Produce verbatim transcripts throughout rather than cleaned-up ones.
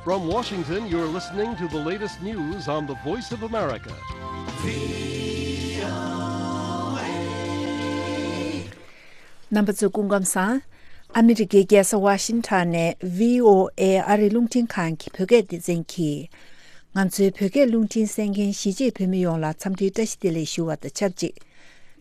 From Washington, you're listening to the latest news on the Voice of America. རྣམ་པ་ཚོ་སྐུ་ཁམས་བཟང་། ཨ་མི་རི་ཀའི་རྒྱལ་ས་ཝ་ཤིང་ཊོན་ནས་བྷི་ཨོ་ཨེ་ཨ་རིའི་རླུང་འཕྲིན་ཁང་གི་བོད་སྐད་སྡེ་ཚན་གྱིས། ང་ཚོའི་བོད་སྐད་རླུང་འཕྲིན་གསན་མཁན་གཞིས་བྱེས་བོད་མི་ཡོངས་ལ་འཚམས་འདྲིའི་བཀྲ་ཤིས་བདེ་ལེགས་ཞུ་བ་དང་ཆབས་ཅིག་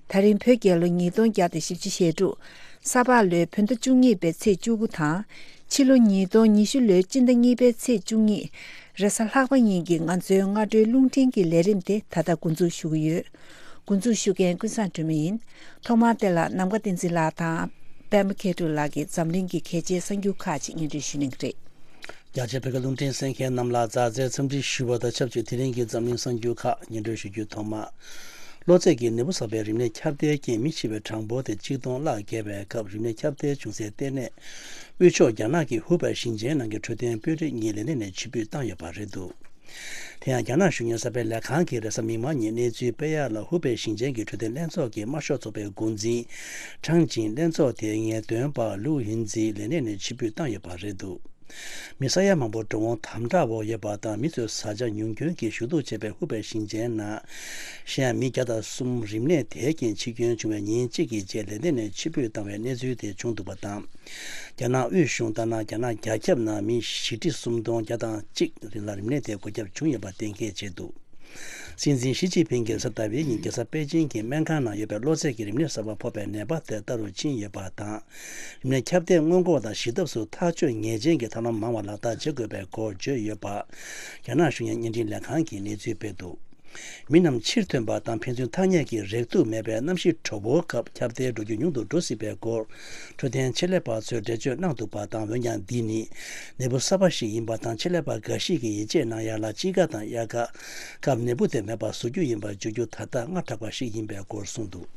ད་རིང་བོད་རྒྱལ་ལོ་ཉིས་སྟོང་བརྒྱ་དང་བཞི་བཅུ་ཞེ་དྲུག་ས་ཕག་ལོའི་བོད་ཟླ་བཅུ་གཉིས་པའི་ཚེས་བཅུ་དགུ་དང་། ཕྱི་ལོ་ཉིས་སྟོང་ཉི་ཤུ་ལོའི་སྤྱི་ཟླ་གཉིས་པའི་ཚེས་བཅུ་གཉིས། རེས་གཟའ་ལྷག་པ་ཉིན་གྱི་ང་ཚོའི་སྔ་དྲོའི་རླུང་འཕྲིན་གྱི་ལས་རིམ་དེ་ད་ལྟ་འགོ་འཛུགས་ཞུ་གི་ཡོད། འགོ་འཛུགས་ཞུ་མཁན་ཀུན་བཟང་སྒྲོལ་མ་ཡིན། ཐོག་མར་དེ་ལ་ནམ་མཁའ་བསྟན་འཛིན་ལགས་དང་། པད་མ་མཁས་གྲུབ་ལགས་ཀྱིས་འཛམ་གླིང་གི་གལ་ཆེའི་གསར་འགྱུར་ཁག་ཅིག་སྙན་སྒྲོན་ཞུ་གནང་གི་རེད། རྒྱ་ཆེའི་བོད་སྐད་རླུང་འཕྲིན་གསན་མཁན་རྣམས་ལ་མཛའ་བརྩེའི་འཚམས་འདྲི་ཞུ་བ་དང་ཆབས་ཅིག་དེ་རིང་གི་འཛམ་གླིང་གསར་འགྱུར་ཁག་སྙན་སྒྲོན་ཞུ་རྒྱུ་ཐོག་མ། གློ་ཚད་ཀྱི་ནད་འབུ་བསགས་པའི་རིམས་ནད་ཁྱབ་གདལ་རྐྱེན་མི་འཆི་བའི་གྲངས་འབོར་དེ་གཅིག་སྟོང་ལྷག་བརྒལ་བའི་སྐབས། རིམས་ནད་ཁྱབ་གདལ་བྱུང་སའི་ལྟེ་གནས་དབུས་ཕྱོགས་རྒྱ་ནག་གི་ཧུ་པེ་ཞིང་ཆེན་ནང་གི་འཕྲོད་བསྟེན་དཔོན་རིགས་གཉིས་ལས་གནས་ནས་ཕྱིར་འབུད་བཏང་ཡོད་པ་རེད་འདུག་དེ་ཡང་རྒྱ་ནག་གཞུང་གཉེར་གསར་སྤེལ་ལས་ཁང་གིས་རེས་གཟའ་མིག་དམར་ཉིན་གནས་ཚུལ་སྤེལ་ཡག་ལ། ཧུ་པེ་ཞིང་ཆེན་གྱི་འཕྲོད་བསྟེན་ལྷན་ཚོགས་ཀྱི་དམར་ཤོག་ཚོགས་པའི་འགོ་འཛིན་ཁྲང་ཅིང་ལྷན་ཚོགས་དེའི་ངེས་སྟོན་པ་ལུའུ་ཡིན་ཙི་ལས་གནས་ནས་ཕྱིར་འབུད་བཏང་ཡོད་པ་རེད་འདུག་མི་ས་ཡ་མང་པོ་འགྲོ་འོང་དམ་དྲག་འོག་ཡོད་པ་དང་། མི་ཚོའི་བཟའ་བཅའ་ཉུང་སྐྱོན་གྱིས་ཞུ་གཏུག་བྱས་པའི་ཧུ་པེ་ཞིང་ཆེན་ནང་གཞན་མི་བརྒྱ་དང་གསུམ་རིམས་ནད་དེའི་རྐྱེན་འཆི་སྐྱོན་བྱུང་བའི་ཉིན་གཅིག་གི་རྗེས་ལས་གནས་ནས་ཕྱིར་འབུད་བཏང་བའི་གནས་ཚུལ་དེ་བྱུང་འདུག་པ་དང་། རྒྱ་ནག་དབུས་གཞུང་ལྟར་ན། རྒྱ་ནག་རྒྱ་ཁྱབ་ནང་མི་བཞི་ཁྲི་སུམ་སྟོང་བརྒྱ་དང་གཅིག་ལ་རིམས་ནད་དེ་འགོས་ཁྱབ་བྱུང་ཡོད་པ་གཏན་འཁེལ་བྱས་འདུག་སྲིད་འཛིན་ཞི་ཅིན་ཕིང་གིས་གཟའ་ཟླ་བའི་ཉིན་རྒྱལ་ས་པེ་ཅིང་གི་སྨན་ཁང་ནང་ཡོད་པའི་གློ་ཚད་ཀྱི་རིམས་ནད་གསར་པ་ཕོག་པའི་ནད་པ་དེ་ལྟ་རུ་ཕྱིན་ཡོད་པ་དང་། རིམས་ནད་ཁྱབ་གདལ་སྔོན་འགོག་དང་ཞི་ཐབས་སུ་ཐག་གཅོད་ངེས་ཅན་གྱི་ཐབས་ལམ་མང་བ་ལག་བསྟར་བྱེད་དགོས་པའི་སྐོར་བརྗོད་ཡོད་པ། རྒྱ་ནག་གཞུང་གི་བརྙན་འཕྲིན་ལས་ཁང་གིས་གནས་ཚུལ་སྤེལ་འདུག་མི་རྣམས་ཕྱིར་ཐོན་པ་དང་ཕན་ཚུན་ཐ་སྙད་ཀྱི་རེག་ཐུག་མེད་པའི་གནམ་གཤིས་དྲོ་པོའི་སྐབས་ཁྱབ་གདལ་འགྲོ་རྒྱུ་ཉུང་དུ་འགྲོ་སྲིད་པའི་སྐོར། འཕྲོད་བསྟེན་ཆེད་ལས་པ་ཚོས་འགྲེལ་བརྗོད་གནང་འདུག་པ་དང་། འོན་ཀྱང་འདི་ནི་ནད་འབུ་གསར་པ་ཞིག་ཡིན་པ་དང་། ཆེད་ལས་པ་འགའ་ཞིག་གིས་ཡིད་ཆེས་གནང་ཡག་ལ། དཔྱིད་ཀ་དང་དབྱར་ཁ་སྐབས་ནད་འབུ་དེ་མེད་པར་བཟོ་རྒྱུ་ཡིན་པར་བརྗོད་རྒྱུ་ད་ལྟ་སྔ་དྲགས་པ་ཞིག་ཡིན་པའི་སྐོར་གསུངས་འདུག་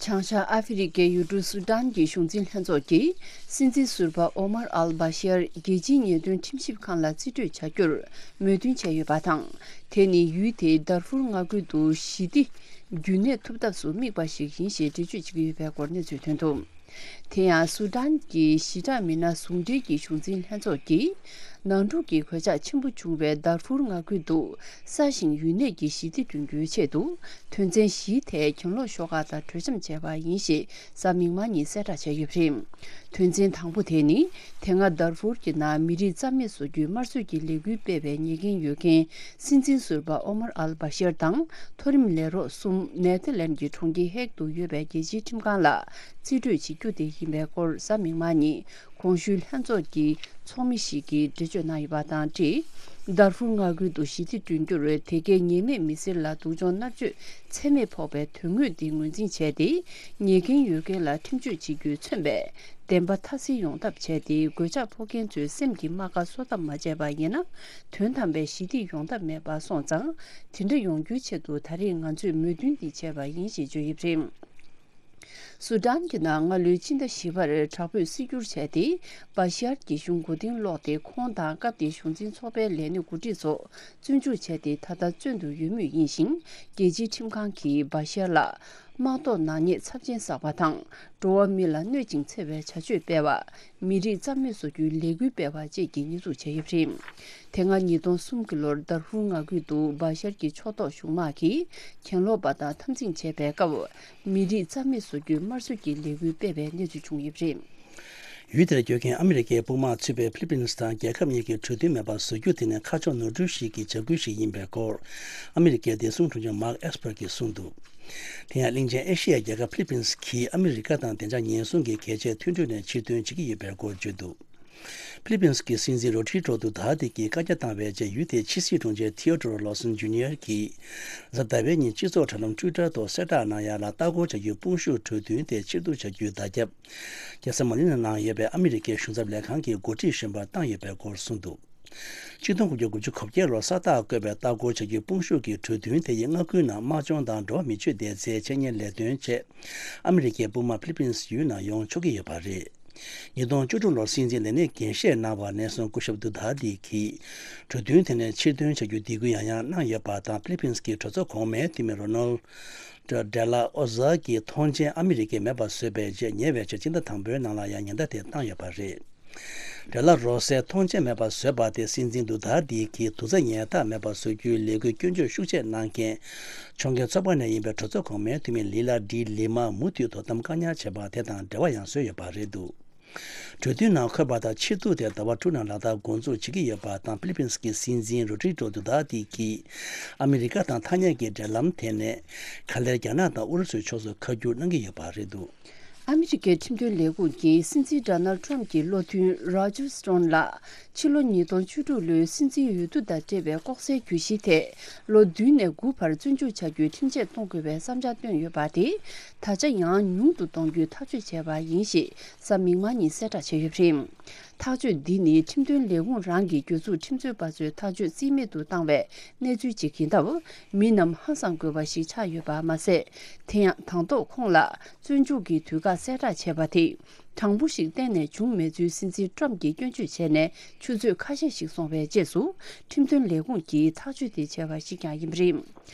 བྱང་ཤར་ཨ་ཧྥེ་རི་ཁའི་ཡུལ་གྲུ་སུ་ཏན་གྱི་གཞུང་འཛིན་ལྷན་ཚོགས་ཀྱིས་སྲིད་འཛིན་ཟུར་པ་ཨོ་མར་ཨལ་བྷ་ཤར་རྒྱལ་སྤྱིའི་ཉེས་དོན་ཁྲིམས་ཞིབ་ཁང་ལ་རྩིས་སྤྲོད་བྱ་རྒྱུར་མོས་མཐུན་བྱས་ཡོད་པ་དང་། དེ་ནི་ཡུལ་དེའི་དར་ཧྥུར་མངའ་ཁུལ་དུ་ཞི་བདེ་རྒྱུན་གནས་ཐུབ་ཐབས་སུ་དམིགས་པ་ཞིག་ཡིན་ཞེས་འགྲེལ་བརྗོད་བྱེད་ཀྱི་ཡོད་པའི་སྐོར་གནས་ཚུལ་ཐོན་འདུག་དེ་ཡང་སུ་ཏན་གྱི་ཞི་དྲག་མི་སྣ་ཟུང་འབྲེལ་གྱི་གཞུང་འཛིན་ལྷན་ཚོགས་ཀྱིས་ནང་འཁྲུག་གི་གོད་ཆག་ཆེན་པོ་བྱུང་བའི་དར་ཧྥུར་མངའ་ཁུལ་དུ་ས་ཞིང་ཡུལ་གནས་ཀྱི་ཞི་བདེ་བསྐྲུན་རྒྱུའི་ཆེད་དུ་དོན་ཚན་བཞིའི་ཐད་གྱེན་ལོག་ཤོག་ཁག་དང་གྲོས་འཆམ་བྱས་པ་ཡིན་ཞེས་གཟའ་མིག་དམར་ཉིན་གསལ་བསྒྲགས་བྱས་ཡོད་པ་རེད། དོན་ཚན་དང་པོ་དེ་ནི་དེ་སྔ་དར་ཧྥུར་གྱི་ནང་མི་རིགས་རྩ་མེད་བཟོ་རྒྱུའི་དམར་གསོད་ཀྱི་ལས་འགུལ་སྤེལ་བའི་ཉེས་འགན་ཡོད་མཁན་སྲིད་འཛིན་ཟུར་པ་ཨོ་མར་ཨལ་བྷ་ཤར་དང་མཐོ་རིམ་ལས་རོགས་གསུམ་ནེ་ཐར་ལན་གྱི་གྲོང་ཁྱེར་ཧེག་ཏུ་ཡོད་པའི་རྒྱལ་སྤྱིའི་ཁྲིམས་ཁང་ལ་རྩིས་སྤྲོད་བྱེད་རྒྱུ་དེ་ཡིན་པའི་སྐོར་གཟའ་མིག་དམར་ཉིན་གོང་ཞུས་ལྷན་ཚོགས་ཀྱི་ཚོགས་མི་ཞིག་གིས་འགྲེལ་བརྗོད་གནང་ཡོད་པ་དང་འབྲེལ། དར་ཧྥུར་མངའ་ཁུལ་དུ་ཞི་བདེ་བསྐྲུན་རྒྱུར་དེ་གའི་ཉེས་མེད་མི་སེར་ལ་སྡུག་སྦྱོང་མནར་གཅོད་ཚད་མེད་ཕོག་པའི་དོན་དངོས་འདི་ངོས་འཛིན་བྱས་ཏེ། ཉེས་འགན་ཡོད་མཁན་ལ་ཁྲིམས་གཅོད་བྱེད་རྒྱུས་མཚོན་པའི་བདེན་པ་མཐའ་གསལ་ཡོང་ཐབས་བྱས་ཏེ། གོད་ཆག་ཕོག་མཁན་ཚོའི་སེམས་ཀྱི་རྨ་ཁ་གསོ་ཐབས་མ་བྱས་པ་ཡིན་ན། དོན་དམ་པའི་ཞི་བདེ་ཡོང་ཐབས་མེད་པ་སོང་ཙང་། དེ་འདྲ་ཡོང་རྒྱུའི་ཆེད་དུ་ད་རེས་ང་ཚོས་མོས་མཐུན་འདི་བྱས་པ་ཡིན་ཞེས་བརྗོད་ཡོད་པ་རེད། སུ་ཏན་གྱི་ནང་སྔ་ལོའི་ཕྱི་ཟླ་བཞི་པར་དྲག་པོས་སྲིད་སྒྱུར་བྱས་ཏེ། བ་ཤར་གྱི་གཞུང་མགོ་རྟིང་སློག་སྟེ། ཁོང་དང་སྐབས་དེའི་གཞུང་འཛིན་ཚོགས་པའི་ལས་སྣེ་འགོ་ཁྲིད་ཚོ་བཙོན་འཇུག་བྱས་ཏེ། ད་ལྟ་བཙོན་དུ་ཡོད་མུས་ཡིན་ཞིང་། རྒྱལ་སྤྱིའི་ཁྲིམས་ཁང་གིས་བ་ཤར་ལ་དམག་ཐོག་ནག་ཉེས་ཚབས་ཆེན་བསགས་པ་དང་། འགྲོ་བ་མི་ལ་གནོད་ཅིང་འཚེ་བའི་བྱ་སྤྱོད་སྤེལ་བ། མི་རིགས་རྩ་མེད་བཟོ་རྒྱུའི་ལས་འགུལ་སྤེལ་བ་བཅས་ཀྱི་གནས་ཚུལ་བྱས་ཡོད་པ་རེད། དེ་སྔ་ཉིས་སྟོང་གསུམ་གྱི་ལོར་དར་ཧྥུར་མངའ་ཁུལ་དུ་བ་ཤར་གྱི་ཕྱོགས་གཏོགས་གཞུང་དམག་གིས་གྱེན་ལོག་པ་དང་འཐབ་འཛིང་བྱས་པའི་སྐབས། མི་རིགས་རྩ་མེད་བཟོ་རྒྱུའི་དམར་གསོད་ཀྱི་ལས་འགུལ་སྤེལ་བའི་གནས་ཚུལ་བྱུང་ཡོད་པ་རེད། ཡུལ་དེར་བསྐྱོད་མཁན་ཨ་མི་རི་ཀའི་དཔུང་དམག་ཚུད་པའི་ཕི་ལི་པིན་སི་དང་རྒྱལ་ཁབ་གཉིས་ཀྱི་གྲོས་མཐུན་མེད་པར་བཟོ་རྒྱུ་དེ་ནི་ཁ་ཕྱོགས་ནོར་འཁྲུལ་ཞིག་གི་བྱ་འགུལ་ཞིག་ཡིན་པའི་སྐོར། ཨ་མི་རི་ཀའི་བདེ་སྲུང་དྲུང་ཆེ་མཱག་ཨེས་པར་གྱིས་གསུངས་འདུག་དེ་ཡང་གླིང་ཆེན་ཨེ་ཤི་ཡའི་རྒྱལ་ཁབ་ཕི་ལི་པིན་སི་གིས་ཨ་མི་རི་ཀ་དང་བདེ་འཇགས་ཉེན་སྲུང་གི་གལ་ཆེའི་མཐུན་གྲོས་ནས་ཕྱིར་ཐོན་བྱེད་ཀྱི་ཡོད་པའི་སྐོར་བརྗོད་འདུག་ཕི་ལི་པིན་སི་གི་སྲིད་འཛིན་རོ་ཌི་རོ་ཏུ་དྷ་ཏི་ཀྱིས་བཀའ་རྒྱ་བཏང་བའི་རྗེས། ཡུལ་དེའི་ཕྱི་སྲིད་དྲུང་ཆེ་ཐི་ཡོ་ཏོ་རོ་ལོ་སན་ཇུ་ནི་ཡར་གྱིས་གཟའ་ཟླ་བའི་ཉིན་སྤྱི་ཚོགས་དྲ་ལམ་ཊུའི་ཊར་ཐོག་གསལ་བསྒྲགས་གནང་ཡག་ལ། ལྟ་སྐོར་བྱ་རྒྱུའི་དཔུང་ཤུགས་གྲོས་མཐུན་དེ་ཕྱིར་བསྡུ་བྱ་རྒྱུའི་བརྡ་ཁྱབ། རྒྱལ་ས་མ་ནི་ལ་ནང་ཡོད་པའི་ཨ་མི་རི་ཀའི་གཞུང་ཚབ་ལས་ཁང་གི་འགོ་ཁྲིད་གཞོན་པར་བཏང་ཡོད་པའི་སྐོར་གསུངས་འདུག་ཆིག་སྟོང་དགུ་བརྒྱ་དགུ་བཅུ་གོ་བརྒྱད་ལོར་ས་རྟགས་བཀོད་པའི་ལྟ་སྐོར་བྱ་རྒྱུའི་དཔུང་ཤུགས་ཀྱི་གྲོས་མཐུན་དེ་ཡིས་མངའ་ཁུལ་ནང་དམག་སྦྱོང་དང་འགྲོ་བ་མི་ཆོད་བདེ་རྩའི་འཆད་ཉན་ལས་དོན་ཆེད། ཨ་མི་རི་ཀའི་དཔུང་དམག་ཕི་ལི་པིན་སི་ཡུལ་ནང་ཡོང་ཆོག་གི་ཡོད་པ་རེད། ཉིས་སྟོང་བཅུ་དྲུག་ལོར་སྲིད་འཛིན་ལས་གནས་འགན་བཞེས་གནང་བ་ནས་བཟུང་སྐུ་ཞབས་དུ་དྷ་ཏི་གིས་གྲོས་མཐུན་དེ་ནས་ཕྱིར་ཐོན་བྱ་རྒྱུའི་འདེད་སྐུལ་ཡང་ཡང་གནང་ཡོད་པ་དང་། ཕི་ལི་པིན་སི་གི་གྲོས་ཚོགས་གོང་མའི་འཐུས་མི་རོ་ནལ་ཌི་ལ་ཨོ་ཛ་གིས་ཐོངས་མཆན་ཨ་མི་རི་ཀས་མེད་པར་བཟོས་པའི་རྗེས། ཉེ་བའི་ཆར་སྤྱི་ཟླ་དང་པོའི་ནང་ལ་ཡང་ཉེན་བརྡ་དེ་བཏང་ཡོད་པ་རེད། འབྲེལ་ལ་རོགས་སའི་མཐོང་ཆེན་མེད་པར་བཟོས་པ་དེ་སྲིད་འཛིན་དུ་དར་འདི་གིས་དུག་རྩ་ཉལ་ཐག་མེད་པར་བཟོ་རྒྱུའི་ལས་འགུལ་སྐྱོན་བརྗོད་ཤུགས་ཆེ་གནང་མཁན་ཕྱོགས་འགལ་ཚོགས་པ་ནས་ཡིན་པའི་གྲོས་ཚོགས་གོང་མའི་འཐུས་མི་ལི་ལ་ཌི་ལི་མ་མུ་མཐུད་དོ་དམ་བཀག་ཉར་བྱས་པ་དེ་དང་འབྲེལ་བ་ཡང་བཟོས་ཡོད་པ་རེད་འདུག་གྲོས་མཐུན་ནང་འཁོད་པ་ལྟར་ཕྱི་ཐུག་དེ་ཟླ་བ་དྲུག་ནང་ལག་བསྟར་འགོ་འཛུགས་བྱེད་ཀྱི་ཡོད་པ་དང་ཕི་ལི་པིན་སི་གི་སྲིད་འཛིན་རོ་ཌི་རིག་ཀོ་དུ་ཏར་ཏི་གིས་ཨ་མི་རི་ཀ་དང་ཐ་སྙད་ཀྱི་འབྲེལ་ལམ་དེ་ནས་ག་ལེར་རྒྱ་ནག་དང་ཨུ་རུ་སུའི་ཕྱོགས་སུ་ཁ་བསྒྱུར་གནང་གི་ཡོད་པ་རེད་འདུག་ཨ་མི་རི་ཀའི་ཁྲིམས་དོན་ལས་ཁུངས་ཀྱིས་སྲིད་འཛིན་ཌོ་ནལ་ཁྲམ་གྱི་བློ་མཐུན་རོ་ཇར་སི་ཊོན་ལ་ཕྱི་ལོ་ཉིས་སྟོང་བཅུ་དྲུག་ལོའི་སྲིད་འཛིན་འོས་བསྡུ་དང་འབྲེལ་བའི་ལྐོག་ཟའི་གྱོད་གཞི་ཐད་ལོ་བདུན་ནས་དགུ་བར་བཙོན་འཇུག་བྱ་རྒྱུའི་ཁྲིམས་ཆད་གཏོང་དགོས་པའི་བསམ་འཆར་བཏོན་ཡོད་པ་དེ་ད་ཆ་ཡང་ཉུང་དུ་གཏོང་རྒྱུའི་ཐག་གཅོད་བྱས་པ་ཡིན་ཞེས་གཟའ་མིག་དམར་ཉིན་གསལ་བསྒྲགས་བྱས་ཡོད་པ་རེད། ཐག་གཅོད་འདི་ནི་ཁྲིམས་དོན་ལས་ཁུངས་རང་གི་གྱོད་འཛུགས་ཁྲིམས་རྩོད་པ་ཚོའི་ཐག་གཅོད་རྩིས་མེད་དུ་བཏང་བའི་གནས་ཚུལ་ཅིག་ཡིན་སྟབས། མི་རྣམས་ཧང་སང་དགོས་པ་ཞིག་ཆགས་ཡོད་པ་མ་ཟད། དེ་ཡང་དང་ཐོག་ཁོང་ལ་བཙོན་འཇུག་གི་དུས་བཀག་གསལ་བསྒྲགས་བྱས་པ་དེ་དྲང་པོ་ཞིག་གཏན་ནས་བྱུང་མེད་ཚུལ་སྲིད་འཛིན་ཊྲམ་གྱིས་སྐྱོན་བརྗོད་བྱས་ནས་ཆུ་ཚོད་ཁ་ཤས་ཤིག་སོང་བའི་རྗེས་སུ་ཁྲིམས་དོན་ལས་ཁུངས་ཀྱིས་ཐག་གཅོད་དེ་བྱས་པ་ཞིག་ཀྱང་ཡིན་པ་རེད།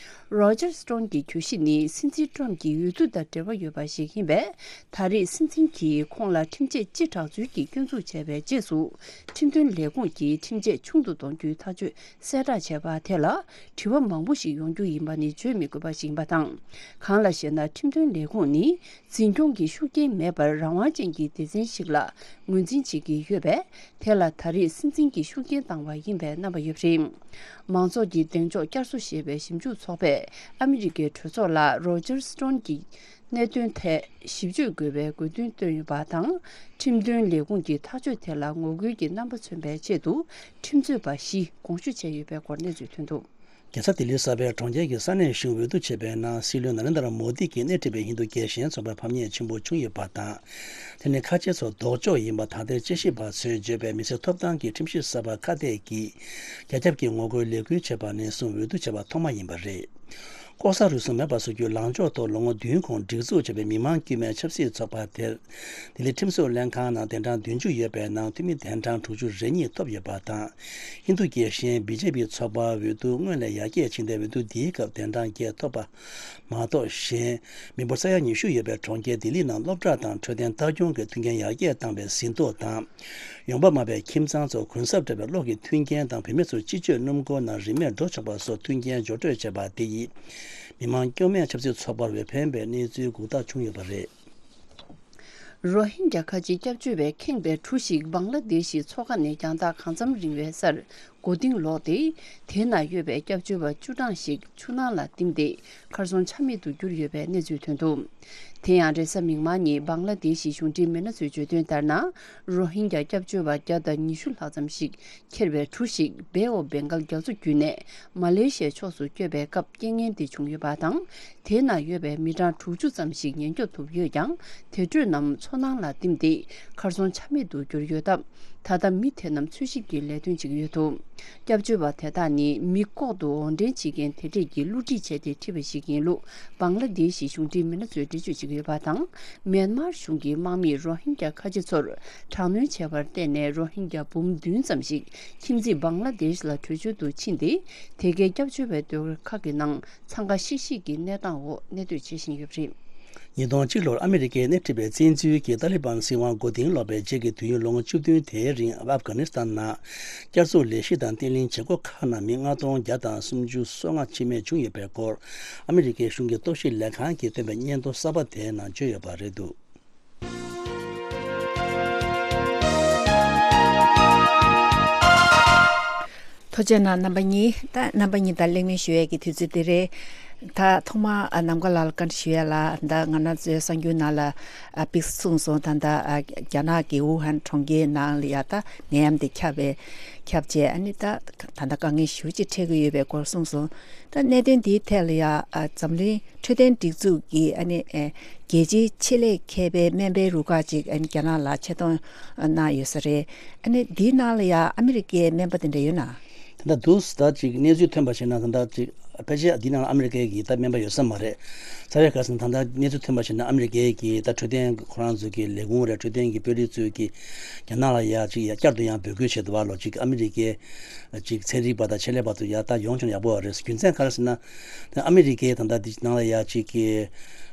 རོ་ཇར་སི་ཊོན་གྱི་གྱོད་གཞི་ནི་སྲིད་འཛིན་ཊྲམ་གྱི་འོས་བསྡུ་དང་འབྲེལ་བ་ཡོད་པ་ཞིག་ཡིན་པས། ད་རེས་སྲིད་འཛིན་གྱིས་ཁོང་ལ་ཁྲིམས་ཆད་སྤྱི་དྲག་ཚུལ་གྱི་སྐྱོན་འཛུགས་བྱས་པའི་རྗེས་སུ། ཁྲིམས་དོན་ལས་ཁུངས་ཀྱིས་ཁྲིམས་ཆད་ཆུང་དུ་གཏོང་རྒྱུའི་ཐག་གཅོད་གསལ་བསྒྲགས་བྱས་པ་དེ་ལ་དྲི་བ་མང་པོ་ཞིག་ཡོང་རྒྱུ་ཡིན་པ་ནི་བརྗོད་མི་དགོས་པ་ཞིག་ཡིན་པ་དང་། གང་ལ་ཞེ་ན། ཁྲིམས་དོན་ལས་ཁུངས་ནི་འཛིན་སྐྱོང་གི་ཤུགས་རྐྱེན་མེད་པར་རང་དབང་ཅན་གྱི་སྡེ་ཚན་ཞིག་ལ་ངོས་འཛིན་བྱེད་ཀྱི་ཡོད་པས། དེ་ལ་ད་རེས་སྲིད་འཛིན་གྱི་ཤུགས་རྐྱེན་བཏང་བ་ཡིན་པའི་རྣམ་པ་ཡོད་པ་རེད། མང་ཚོགས་ཀྱི་གདེང་འཇོག་བསྐྱར་གསོ་ཞེས་པའི་ཞིབ་འཇུག་ཚོགས་པས་ཨ་མི་རི་ཀའི་གྲོས་ཚོགས་ལ་རོ་ཇར་སི་ཊོན་གྱི་གནད་དོན་ཐད་ཞིབ་དཔྱོད་དགོས་པའི་དགོས་འདུན་བཏོན་ཡོད་པ་དང་། ཁྲིམས་དོན་ལས་ཁུངས་ཀྱི་ཐག་གཅོད་དེ་ལ་ངོ་རྒོལ་གྱི་རྣམ་པ་མཚོན་པའི་ཆེད་དུ་ཁྲིམས་རྩོད་པ་བཞི་དགོངས་ཞུ་བྱས་ཡོད་པའི་སྐོར་གནས་ཚུལ་ཐོན་འདུག་རྒྱལ་ས་ལྡི་ལི་གསར་པའི་གྲོང་ཁྱེར་གྱི་ས་གནས་གཞུང་འོས་བསྡུ་བྱས་པའི་ནང་སྲིད་བློན་ན་རེན་དྲ་མོ་དི་གིས་སྣེ་ཁྲིད་པའི་ཧིན་རྡུ་རྒྱལ་ཞེན་ཚོགས་པར་ཕམ་ཉེས་ཆེན་པོ་བྱུང་ཡོད་པ་དང་། དེ་ནི་ཁ་ཆེ་ཚོ་ལྡོག་ཕྱོགས་ཡིན་པ་ད་ལྟའི་དཔྱད་ཞིབ་པ་ཚོས་བརྗོད་པའི་མི་སེར་ཐོབ་ཐང་གི་ཁྲིམས་ཞིབ་གསར་པ་ཁ་གཏད་ཀྱིས་རྒྱ་ཁྱབ་ཀྱི་ངོ་རྒོལ་ལས་འགུལ་བྱས་པ་ནས་བཟུང་འོས་བསྡུ་བྱས་པ་ཐོག་མ་ཡིན་པ་རེད། ལྐོག་ཟ་རུལ་སུངས་མེད་པར་བཟོ་རྒྱུའི་ལངས་ཕྱོགས་ཐོག་ལོ་ངོ་བདུན་གོང་སྒྲིག་འཛུགས་བྱས་པའི་མི་མང་དཀྱུས་མའི་ཆབ་སྲིད་ཚོགས་པ་དེར། ལྡི་ལི་ཁྲིམས་བཟོ་ལྷན་ཁང་ནང་གདན་གྲངས་བདུན་ཅུ་ཡོད་པའི་ནང་འཐུས་མི་གདན་གྲངས་དྲུག་ཅུ་རེ་གཉིས་ཐོབ་ཡོད་པ་དང་། ཧིན་རྡུ་རྒྱལ་ཞེན་བི་ཇེ་པི་ཚོགས་པ་འོས་བསྡུ་སྔོན་ལས་ཡར་རྒྱས་ཕྱིན་ཏེ་འོས་བསྡུ་འདིའི་སྐབས་གདན་གྲངས་བརྒྱད་ཐོབ་པ་མ་གཏོགས། གཞན་མི་འབོར་ས་ཡ་ཉི་ཤུ་ཡོད་པའི་གྲོང་ཁྱེར་ལྡི་ལི་ནང་སློབ་གྲྭ་དང་འཕྲོད་བསྟེན་ལྟ་སྐྱོང་གི་མཐུན་རྐྱེན་ཡར་རྒྱས་བཏང་བའི་ཟིན་ཐོ་དང་། ཡོང་འབབ་དམའ་བའི་ཁྱིམ་ཚང་ཚོར་གུན་གསབ་སྤྲད་པའི་གློག་གི་མཐུན་རྐྱེན་དང་བུད་མེད་ཚོར་སྤྱི་སྤྱོད་སྣུམ་འཁོར་ནང་རིན་མེད་འགྲོ་ཆོག་པ་སོགས་མཐུན་རྐྱེན་སྦྱོར་སྤྲོད་བྱས་པ་དེ་ཡིས། མི་མང་སྐྱོ་མས་ཆབ་སྲིད་ཚོགས་པར་འོས་འཕེན་པའི་གནས་ཚུལ་འགོག་ཐབས་བྱུང་ཡོད་པ་རེད། རོ་ཧིན་རྒྱ་ཁ་ཆེ་སྐྱབས་བཅོལ་བས་ཁེངས་པའི་གྲུ་ཞིག་བང་ལ་དེ་ཤི་མཚོ་ཁ་ནས་རྒྱང་ཐག་གང་འཚམ་རིང་བའི་སར་མགོ་རྟིང་ལོག་སྟེ། དེའི་ནང་ཡོད་པའི་སྐྱབས་བཅོལ་བ་བཅུ་གྲངས་ཤིག་ཆུ་ནང་ལ་བསྟིམས་ཏེ། གར་སོང་ཆ་མེད་དུ་གྱུར་ཡོད་པའི་གནས་ཚུལ་ཐོན་འདུག་དེ་ཡང་རེས་གཟའ་མིག་དམར་ཉིན་བང་ལ་དེ་ཤི་གཞུང་འབྲེལ་མི་སྣ་ཚོས་བརྗོད་དོན་ལྟར་ན། རོ་ཧིན་རྒྱ་སྐྱབས་བཅོལ་བ་བརྒྱ་དང་ཉི་ཤུ་ལྷག་ཙམ་ཞིག་འཁྱེར་བའི་གྲུ་ཞིག་བེ་ཨོ་བེང་གལ་རྒྱ་མཚོ་བརྒྱུད་ནས་མ་ལེ་ཤི་ཡའི་ཕྱོགས་སུ་བསྐྱོད་པའི་སྐབས་རྐྱེན་ངན་འདི་བྱུང་ཡོད་པ་དང་། དེའི་ནང་ཡོད་པའི་མི་གྲངས་དྲུག་ཅུ་ཙམ་ཞིག་ཉེན་སྐྱོབ་ཐུབ་ཡོད་ཀྱང་། དེ་འཕྲོས་རྣམས་མཚོ་ནང་ལ་བསྟིམས་ཏེ་གར་སོང་ཆ་མེད་དུ་གྱུར་ཡོད་སྟབས། ད་ལྟ་མི་དེ་རྣམས་འཚོལ་ཞིབ་ཀྱི་ལས་དོན་བྱེད་ཀྱི་ཡོད་འདུག་སྐྱབས་བཅོལ་བ་དེ་དག་ནི་མི་ལྐོག་ཏུ་འོར་འདྲེན་བྱེད་མཁན་དེ་འདྲས་ཀྱིས་བསླུ་བྲིད་བྱས་ཏེ་ཁྲིད་པ་ཞིག་ཡིན་ལུགས་བང་ལ་དེ་ཤི་གཞུང་འབྲེལ་མི་སྣ་ཚོས་འགྲེལ་བརྗོད་བྱེད་ཀྱི་ཡོད་པ་དང་། མེན་མར་གཞུང་གིས་དམག་མིས་རོ་ཧིན་རྒྱ་ཁ་ཆེ་ཚོར་དྲག་གནོན་བྱས་པར་བརྟེན་ནས་རོ་ཧིན་རྒྱ་འབུམ་བདུན་ཙམ་ཞིག་ཁྱིམ་མཚེས་བང་ལ་དེ་ཤི་ལ་བྲོས་བྱོལ་དུ་ཕྱིན་ཏེ། དེ་གའི་སྐྱབས་བཅོལ་བའི་སྡེ་བ་ཁག་གི་ནང་འཚང་ཁ་ཤིག་ཤིག་གི་གནས་སྟངས་འོག་གནས་སྡོད་བྱེད་བཞིན་ཡོད་པ་རེད། ཉིས་སྟོང་གཅིག་ལོར་ཨ་མི་རི་ཀས་སྣེ་ཁྲིད་པའི་བཙན་འཛུལ་གྱིས་ཏཱ་ལི་བན་སྲིད་དབང་མགོ་རྟིང་སློག་པའི་རྗེས་ཀྱི་དུས་ཡུན་ལོ་ངོ་བཅུ་བདུན་དེའི་རིང་ཨབ་གྷ་ནི་སི་ཐན་ནང་བསྐྱར་གསོ་ལས་གཞི་དང་བརྟན་ལྷིང་བྱེད་སྒོ་ཁག་ནང་མི་ལྔ་སྟོང་བརྒྱ་དང་སུམ་ཅུ་སོ་ལྔ་འཆི་རྨས་བྱུང་ཡོད་པའི་སྐོར་ཨ་མི་རི་ཀའི་གཞུང་གི་རྟོག་ཞིབ་ལས་ཁང་གིས་བཏོན་པའི་སྙན་ཐོ་གསར་པ་དེའི་ནང་བརྗོད་ཡོད་པ་རེད་འདུག་ཐུགས་རྗེ་གནང་རྣམ་པ་གཉིས། ད་རྣམ་པ་གཉིས་དང་གླེང་མོལ་ཞུ་ཡས་ཀྱི་དུས་ཚོད་འདི་རེད། ད་ཐོག་མར་ཨ་ནམ་མཁའ་ལགས་ལ་བཀའ་འདྲི་ཞུ་ཡས་ལ། ད་ང་རང་ཚོའི་གསར་འགྱུར་ནང་ལ་ཨ་ཕེབས་སོང་། ད་ལྟ་ཨ་རྒྱ་ནག་གི་ཝུ་ཧན་གྲོང་ཁྱེར་ནང་ལ་ཡ་ད་ནད་ཡམས་དེ་ཁྱབ་པའི་ཁྱབ་རྗེས། ཨ་ནི་ད་ད་ལྟ་དཀའ་ངལ་ཞེ་པོ་ཅིག་འཕྲད་ཀྱི་ཡོད་པའི་སྐོར་གསུངས་སོང་། ད་གནད་དོན་འདིའི་ཐད་ལ་ཡ་ཨ་འཛམ་གླིང་འཕྲོད་བསྟེན་སྒྲིག་འཛུགས་ཀྱི་ཨ་ནི་ཨེ་རྒྱལ་སྤྱིའི་ཆེད་ལས་མཁས་པའི་སྨན་པའི་རུ་ཁག་ཅིག་ཨ་ནི་རྒྱ་ནག་ལ་ཆེད་གཏོང་གནང་ཡོད་ས་རེད། ཨ་ནི་འདིའི་ནང་ལ་ཡ་ཨ་མི་རི་ཀའི་སྨན་པ་དེ་འདྲ་ཡོད་ན། ད་ལྟ་འདུག་ད་ཅིག་གནས་ཚུལ་ཐོན་པ་བྱས་ན། ད་ལྟ་ཅིག་ ཕལ་ཆེར་འདི་ནང་ཨ་མི་རི་ཀའི་གི་ད་སྨན་པ་ཡོད་ས་མ་རེད། རྩ་བའི་ག་རེ་ཟེར་ན་ད་ལྟ་གནས་ཚུལ་ཐོན་པ་བྱས་ན་ཨ་མི་རི་ཀའི་གི་ད་འཕྲོད་བསྟེན་ཁོ་རང་ཚོའི་གི་ལས་ཁུངས་རེད། འཕྲོད་བསྟེན་གི་དཔོན་རིགས་ཚོས་གི་རྒྱ་ནག་ལ་ཡ་ཅིག་ཡ་བསྐྱར་དུ་ཡང་འབོད་སྐུལ་བྱས་འདུག་བ། ལོ་གཅིག་ཨ་མི་རི་ཀའི་ཅིག་ཚན་རིག་པ་དང་ཆེད་ལས་པ་ཚོ་ཡ་ད་ཡོང་ཆོག་ན་ཡག་པོ་རེད། རྒྱུ་མཚན་ག་རེ་ཟེར་ན་ད་ཨ་མི་རི་ཀའི་ད་ལྟ་འདི་ནང་ལ་ཡ་ཅིག་གི་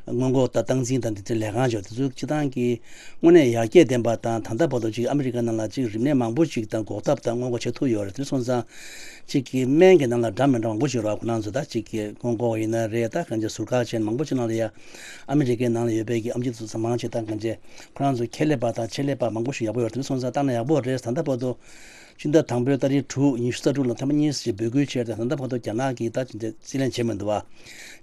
སྔོན་འགོག་དང་སྟངས་འཛིན་དང་འདི་ཚོའི་ལས་ཁང་ཅིག་དེ་ཚོ་སྤྱི་བཏང་གི་དངོས་གནས་ཡར་རྒྱས་ལྡན་པ་དང་། ད་ལྟ་བར་དུ་ཅིག་ཨ་མི་རི་ཀ་ནང་ལ་ཅིག་རིམས་ནད་མང་པོ་ཅིག་དང་འགོག་ཐབས་དང་སྔོན་འགོག་བྱེད་ཐུབ་ཡོད་རེད། དེ་སོང་ཙང་ཅིག་གི་སྨན་གྱི་ནང་ལ་འདྲ་མི་འདྲ་མང་པོ་ཞིག་རག་ཁོ་རང་ཚོ་ད་ཅིག་གི་སྔོན་འགོག་ཡིན་ན་རེད། ད་གང་ཅི་ཟུར་བཀག་བྱས་མང་པོ་ཅིག་ནང་ལ་ཡ་ཨ་མི་རི་ཀའི་ནང་ལ་ཡོད་པའི་གི་ཨེམ་ཆི་དེ་ཚོ་མང་ཆེ་ད་གང་ཅི་ཁོ་རང་ཚོ་ཁྱད་ལས་པ་དང་ཆེད་ལས་པ་མང་པོ་ཞིག་ཡག་པོ་ཡོད་རེད། དེ་སོང་ཙང་བཏང་ན་ཡག་པོ་རེད། ད་ལྟ་བར་དུ་ཕྱི་ཟླ་དང་པོའི་ཏ་རིག་དྲུག་ཉི་ཤུ་རྩ་དྲུག་ལ་ཐེངས་མ་གཉིས་ཤིག་འབོད་སྐུལ་བྱས་ཏེ། ད་ལྟ་བར་དུ་རྒྱ་ནག་གིས་ད་ཅི་འདྲ་རྩིས་ལེན་བྱས་མི་འདུག་བ།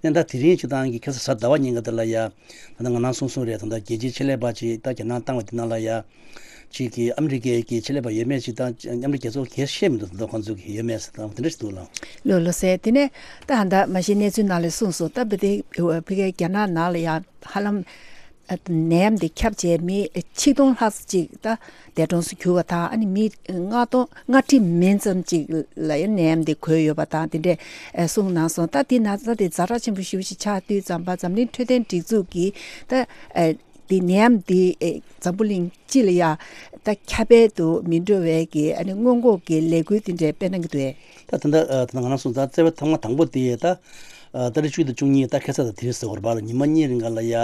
ཡང་ད་དེ་རིང་སྤྱི་བཏང་གི་ཁ་སང་གཟའ་ཟླ་བ་ཉིན་ཀ་དེ་ལ་ཡ་ད་ལྟ་ང་རང་གསུང་གསུང་རེད། ད་ལྟ་རྒྱལ་སྤྱིའི་ཆེད་ལས་པ་ཅིག་ད་རྒྱ་ནག་བཏང་བ་དེ་ནང་ལ་ཡ་ཅིག་གི་ཨ་མི་རི་ཀའི་གི་ཆེད་ལས་པ་ཡོད་མེད་ཅིག་ད་མཉམ་འབྲེལ་རྒྱལ་ཚོགས་གས་ཤེས་མི་འདུག་ད་ལྟ་ཁོང་ཚོ་གི་ཡོད་མེད་ཟེར་ད་དེ་འདྲ་ཞིག་འདུག་ལ། ལོ་ལོ་ཟེར་དེ་ནས་ད་ཧ་ད་མ་གཞི་གནས་ཚུལ་ནང་ལ་གསུངས་སོང་། ད་བི་དེ་བི་གའི་རྒྱ་ནག་ནང་ལ་ཡ་ཧ་ལམ་ནད་ཡམས་དེ་ཁྱབ་བྱས་མི་ཆིག་སྟོང་ལྷག་ཅིག་ད་འདས་གྲོངས་སུ་གྱུར་བ་དང་། ཨ་ནི་མི་ལྔ་སྟོང་ལྔ་ཁྲི་མིན་ཙམ་ཅིག་ལ་ཡང་ནད་ཡམས་དེ་འགོས་ཡོད་པ་དང་དེ་འདྲས་གསུངས་གནང་སོང་། ད་དེ་ན་ཚ་དེ་ཛ་དྲག་ཆེན་པོ་ཞེ་པོ་ཞིག་ཆགས་དུས་ཙམ་པ་འཛམ་གླིང་འཕྲོད་བསྟེན་སྒྲིག་འཛུགས་ཀྱིས་ད་དེ་ནད་ཡམས་དེ་འཛམ་བུ་གླིང་སྤྱི་ལ་ཡ་ད་ཁྱབ་སྤེལ་དུ་མི་འགྲོ་བའི་གི་ཨ་ནི་སྔོན་འགོག་གི་ལས་འགུལ་དེ་འདྲས་སྤེལ་གནང་གི་འདུག་ཨེ། ད་ད་ལྟ་ད་ལྟ་ང་རང་སོང་ཙང་རྩ་བའི་ཐོག་མ་དང་པོ་དེ་ད་ཨ་ཏ་རིག་བཅུ་དང་བཅུ་གཉིས་ད་ཁ་སང་དང་དེ་རིང་ཟེར་བ་རེད་པ། ཉི་མ་གཉིས་རིང་ག་ལ་ཡ་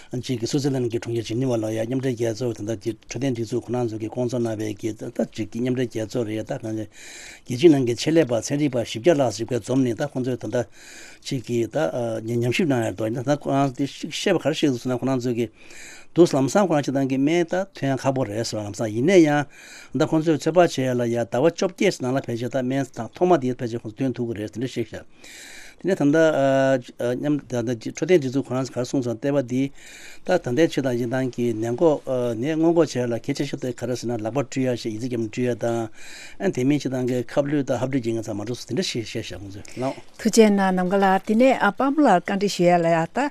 གཅིག་གི་སུའུ་ཙེར་ལན་གྱི་གྲོང་ཁྱེར་ཇི་ནི་ཝ་ལ་ཡ་མཉམ་འབྲེལ་རྒྱལ་ཚོགས་ད་ལྟ་འཕྲོད་བསྟེན་སྒྲིག་འཛུགས་ཁོ་རང་ཚོ་གིས་བསྐོང་ཚོགས་གནང་བའི་གི་ད་ད་གཅིག་གི་མཉམ་འབྲེལ་རྒྱལ་ཚོགས་རེད། ད་གང་ཅི་རྒྱལ་སྤྱིའི་ནང་གི་ཆེད་ལས་པ་ཚན་རིག་པ་བཞི་བརྒྱ་ལྷག་ཞིག་ག་འཛོམས་ནས་ད་ཁོང་ཚོས་ད་ལྟ་གཅིག་གི་ད་ཉམས་ཞིབ་གནང་ཡ་རེད་དོ། ད་ཁོ་རང་དེ་བཤད་པ་ག་རེ་བཤད་འདུག་ཟེར་ན་ཁོ་རང་ཚོ་གིས་འདུག་ལམ་སང་ཁོ་རང་སྤྱི་བཏང་གི་སྨན་ད་ཐོན་ཡ་ཁག་པོ་རེད་ཟེར་བ་ལམ་སང་། ཡིན་ན་ཡང་ད་ཁོང་ཚོས་ཚོད་དཔག་བྱས་ཡ་ལ་ཡ་ཟླ་བ་བཅོ་བརྒྱད་ནང་ལ་ཕལ་ཆེར་ད་སྨན་ཐོག་མ་དེ་ཕལ་ཆེར་ཁོང་ཚོ་ཐོན་ཐུབ་ཀྱི་རེད་དེ་འདྲ་བཤད་ཤག་དེ་ནས་ད་ལྟ་ཨ་ཨ་མཉམ་ད་ལྟ་འཕྲོད་བསྟེན་སྒྲིག་འཛུགས་ཁོ་རང་ག་རེ་གསུངས་སོང་ལྟེ་བ་འདི་ད་ད་ལྟའི་ཆེད་དང་སྤྱི་བཏང་གི་ནད་འགོག་ཨ་ནད་སྔོན་འགོག་བྱེད་ཡ་ལ་གལ་ཆེ་ཤོས་དེ་ག་རེ་ཟེར་ན་ལག་པ་བཀྲུ་ཡ་ཞེས་ཡི་ཙི་རྒྱབ་ནས་བཀྲུ་ཡ་དང་། ཨ་དེ་མིན་སྤྱི་བཏང་གི་ཁབ་ལུད་དང་ཧབ་སྦྲིད་ཀྱི་ང་ཚང་མ་འགྲོ་སོང་དེ་འདྲ་ཞིག་བཤད་ཤག་ཁོང་ཚོས་ལགས། ཐུགས་རྗེ་གནང་ནམ་མཁའ་ལགས། དེ་ནས་ཨ་པདྨ་ལགས་བཀའ་འདྲི་ཞུ་ཡ་ལ་ཡ་ད་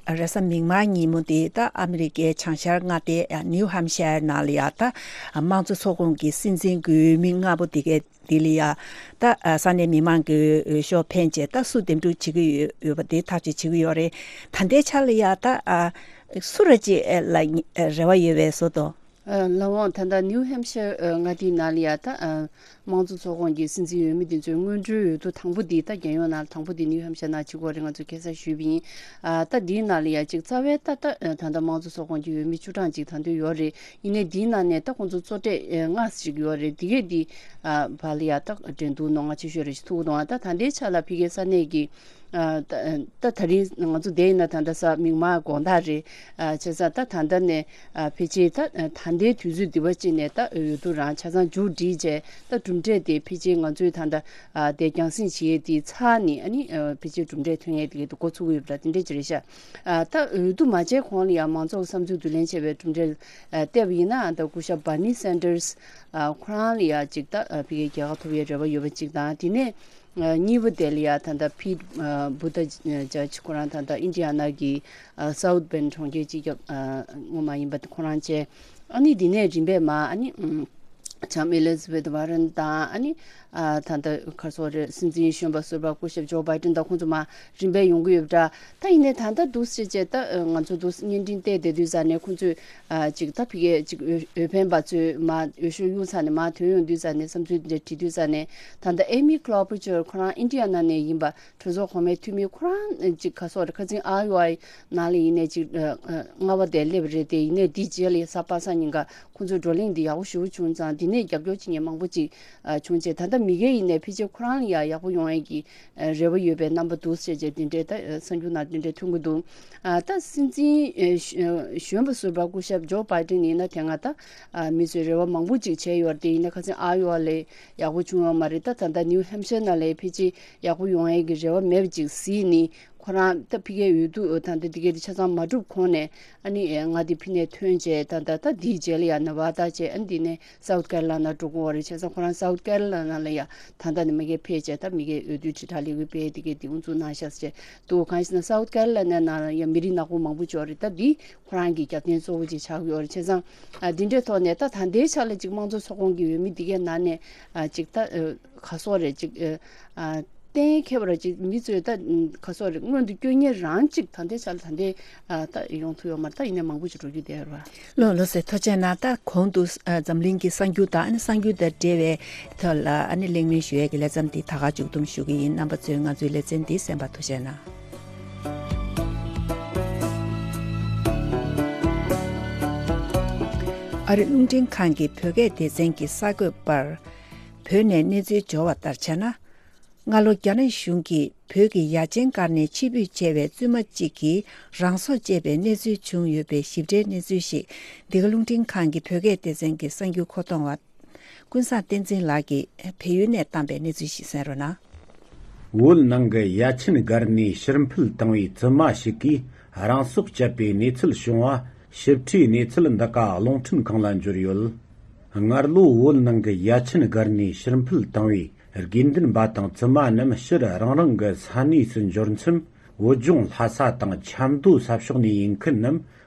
ཨ་རེས་གཟའ་མིག་དམར་ཉིན་མོ་དེ་ད་ཨ་མི་རི་ཀའི་བྱང་ཤར་མངའ་སྡེ་ཨ་ནིའུ་ཧམ་ཤར་ནང་ལ་ཡ་ད་ཨ་དམངས་གཙོ་ཚོགས་ཁོངས་ཀྱི་སྲིད་འཛིན་གྱི་འོས་མི་ལྔ་པོ་དེ་གའི་དེ་ལ་ཡ་ད་ཨ་ས་གནས་མི་མང་གི་འོས་ཤོག་འཕེན་བྱས་ད་སུ་འདེམས་སྒྲུག་བྱེད་ཀྱི་ཡོད་ཡོད་པ་དེ་ཐག་གཅོད་བྱེད་ཀྱི་ཡོད་རེད། ད་ལྟའི་ཆ་ལ་ཡ་ད་ཨ་སུ་ར་ཅིག་ཨ་ལ་ཨ་རེ་བ་ཡོད་པའི་བཟོ་འདུག་ཨ་ལགས་འོང་། ད་ལྟ་ནིའུ་ཧེམ་ཤར་ཨ་མངའ་སྡེའི་ནང་ལ་ཡ་ད་ཨ་དམངས་གཙོ་ཚོགས་ཁོངས་ཀྱི་སྲིད་འཛིན་འོས་མི་དེ་ཚོའི་སྔོན་འགྲོའི་འོས་བསྡུ་དང་པོ་འདི་ད་རྒྱལ་ཡོངས་ནང་ལ་དང་པོ་འདི་ནིའུ་ཧེམ་ཤར་ནང་བྱེད་དགོས་རེད། ང་ཚོས་ཁ་སང་ཞུས་པ་ཡིན། ཨ་ད་འདིའི་ནང་ལ་ཡ་ཅིག་རྩ་བའི་ད་ད་ད་ལྟ་དམངས་གཙོ་ཚོགས་ཁོངས་ཀྱི་འོས་མི་བཅུ་གྲངས་ཅིག་ད་དུང་ཡོད་རེད། ཡིན་ནའི་འདིའི་ནང་ནས་ད་ཁོང་ཚོ་གཙོ་གྲས་ཨ་ལྔ་ཞིག་ཡོད་རེད། འདི་གས་འདི་ཨ་བར་ལ་ཡ་ད་འགྲན་བསྡུར་རྣོ་ང་ཆེ་ཤོས་རེད་ཅེས་ཐུག་འདུག་ཨ་ད་ད་ལྟའི་ཆ་ལ་ཕ་གིའི་ས་གནས་ཀྱི་ཨ་ད་ད་ད་རིང་ང་ཚོ་བསྡད་ཡིན་ན་ད་ལྟ་གཟའ་མིག་དམར་དགོང་དག་རེད། ཨ་བྱས་ཙང་ད་ད་ལྟ་ནས་ཨ་ཕལ་ཆེར་ད་ཨ་ད་ལྟའི་དུས་ཚོད་འདི་བ་ཅིག་ནས་ད་འོས་བསྡུ་རང་ཆ་ཚང་མཇུག་སྒྲིལ་བྱས། ད་གྲུབ་འབྲས་དེ་ཕལ་ཆེར་ང་ཚོས་ད་ལྟ་ཨ་དེ་རྒྱང་སྲིང་བྱེད་ཡས་དེ་ཚར་ནས་ཨ་ནི་ཨ་ཕལ་ཆེར་གྲུབ་འབྲས་ཐོན་ཡས་དེ་གའི་འགོ་ཚུགས་ཀྱི་ཡོད་པ་འདྲ་དེ་འདྲས་ཅིག་རེད་ཤག་ཨ་ད་འོས་བསྡུ་མ་བྱས་གོང་ལ་ཡང་མང་ཚོགས་བསམ་ཚུལ་བསྡུ་ལེན་བྱས་པའི་གྲུབ་འབྲས་ཨ་བལྟས་པ་ཡིན་ན། ཨ་ད་སྐུ་ཞབས་Bernie Sanders་ཨ་ཁོ་རང་ལ་ཡང་ཅིག་ད་ཨ་ཕ་གིའི་རྒྱལ་ཁ་ཐོབ་ཡས་རེ་བ་ཡོད་པ་ཅིག་དང་། དེ་ནས་ཨ་གཉིས་པ་དེ་ལ་ཡང་ད་ལྟ་Pete་ཨ་Buttigieg་ཁོ་རང་ད་ལྟ་ཨིན་ཌི་ཡ་ན་གི་ཨ་South Bend་གྲོང་ཁྱེར་སྤྱི་ཁྱབ་ཨ་ངོ་མ་ཡིན་པ་ཁོ་རང་བཅས། ཨ་ནི་དེ་ནས་རིམ་པས་མར་ཨ་ནི་ཨམ་ལྕམ་Elizabeth Warren་དང་། ཨ་ནི་ཨ་ད་ལྟ་ག་རེ་ཟེར་དགོས་རེད། སྲིད་འཛིན་གཞོན་པ་ཟུར་པ་སྐུ་ཞབས་Joe Biden་དང་ཁོང་ཚོ་མར་རིམ་པས་ཡོང་གི་ཡོད་པ་འདྲ། ད་ཡིན་ནའི་ད་ལྟ་འདུག་སེ་བྱས་ད་ང་ཚོ་འདུག་བརྙན་འཕྲིན་བལྟས་བསྡད་དུས་ཙ་ནས་ཁོང་ཚོས་ཨ་ཅིག་ད་ཕ་གིའི་ཅིག་འོས་འོས་འཕེན་པ་ཚོས་མར་འོས་ཤོག་གཡུགས་ཚར་ནས་མར་ཐོན་ཡོང་དུས་ཙ་ནས་བསམ་ཚུལ་འདི་འདྲ་དྲིས་དུས་ཙ་ནས། ད་ལྟ་Amy Klobuchar་ཁོ་རང་ཨིན་ཌི་ཡ་ན་ནས་ཡིན་པ། གྲོས་ཚོགས་གོང་མའི་འཐུས་མི་ཁོ་རང་ཅིག་ག་རེ་ཟེར་དགོས་རེད། ཁ་སང་Iowa་ནང་ལ་ཡིན་ནའི་ཅིག་ཨ་ཨ་ལྔ་པ་དེ་སླེབས་རེད་དེ། ཡིན་ནའི་འདི་རྗེས་ལ་གཟའ་པ་སངས་ཉིན་ཀ་ཁོང་ཚོའི་བགྲོ་གླེང་འདི་ཡག་པོ་ཞེ་པོ་བྱུང་ཙང་འདི་ནས་རྒྱབ་སྐྱོར་བྱེད་མཁན་མང་པོ་ཅིག་ཨ་བྱུང་རྗེས། ད་ལྟ་མི་སྒེར་ཡིན་ནའི་ཕལ་ཆེར་ཁོ་རང་ལ་ཡང་ཡག་པོ་ཡོང་ཡས་ཀྱི་ཨ་རེ་བ་ཡོད་པའི་རྣམ་པ་འདུག་ཟེར་བྱས་འདི་འདྲའི་ད་ཨ་གསར་འགྱུར་ནང་འདི་འདྲའི་ཐོན་གྱི་འདུག་ཨ་ད་སྲིད་འཛིན་ཨ་གཞོན་པ་ཟུར་པ་སྐུ་ཞབས་Joe Biden་ཡིན་ན་དེ་སྔ་ད་ཨ་མི་ཚོས་རེ་བ་མང་པོ་ཅིག་བྱས་ཡོད་རེད་དེ། ཡིན་ན་ཁ་སང་Iowa་ལ་ཡག་པོ་བྱུང་ཡོད་མ་རེད། ད་ད་ལྟ་New Hampshire་ནང་ལ་ཕལ་ཆེར་ཡག་པོ་ཡོང་ཡས་ཀྱི་རེ་བ་མེད་པ་ཅིག་གཟིགས་ནས། ཁོ་རང་ད་ཕ་གིའི་འོས་བསྡུ་ད་ལྟ་འདི་གའི་དེ་ཆ་ཚང་མ་གྲུབ་གོང་ནས་ཨ་ནི་ཨེ་མངའ་སྡེ་ཕ་ནས་ཐོན་བྱས། ད་ད་ད་འདིའི་རྗེས་ལ་ཡང་Nevada་བྱས། ཨ་ནི་འདི་ནས་South Carolina་འགྲོ་གི་ཡོད་རེད། བྱས་ཙང་ཁོ་རང་South Carolina་ལ་ཡང་ད་ལྟ་ནས་མ་གིར་ཕེབས་བྱས་ད་མ་གིའི་འོས་བསྡུ་དྲིལ་བསྒྲགས་ལས་འགུལ་སྤེལ་འདི་གའི་དེ་དབུ་འཛུགས་གནང་ཤག་ཟེར་བྱས་འདུག་གང་ཞེ་ན་South Carolina་ནང་ལ་ཡང་མི་རིགས་ནག་པོ་མང་པོ་ཅིག་ཡོད་རེད། ད་འདི་ཁོ་རང་གི་རྒྱབ་རྟེན་གཙོ་བོ་ཅིག་ཆགས་ཀྱི་ཡོད་རེད། བྱས་ཙང་ཨ་འདི་འདྲའི་ཐོག་ནས་ད་ད་ལྟའི་ཆ་ལ་ཅིག་དམངས་གཙོ་ཚོགས་ཁོངས་ཀྱི་འོས་མི་འདི་གའི་ནང་ནས་ཨ་ཅིག་ད་ཨ་ག་རེ་ཟེར་དགོས་རེད། ཅིག་ཨ། གཏན་འཁེལ་བ་ར་ཅིག་མི་ཚོས་ད་ག་སོག་རེད། སྔོན་དུ་སྐྱོད་མཁན་རང་ཅིག་ད་ལྟའི་ཆ་ལ་ད་ལྟའི་ད་ཡོང་ཐུབ་ཡོད་མ་རེད། ད་ཡིན་ནའི་མང་པོ་ཅིག་འགྲོ་རྒྱུ་དེ་རེད་བ། ལགས་ལགས་སེ། ཐུགས་རྗེ་གནང་། ད་གོང་དུ་ཨ་འཛམ་གླིང་གི་གསར་འགྱུར་དང་ཨ་ནི་གསར་འགྱུར་དང་འབྲེལ་བའི་ཐོག་ལ་ཨ་ནི་གླེང་མོལ་ཞུ་ཡས་ཀྱི་ལེ་ཚན་འདི་ད་ག་མཇུག་བསྡོམས་ཞུ་གི་ཡིན། རྣམ་པ་ཚོས་ང་ཚོའི་ལེ་ཚན་འདི་གསན་པར་ཐུགས་རྗེ་གནང་། ཨ་རི་རླུང་འཕྲིན་ཁང་གི་བོད་སྐད་སྡེ་ཚན་གྱི་གསར་འགོད་པར་བོད་ནས་གནས་ཚུལ་འབྱོར་བ་ལྟར་བྱས་ན། སྔ་ལོ་རྒྱ་ནག་གཞུང་གིས་བོད་ཀྱི་ཡ་ཆེན་སྒར་ནས་ཕྱིར་འབུད་བྱས་པའི་བཙུན་མ་གཅིག་གིས་རང་སྲོག་བཅད་པའི་གནས་ཚུལ་བྱུང་ཡོད་པའི་ཞིབ་ཕྲའི་གནས་ཚུལ་ཞིག་འདི་ག་རླུང་འཕྲིན་ཁང་གི་བོད་སྐད་སྡེ་ཚན་གྱི་གསར་འགྱུར་མཁོ་གཏོང་བ་ཀུན་བཟང་བསྟན་འཛིན་ལགས་ཀྱིས་བལ་ཡུལ་ནས་བཏང་པའི་གནས་ཚུལ་ཞིག་གསན་རོགས་གནང་། བོད་ནང་གི་ཡ་ཆེན་སྒར་ནས་ཕྱིར་འཕུད་བཏང་བའི་བཙུན་མ་ཞིག་གིས་རང་སྲོག་བཅད་པའི་གནས་ཚུལ་བྱུང་བ་ཞིབ་ཕྲའི་གནས་ཚུལ་འདི་ག་རླུང་འཕྲིན་ཁང་ལ་འབྱོར་ཡོད། སྔར་ལོ་བོད་ནང་གི་ཡ་ཆེན་སྒར་ནས་ཕྱིར་འཕུད་བཏང་བའི་དགེ་འདུན་པ་དང་བཙུན་མ་རྣམས་ཕྱིར་རང་རང་གི་ས་གནས་སུ་འབྱོར་མཚམས། བོད་ལྗོངས་ལྷ་ས་དང་ཆབ་མདོ་ས་ཕྱོགས་ནས་ཡིན་མཁན་རྣམས་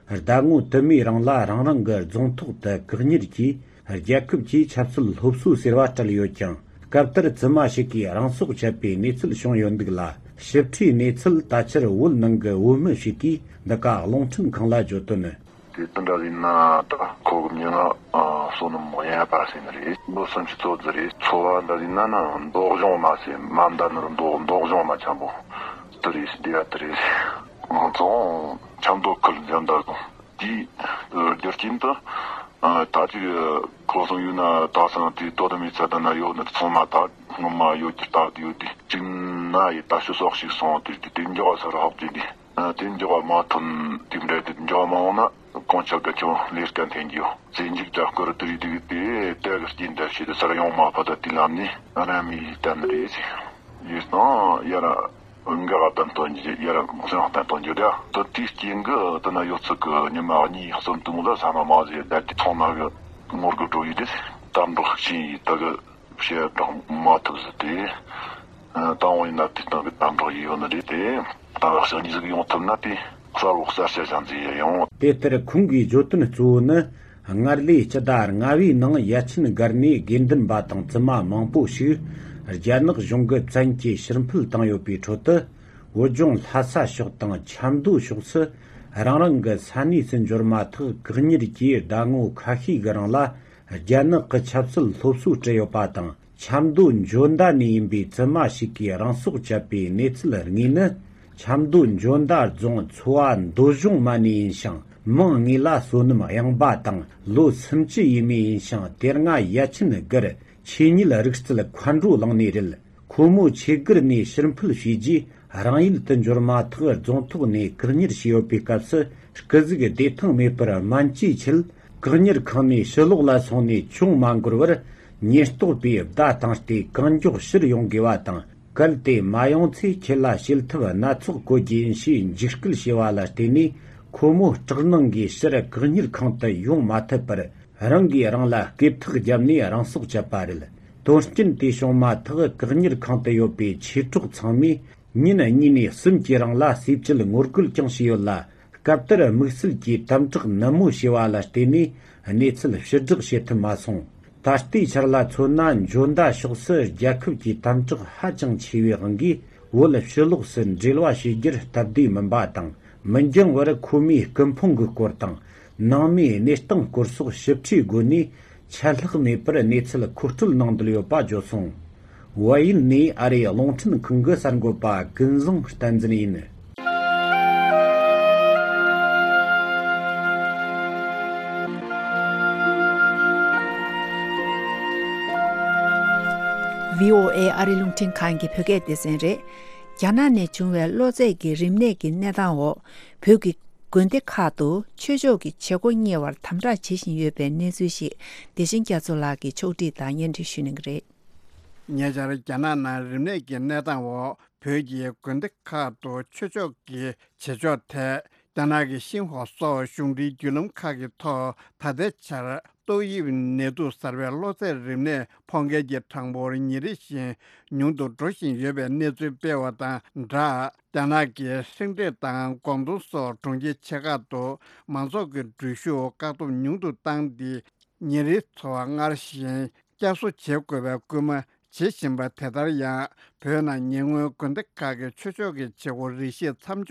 ཟླ་ངོ་དུ་མའི་རིང་ལ་རང་རང་གི་རྫོང་ཐོག་ཏུ་བཀག་ཉར་གྱིས། རྒྱལ་ཁབ་ཀྱི་ཆབ་སྲིད་སློབ་གསོ་ཟེར་བ་སྤྲད་ཡོད་ཀྱང་། སྐབས་དེར་བཙུན་མ་ཞིག་གིས་རང་སྲོག་བཅད་པའི་གནས་ཚུལ་བྱུང་ཡོད་འདུག་ལ། ཞིབ་ཕྲའི་གནས་ཚུལ་ད་ཆར་བོད་ནང་གི་བོད་མི་ཞིག་གིས་འདི་ག་རླུང་འཕྲིན་ཁང་ལ་བརྗོད་དོན། དེ་དུས་འདྲ་ཡིན་ན་ད་ཁོ་གི་མྱིང་ང་བསོད་ནམས་དབྱངས་པ་ཟེར་ནི་རེད། ལོ་སུམ་ཅུ་སོ་བདུན་རེད། འཚོ་བ་འདྲ་ཡིན་ན་ན་མདོ་གཞུང་མ་ཟེར། མ་མདའ་ནོར་མདོ་མདོ་གཞུང་མ་ཆེན་པོ་དེ་རེད། སྡེ་བ་དེ་རེད། ང་ཚོ་ཆབ་མདོ་ཁུལ་འཇམ་དར་རྫོང་དེའི་རྒྱུ་རྐྱེན་དུ་ད་ཅིག་ཁོ་སོང་ཡོད་ན་ད་སང་དེ་དོ་དམ་མི་ཚད་ད་ན་ཡོད་ནི་ཚང་མ་ད་སྔོན་མ་ཡོད་ཀྱི་ལྟ་དུ་ཡོད་དེ། གཅིག་ན་ཡི་ད་ཤུ་སོགས་ཤིག་སོང་དེ་དེ་འཇོག་ས་ར་ཧོབ་ཀྱི་འདི། ཨ། དེ་འགྱོ་བ་མ་ཐོན། དེ་འདྲ་དེ་འགྱོ་བ་མ་འོང་ན་གོང་ཆག་ག་ཁྱོད་ལས་ཀ་འཐེན་རྒྱུ་ཟེར་འཇིགས་སྐྲག་སྐོར་དུ་རིག་དུས་དེ་དེ་གི་རྐྱེན་འདྲ་ཞིག་ཏུ་སར་ཡོང་མ་ཕ་ད་དེ་ལམ་ནས་ར་མི་ལི་བསྟན་རེད་ཟེར། ཡོད་སོང་ཡ་ར་འགག་བསྟན་དོན་རྒྱུ་ཡ་ར་སེམས་བསྟན་དོན་རྒྱུ་དེ་ད་དེའི་རྐྱེན་གི་ད་ན་ཡོད་ཚད་གི་ཉི་མ་གཉིས་གསུམ་དུ་མོ་ལ་ས་མ་མ་ཟེར་ད་དེ་ཚོང་ན་གི་ངོར་གི་འགྲོ་ཡི་དེ་དམ་འགྲོ་ཤིག་ཕྱིན་ཡི་ད་གི། བཤད་གྲོགས་མ་ཐུབ་ཟེར་ཏེ། ཨ། དང་པོ་ཡིན་ན་དེ་སྟེང་གི་དམ་དྲག་ཡིན་ཡོད་ནི་རེད་དེ། ད་ལག་ཤ་གཉིས་ཟིག་ཡོང་ཐུབ་ན་དེ་གསར་བོ་གསར་བཤད་བྱ་འཛིན་ཡ་ཡོང་། དེ་ལྟར་ཁོང་གིས་བརྗོད་དོན་གཙོ་བོ་ནི། སྔར་ལོའི་སྤྱི་ཟླ་ལྔ་བའི་ནང་ཡ་ཆེན་སྒར་ནས་དགེ་འདུན་པ་དང་བཙུན་མ་མང་པོ་ཞིག་རྒྱ་ནག་གཞུང་གི་བཙན་གྱིས་ཕྱིར་འཕུད་བཏང་ཡོད་པའི་ཁྲོད་དུ། བོད་ལྗོངས་ལྷ་ས་ཕྱོགས་དང་ཆབ་མདོ་ཕྱོགས་སུ་རང་རང་གི་ས་གནས་སུ་འབྱོར་མ་ཐག་བཀག་ཉར་གྱིས་ཟླ་ངོ་ཁ་ཤས་ཀྱི་རིང་ལ། རྒྱ་ནག་གི་ཆབ་སྲིད་སློབ་གསོ་སྤྲད་ཡོད་པ་དང་། ཆབ་མདོ་འཇོ་མདའ་ནས་ཡིན་པའི་བཙུན་མ་ཞིག་གིས་རང་སྲོག་བཅད་པའི་གནས་ཚུལ་དངོས་ནི། ཆབ་མདོ་འཇོ་མདའ་རྫོང་ཚོ་བ་མདོ་གཞུང་མ་ནས་ཡིན་ཞིང་། མིང་དངོས་ལ་བསོད་ནམས་དབྱངས་པ་དང་། ལོ་སུམ་ཅུ་ཡས་མས་ཡིན་ཞིང་། དེ་སྔ་ཡ་ཆེན་སྒར་ཆོས་ཉིད་རིག་རྩལ་མཁའ་འགྲོ་གླིང་ནས་རེད། ཁོ་མོ་ཆོས་སྒར་ནས་ཕྱིར་འཕུད་བྱས་རྗེས། རང་ཡུལ་དུ་འབྱོར་མ་ཐག་རྫོང་ཐོག་ནས་བཀག་ཉར་བྱས་ཡོད་པའི་སྐབས་སུ། སྐུ་གཟུགས་བདེ་ཐང་མེད་པར་སྨན་བཅོས་ཆེད། བཀག་ཉར་ཁང་ནས་ཕྱི་ལོགས་ལ་སོང་ནས་ཅུང་མ་འགོར་བར། ཉེན་རྟོག་པས་བརྡ་བཏང་སྟེ་གང་མགྱོགས་ཕྱིར་ཡོང་དགོས་པ་དང་། གལ་ཏེ་མ་ཡོང་ཚེ་ཁྱེད་ལ་བྱེད་ཐབས་སྣ་ཚོགས་བཀོད་རྒྱུ་ཡིན་ཞེས་འཇིགས་སྐུལ་བྱས་པ་ལ་བརྟེན་ནས། ཁོ་མོ་སྐྲག་སྣང་གིས་ཕྱིར་བཀག་ཉར་ཁང་དུ་ཡོང་མ་ཐུབ་པར། རང་གིས་རང་ལ་སྐེ་ཐག་བརྒྱབ་ནས་རང་སྲོག་བཅད་པ་རེད། དོན་རྐྱེན་དེ་བྱུང་མ་ཐག་བཀག་ཉར་ཁང་དུ་ཡོད་པའི་མཆེད་གྲོགས་ཚང་མས་ཉིན་གཉིས་ནས་གསུམ་གྱི་རིང་ལ་ཟས་བཅད་ངོ་རྒོལ་ཀྱང་བྱས་ཡོད་ལ། སྐབས་དེར་དམིགས་བསལ་གྱིས་དམ་དྲག་ནན་མོ་བྱས་པ་ལ་བརྟེན་ནས་གནས་ཚུལ་ཕྱིར་བསྒྲགས་བྱེད་ཐུབ་མ་སོང་། ད་ལྟའི་ཆར་ལ་མཚོན་ན། འཇོ་མདའ་ཕྱོགས་སུ་རྒྱལ་ཁབ་ཀྱི་དམ་དྲག་ཧ་ཅང་ཆེ་བའི་དབང་གིས། བོད་ཕྱི་ལོགས་སུ་འབྲེལ་བ་བྱེད་རྒྱུར་སྟབས་བདེ་མིན་པ་དང་། མི་འགྱང་བར་ཁོ་མོའི་སྐུ་ཕུང་གི་སྐོར་དང་། ནང་མིའི་གནས་སྟངས་སྐོར་སོགས་ཞིབ་ཕྲའི་སྒོ་ནས་ཆད་ལྷག་མེད་པར་གནས་ཚུལ་མཁོ་སྤྲོད་གནང་འདོད་ཡོད་པ་བརྗོད་སོང་། ཝཱ་ཡུལ་ནས་ཨ་རིའི་རླུང་འཕྲིན་ཁང་གི་གསར་འགོད་པ་ཀུན་བཟང་བསྟན་འཛིན་ཡིན། བྷི་ཨོ་ཨེ་ཨ་རི་རླུང་འཕྲིན་ཁང་གི་བོད་སྐད་སྡེ་ཚན་རེད། རྒྱ་ནག་ནས་བྱུང་བའི་གློ་ཚད་ཀྱི་རིམས་ནད་ཀྱི་གནས་སྟངས་འོག་བོད་ཀྱི་དགོན་སྡེ་ཁག་ཏུ་ཆོས་ཕྱོགས་ཀྱི་བྱེད་སྒོ་གཉེར་བར་དམ་དྲག་བྱེད་བཞིན་ཡོད་པའི་གནས་ཚུལ་ཞིག་བདེ་ཆེན་རྒྱ་མཚོ་ལགས་ཀྱིས་ཕྱོགས་བསྒྲིགས་དང་སྙན་སྒྲོན་ཞུ་གནང་གི་རེད། ཉེ་ཆར་རྒྱ་ནག་ནང་རིམས་ནད་ཀྱི་གནས་སྟངས་འོག་བོད་ཀྱི་དགོན་སྡེ་ཁག་ཏུ་ཆོས་ཕྱོགས་ཀྱི་བྱེད་ཕྱོགས་ཐད། རྒྱ་ནག་གི་ཤིན་ཧྭ་སོགས་གཞུང་འབྲེལ་བརྒྱུད་ལམ་ཁག་གི་ཐོག་ད་ལྟའི་ཆར་ཏོག་དབྱིབས་ནད་དུག་གསར་པའི་གློ་ཚད་རིམས་ནད་ཕོག་མཁན་གྱི་གྲངས་འབོར་ཉིན་རེ་བཞིན་ཉུང་དུ་འགྲོ་བཞིན་ཡོད་པའི་གནས་ཚུལ་སྤེལ་བ་དང་སྦྲགས། རྒྱ་ནག་གི་ཧྲེང་ཀྲེན་དང་ཀོང་ཏུང་སོགས་གྲོང་ཁྱེར་ཆེ་ཁག་ཏུ་མང་ཚོགས་ཀྱི་འགྲུལ་བཞུད་བཀག་སྡོམ་ཉུང་དུ་བཏང་སྟེ། ཉིན་རེའི་འཚོ་བ་སྔར་བཞིན་བསྐྱར་གསོ་བྱེད་དགོས་པའི་སྐུལ་མ་ བྱེད་བཞིན་པ་དེ་ལྟར་ཡང་བོད་ནང་ཉེ་སྔོན་དགོན་སྡེ་ཁག་གི་ཆོས་ཕྱོགས་ཀྱི་བྱེད་སྒོ་རིགས་ཤིག་མཚམས་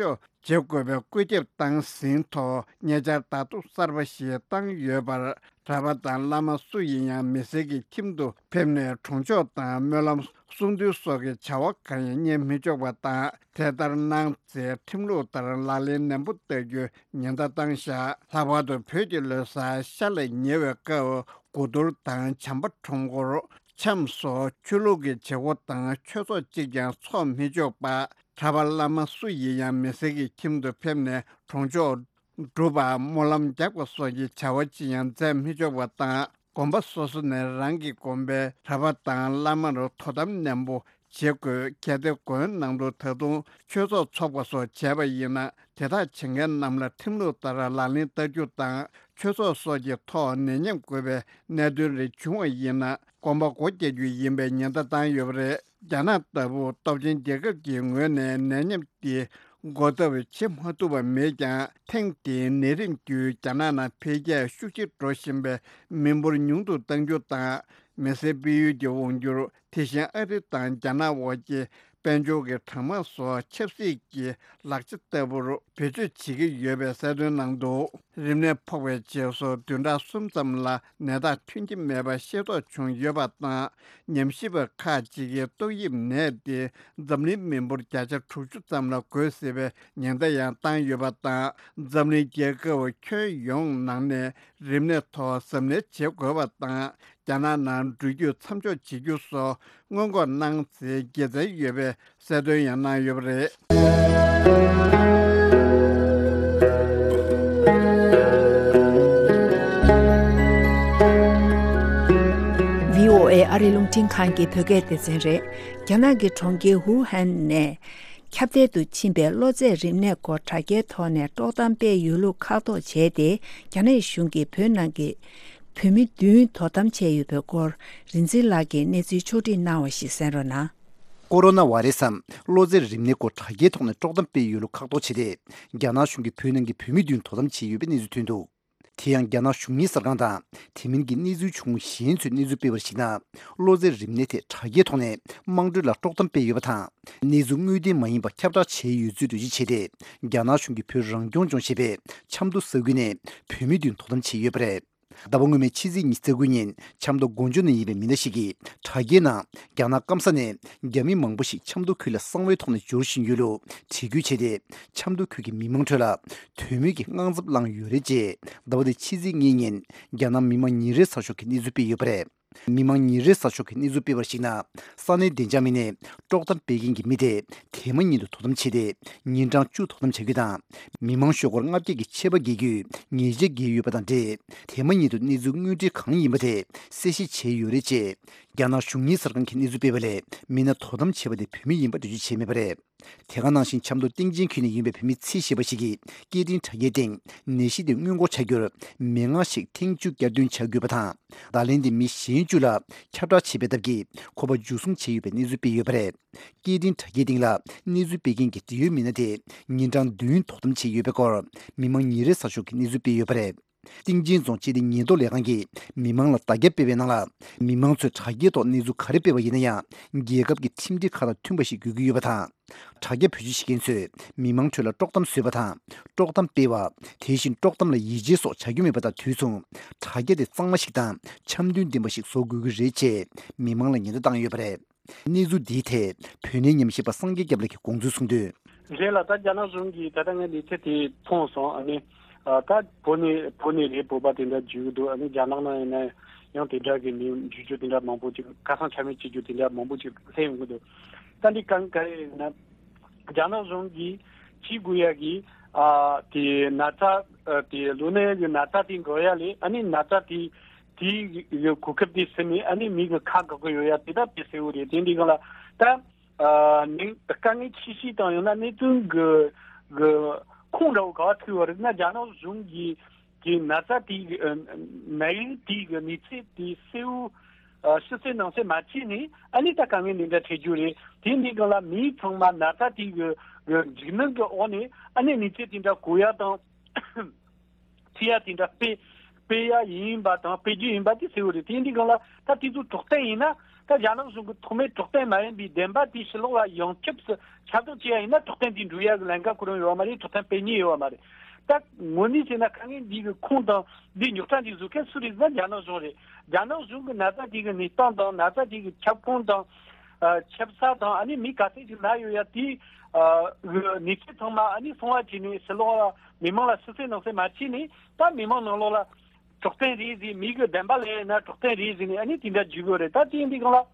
འཇོག་བྱེད་དགོས་པའི་བཀོད་ཁྱབ་བཏང་ཟིན་ཐོག་ཉེ་ཆར་ཟླ་གདུབ་གསར་པ་ཞིག་བཏང་ཡོད་པར། གྲྭ་པ་དང་བླ་མ་སུ་ཡིན་ཡང་མི་སེར་གྱི་ཁྱིམ་དུ་ཕེབས་ནས་གྲོང་ཆོག་དང་སྨོན་ལམ་གསུང་འདུན་སོགས་ཀྱི་བྱ་བ་གང་ཡང་གཉེར་མི་ཆོག་པ་དང་། དེ་ལྟར་གནང་ཚེ་ཁྲིམས་ལུགས་ལྟར་ལག་ལེན་ནན་པོ་བསྟར་རྒྱུའི་ཉེན་བརྡ་བཏང་བཞག་ལྷག་པར་དུ་བོད་ཀྱི་ལོ་གསར་ཤར་ལ་ཉེ་བའི་སྐབས། དགུ་གཏོར་དང་བྱམས་པ་ཁྲོམ་སྐོར། འཆམ་སོགས་ཆོས་ལུགས་ཀྱི་བྱེད་སྒོ་དང་ཆོས་ཚོགས་གཅིག་ཀྱང་འཚོགས་མི་ཆོག་པ། གྲྭ་པ་བླ་མ་སུ་ཡིན་ཡང་མི་སེར་གྱི་ཁྱིམ་དུ་ཕེབས་ནས་གྲོང་ཆོག་སྒྲུབ་པ། སྨོན་ལམ་རྒྱག་པ་སོགས་ཀྱི་བྱ་བ་ཅི་ཡང་མཛད་མི་ཆོག་པ་དང་། དགོན་པ་སོ་སོ་ནས་རང་གི་དགོན་པའི་གྲྭ་པ་དང་བླ་མར་དོ་དམ་ནན་པོ་བྱེད་དགོས། གལ་ཏེ་དགོན་ནང་དུ་ད་དུང་ཆོས་ཚོགས་འཚོགས་པ་སོགས་བྱས་པ་ཡིན་ན། དེ་དག་བྱེད་མཁན་རྣམས་ལ་ཁྲིམས་ལུགས་ལྟར་ལག་ལེན་བསྟར་རྒྱུ་དང་། ཆོས་ཚོགས་སོགས་ཀྱི་ཐོག་ནད་ཉེན་འགོས་པའི་གནད་དོན་རེ་བྱུང་བ་ཡིན་ན། དགོན་པ་སྒོ་རྒྱག་རྒྱུ་ཡིན་པའི་ཉེན་བརྡ་བཏང་ཡོད་པ་རེད། རྒྱ་ནག་ལྟ་བུ་སྟོབས་ཆེན་རྒྱལ་ཁབ་ཀྱི་ངོས་ནས་ནད་ཉེན་དེ་འགོག་ཐབས་བྱེད་མ་ཐུབ་པ་མེད་ཀྱང་། ཐེངས་འདིའི་ནད་རིམས་བརྒྱུད་རྒྱ་ནག་ནང་འཕེལ་རྒྱས་ཤུགས་ཆེ་འགྲོ་བཞིན་པའི་མི་འབོར་ཉུང་དུ་གཏང་རྒྱུ་དང་། མི་སེར་སྤེལ་ཡུལ་གྱི་དབང་སྒྱུར། དེ་བཞིན་ཨ་རི་དང་རྒྱ་ནག་དབར་གྱི་དཔལ་འབྱོར་གྱི་གྲང་དམག་སོགས་ཆབ་སྲིད་ཀྱི་ལག་ཆ་ལྟ་བུར་བེད་སྤྱོད་བྱེད་ཀྱི་ཡོད་པའི་གསལ་སྟོན་གནང་འདུག་རིམས་ནད་ཕོག་པའི་རྗེས་སུ་བདུན་ཕྲག་གསུམ་ཙམ་ལ་ནད་རྟགས་ཐོན་གྱི་མེད་པ་ཤེས་རྟོགས་བྱུང་ཡོད་པ་དང་། ཉམས་ཞིབ་པ་ཁག་ཅིག་གིས་ཏོག་དབྱིབས་ནད་དེ་འཛམ་གླིང་མི་འབོར་བརྒྱ་ཆ་དྲུག་ཅུ་ཙམ་ལ་འགོས་སྲིད་པའི་ཉེན་བརྡ་ཡང་བཏང་ཡོད་པ་དང་། འཛམ་གླིང་རྒྱལ་ཁབ་ཁྱོན་ཡོངས་ནང་ནས་རིམས་ནད་ཐོག་གཟབ་ནན་བྱེད་དགོས་པ་དང་། རྒྱ་ནག་ནང་འགྲུལ་སྐྱོད་མཚམས་འཇོག་བྱེད་རྒྱུ་སོགས་སྔོན་འགོག་གནང་ཚེ་དགེ་མཚན་ཡོད་པའི་གསལ་སྟོན་ཡང་གནང་ཡོད་པ་རེད། བྷི་ཨོ་ཨེ་ཨ་རི་རླུང་འཕྲིན་ཁང་གི་བོད་སྐད་སྡེ་ཚན་རེད། རྒྱ་ནག་གི་གྲོང་ཁྱེར་ཝུ་ཧན་ནས་ཁྱབ་གདལ་དུ་ཕྱིན་པའི་གློ་ཚད་རིམས་ནད་སྐོར་དྲ་རྒྱའི་ཐོག་ནས་དཀྲོག་གཏམ་སྤེལ་ཡོད་ལུགས་ཁག་ཐོག་བྱས་ཏེ། རྒྱ་ནག་གཞུང་གིས་བོད་ནང་གི་བོད་མི་བདུན་དོ་དམ་བྱས་ཡོད་པའི་སྐོར། རིག་འཛིན་ལགས་ཀྱིས་གནས་ཚུལ་ཕྱོགས་བསྒྲིགས་གནང་བ་ཞིག་གསན་རོགས་གནང་། ཀོ་རོ་ན་བྷ་རེ་སམ་གློ་ཚད་རིམས་ནད་སྐོར་དྲ་རྒྱའི་ཐོག་ནས་དཀྲོག་གཏམ་སྤེལ་ཡོད་ལུགས་ཁག་ཐོག་བྱས་ཏེ། རྒྱ་ནག་གཞུང་གིས་བོད་ནང་གི་བོད་མི་བདུན་དོ་དམ་བྱས་ཡོད་པའི་གནས་ཚུལ་ཐོན་འདུག་དེ་ཡང་རྒྱ་ནག་གཞུང་གཉེར་གསར་ཁང་དང་དེ་མིན་གྱི་གནས་ཚུལ་བྱུང་གཞན་ཚོས་གནས་ཚུལ་སྤེལ་བར་གཞིགས་ན། གློ་ཚད་རིམས་ནད་ཐད་དྲ་རྒྱའི་ཐོག་ནས་དམངས་ཁྲོད་ལ་དཀྲོག་གཏམ་སྤེལ་ཡོད་པ་དང་། གནས་ཚུལ་དངོས་བདེན་མ་ཡིན་པ་ཁྱབ་བསྒྲགས་བྱས་ཡོད་ཚུལ་འགྲེལ་བརྗོད་བྱས་ཏེ། རྒྱ་ནག་གཞུང་གིས་བོད་རང་སྐྱོང་ལྗོངས་ཞེས་པའི་ཆབ་མདོ་ས་ཁུལ་ནས་བོད་མི་བདུན་དོ་དམ་བྱས་ཡོད་པ་རེད། ཟླ་བ་སྔོན་མའི་ཕྱི་ཚེས་ཉི་ཤུ་རྩ་དགུ་ཉིན་ཆབ་མདོ་དགོན་ཆུ་ནས་ཡིན་པའི་མི་སྣ་ཞིག་གིས་དྲ་རྒྱའི་ནང་རྒྱ་ནག་སྐམ་ས་ནས་རྒྱ་མི་མང་པོ་ཞིག་ཆབ་མདོ་ཁུལ་ལ་གསང་བའི་ཐོག་ནས་འབྱོར་བཞིན་ཡོད་ལུགས་བྲིས་སྐུལ་བྱས་ཏེ། ཆབ་མདོ་ཁུལ་གྱི་མི་མང་ཁྲོད་ལ་དོན་མེད་ཀྱི་དངངས་འཚབ་བསླངས་ཡོད་རེད་ཅེས། ཟླ་བ་འདིའི་ཕྱི་ཚེས་གཉིས་ཉིན་རྒྱ་ནག་མི་དམངས་ཉིན་རེའི་གསར་ཤོག་གིས་གནས་ཚུལ་སྤེལ་ཡོད་པ་རེད། མི་དམངས་ཉིན་རེའི་གསར་ཤོག་གིས་གནས་ཚུལ་སྤེལ་བར་གཞིགས་ན། ས་གནས་བདེ་འཇགས་མི་སྣས་དཀྲོག་གཏམ་སྤེལ་མཁན་གྱི་མི་དེ་དེ་མ་ཉིད་དུ་དོ་དམ་བྱས་ཏེ། ཉིན་གྲངས་བཅུ་དོ་དམ་བྱ་རྒྱུ་དང་། མི་མང་ཤོག་སྒོར་ལྔ་བརྒྱ་གི་ཆད་པ་འགེལ་རྒྱུའི་ཉེས་ཆད་འགེལ་ཡོད་པ་དང་འབྲེལ། དེ་མ་ཉིད་དུ་གནས་ཚུལ་དངོས་འབྲེལ་གང་ཡིན་པ་དེ་གསལ་བཤད་བྱས་ཡོད་རེད་ཅེས། རྒྱ་ནག་གཞུང་གཉེར་གསར་ཁང་གིས་གནས་ཚུལ་སྤེལ་བ་ལས། མི་སྣ་དོ་དམ་བྱས་པ་དེ་བོད་མི་ཡིན་པ་འགྲེལ་བརྗོད་བྱས་མེད་པ་རེད། དེ་ག་ནང་བཞིན་ཆབ་མདོ་སྟེང་ཆེན་ཁུལ་ནས་ཡིན་པའི་བོད་མི་ཚེ་ཞེས་པ་ཞིག་གིས་སྐད་འཕྲིན་དྲ་རྒྱའི་སྟེང་ནད་གཞི་དེ་སྔོན་འགོག་བྱ་རྒྱུར་མན་ངག་ཞིག་ཐེངས་བཅུ་བསྐྱར་ཟློས་བྱ་དགོས་པ་དང་། བརྡ་ལན་དེ་མི་གཞན་བཅུ་ལ་ཁྱབ་བསྒྲགས་བྱེད་པའི་སྟབས་ཀྱིས་ཁོ་པ་འཇུ་བཟུང་བྱས་ཡོད་པའི་གནས་ཚུལ་སྤེལ་ཡོད་པ་རེད། སྐད་འཕྲིན་དྲ་རྒྱའི་སྟེང་ལ་གནས་ཚུལ་སྤེལ་མཁན་གྱི་འབྲེལ་ཡོད་མི་སྣ་དེ་ཉིན་གྲངས་བདུན་དོ་དམ་བྱས་ཡོད་པའི་སྐོར་མི་དམངས་ཉིན་རེའི་གསར་ཤོག་གིས་གནས་ཚུལ་སྤེལ་ཡོད་པ་རེད། སྟེང་ཆེན་རྫོང་སྤྱི་བདེ་ཉེན་རྟོག་ལས་ཁང་གིས་མི་མང་ལ་བརྡ་ཁྱབ་སྤེལ་བའི་ནང་ལ། མི་མང་ཚོས་དྲ་རྒྱའི་ཐོག་གནས་ཚུལ་ག་རེ་སྤེལ་བ་ཡིན་ན་ཡང་། རྒྱལ་ཁབ་ཀྱི་ཁྲིམས་སྒྲིག་ཁག་དང་མཐུན་པ་ཞིག་དགོས་ཀྱི་ཡོད་པ་དང་། དྲ་རྒྱ་བེད་སྤྱོད་བྱེད་མཁན་ཚོས་མི་མང་ཁྲོད་ལ་དཀྲོག་གཏམ་བཟོས་པ་དང་། དཀྲོག་གཏམ་སྤེལ་བ། དེ་བཞིན་དཀྲོག་གཏམ་ལ་ཡིད་ཆེས་སོགས་བྱ་རྒྱུ་མེད་པ་དང་དུས་མཚུངས། དྲ་རྒྱ་དེ་གཙང་མ་ཞིག་དང་འཆམ་མཐུན་ལྡན་པ་ཞིག་བཟོ་དགོས་ཀྱི་རེད་ཅེས་མི་མང་ལ་ཉེན་བརྡ་བཏང་ཡོད་པ་རེད། གནས་ཚུལ་འདིའི་ཐད་བོད་གནས་ཉམས་ཞིབ་པ་སངས་རྒྱས་སྐྱབས་ལགས་ཀྱིས་དགོངས་ཚུལ་གསུངས་དོན། རེད་ལ། ད་རྒྱ་ནག་གཞུང་གིས་ད་ལྟ་ངས་གནས་ཚུལ་དེ་མཐོང་སོང་། ཨ་ནི་ཨ་ད་བོད་ནས་བོད་ནས་རེད། བོད་པ་དེ་འདྲ་འཇུས་འདུག་ཨ་ནི་རྒྱ་ནག་ནང་ཡིན་ན་ཡང་དེ་འདྲ་གི་མི་འཇུ་རྒྱུ་དེ་འདྲ་མང་པོ་ཅིག་ཁ་སང་ཆ་མེད་བྱེད་རྒྱུ་དེ་འདྲ་མང་པོ་ཅིག་སླེབས་ཡོང་གི་འདུག་ད་འདི་གང་ག་རེ་ཡིན་ན། རྒྱ་ནག་གཞུང་གིས་བྱེད་དགོས་ཡ་གི་ཨ་དེ་ན་ཚ་ཨ་དེ་གློ་ནད་ཀྱི་ན་ཚ་དེ་འགོས་ཡ་ལས། ཨ་ནི་ན་ཚ་དེ་དེའི་གོ་སྐབས་དེ་ཟིན་ནས་ཨ་ནི་མི་གི་ཁ་འགག་གི་ཡོད་ཡ་དེ་ད་དཔེ་གསལ་བོ་རེད། དེ་འདི་གང་ལ་ད་ཨ་ནི་དཀའ་ངལ་ཆེ་ཤོས་དང་ཡང་ན་གནད་དོན་གི་གི་ཁུངས་འདྲ་བོ་ག་བ་ཐུག་ཡོད་རེད་ན། རྒྱ་ནག་གཞུང་གིས་གི་ན་ཚ་དེ་གི་ཨ་ནད་ཡམས་དེ་གི་གནས་ཚུལ་དེ་གསལ་བོ་ཨ་ཕྱི་གསལ་ནང་གསལ་མ་བྱས་ནས་ཨ་ནི་ད་དཀའ་ངལ་འདི་འདྲ་འཕྲད་རྒྱུ་རེད། དེ་འདི་གང་ལ་མི་ཚང་མ་ན་ཚ་དེ་གི་གི་འཇིགས་སྣང་གི་འོག་ནས་ཨ་ནི་གནས་ཚུལ་དེ་འདྲ་གོ་ཡ་དང་། ཐུག་ཡ་དེ་འདྲ་དཔེ་ སྤེལ་ཡ་ཡིན་པ་དང་སྤེལ་རྒྱུ་ཡིན་པ་དེ་གསལ་བོ་རེད། དེ་ཡིན་དུས་སྒང་ལ་ད་དེ་ཚོ་གྲོགས་དན་ཡིན་ན། ད་རྒྱ་ནག་གཞུང་གི་ཐོག་མའི་གྲོགས་དན་མ་ཡིན་པའི་བདེན་པ་དེ་ཕྱི་ལོགས་ལ་ཡོངས་ཁྱབ་སུ་ཁྱབ་བསྒྲགས་བྱེད་ཡ་ཡིན་ན། གྲོགས་དན་དེ་འགྲོ་ཡ་གི་ལམ་ཁ་ཁོ་རང་ཡོད་པ་མ་རེད། གྲོགས་དན་སྤེལ་ཉེན་ཡོད་པ་མ་རེད། ད་དངོས་གནས་བྱས་ན་དཀའ་ངལ་འདི་གི་ཁུངས་དང་འདི་རྙོག་དྲ་འདི་བཟོ་མཁན་སུ་རེད་ཟེར་ན་རྒྱ་ནག་གཞུང་རེད། རྒྱ་ནག་གཞུང་གི་ན་ཚ་དེ་གི་གནས་སྟངས་དང་ན་ཚ་དེ་གི་ཁྱབ་ཁོངས་དང་། ཨ། ཁྱབ་ས་དང་། ཨ་ནི་མི་ག་ཚད་ཅིག་ན་ཡོད་ཡ་དེ། ཨ། གི་གནས་ཚུལ་ཚང་མ་ཨ་ནི་གསང་བ་བྱས་ནས་ཕྱི་ལོགས་ལ་མི་མང་ལ་ཕྱི་གསལ་ནང་གསལ་མ་བྱས་ནས། ད་མི་མང་ནང་ལོགས་ལ་གྲོགས་དན་རེད་ཟེར། མི་གི་བདེན་པ་ལབ་ཡ་ཡིན་ན་གྲོགས་དན་རེད་ཟེར་ནས་ཨ་ནི་དེ་འདྲ་བརྗོད་དགོས་རེད། ད་དེ་ཡིན་དུས་སྒང་ལ།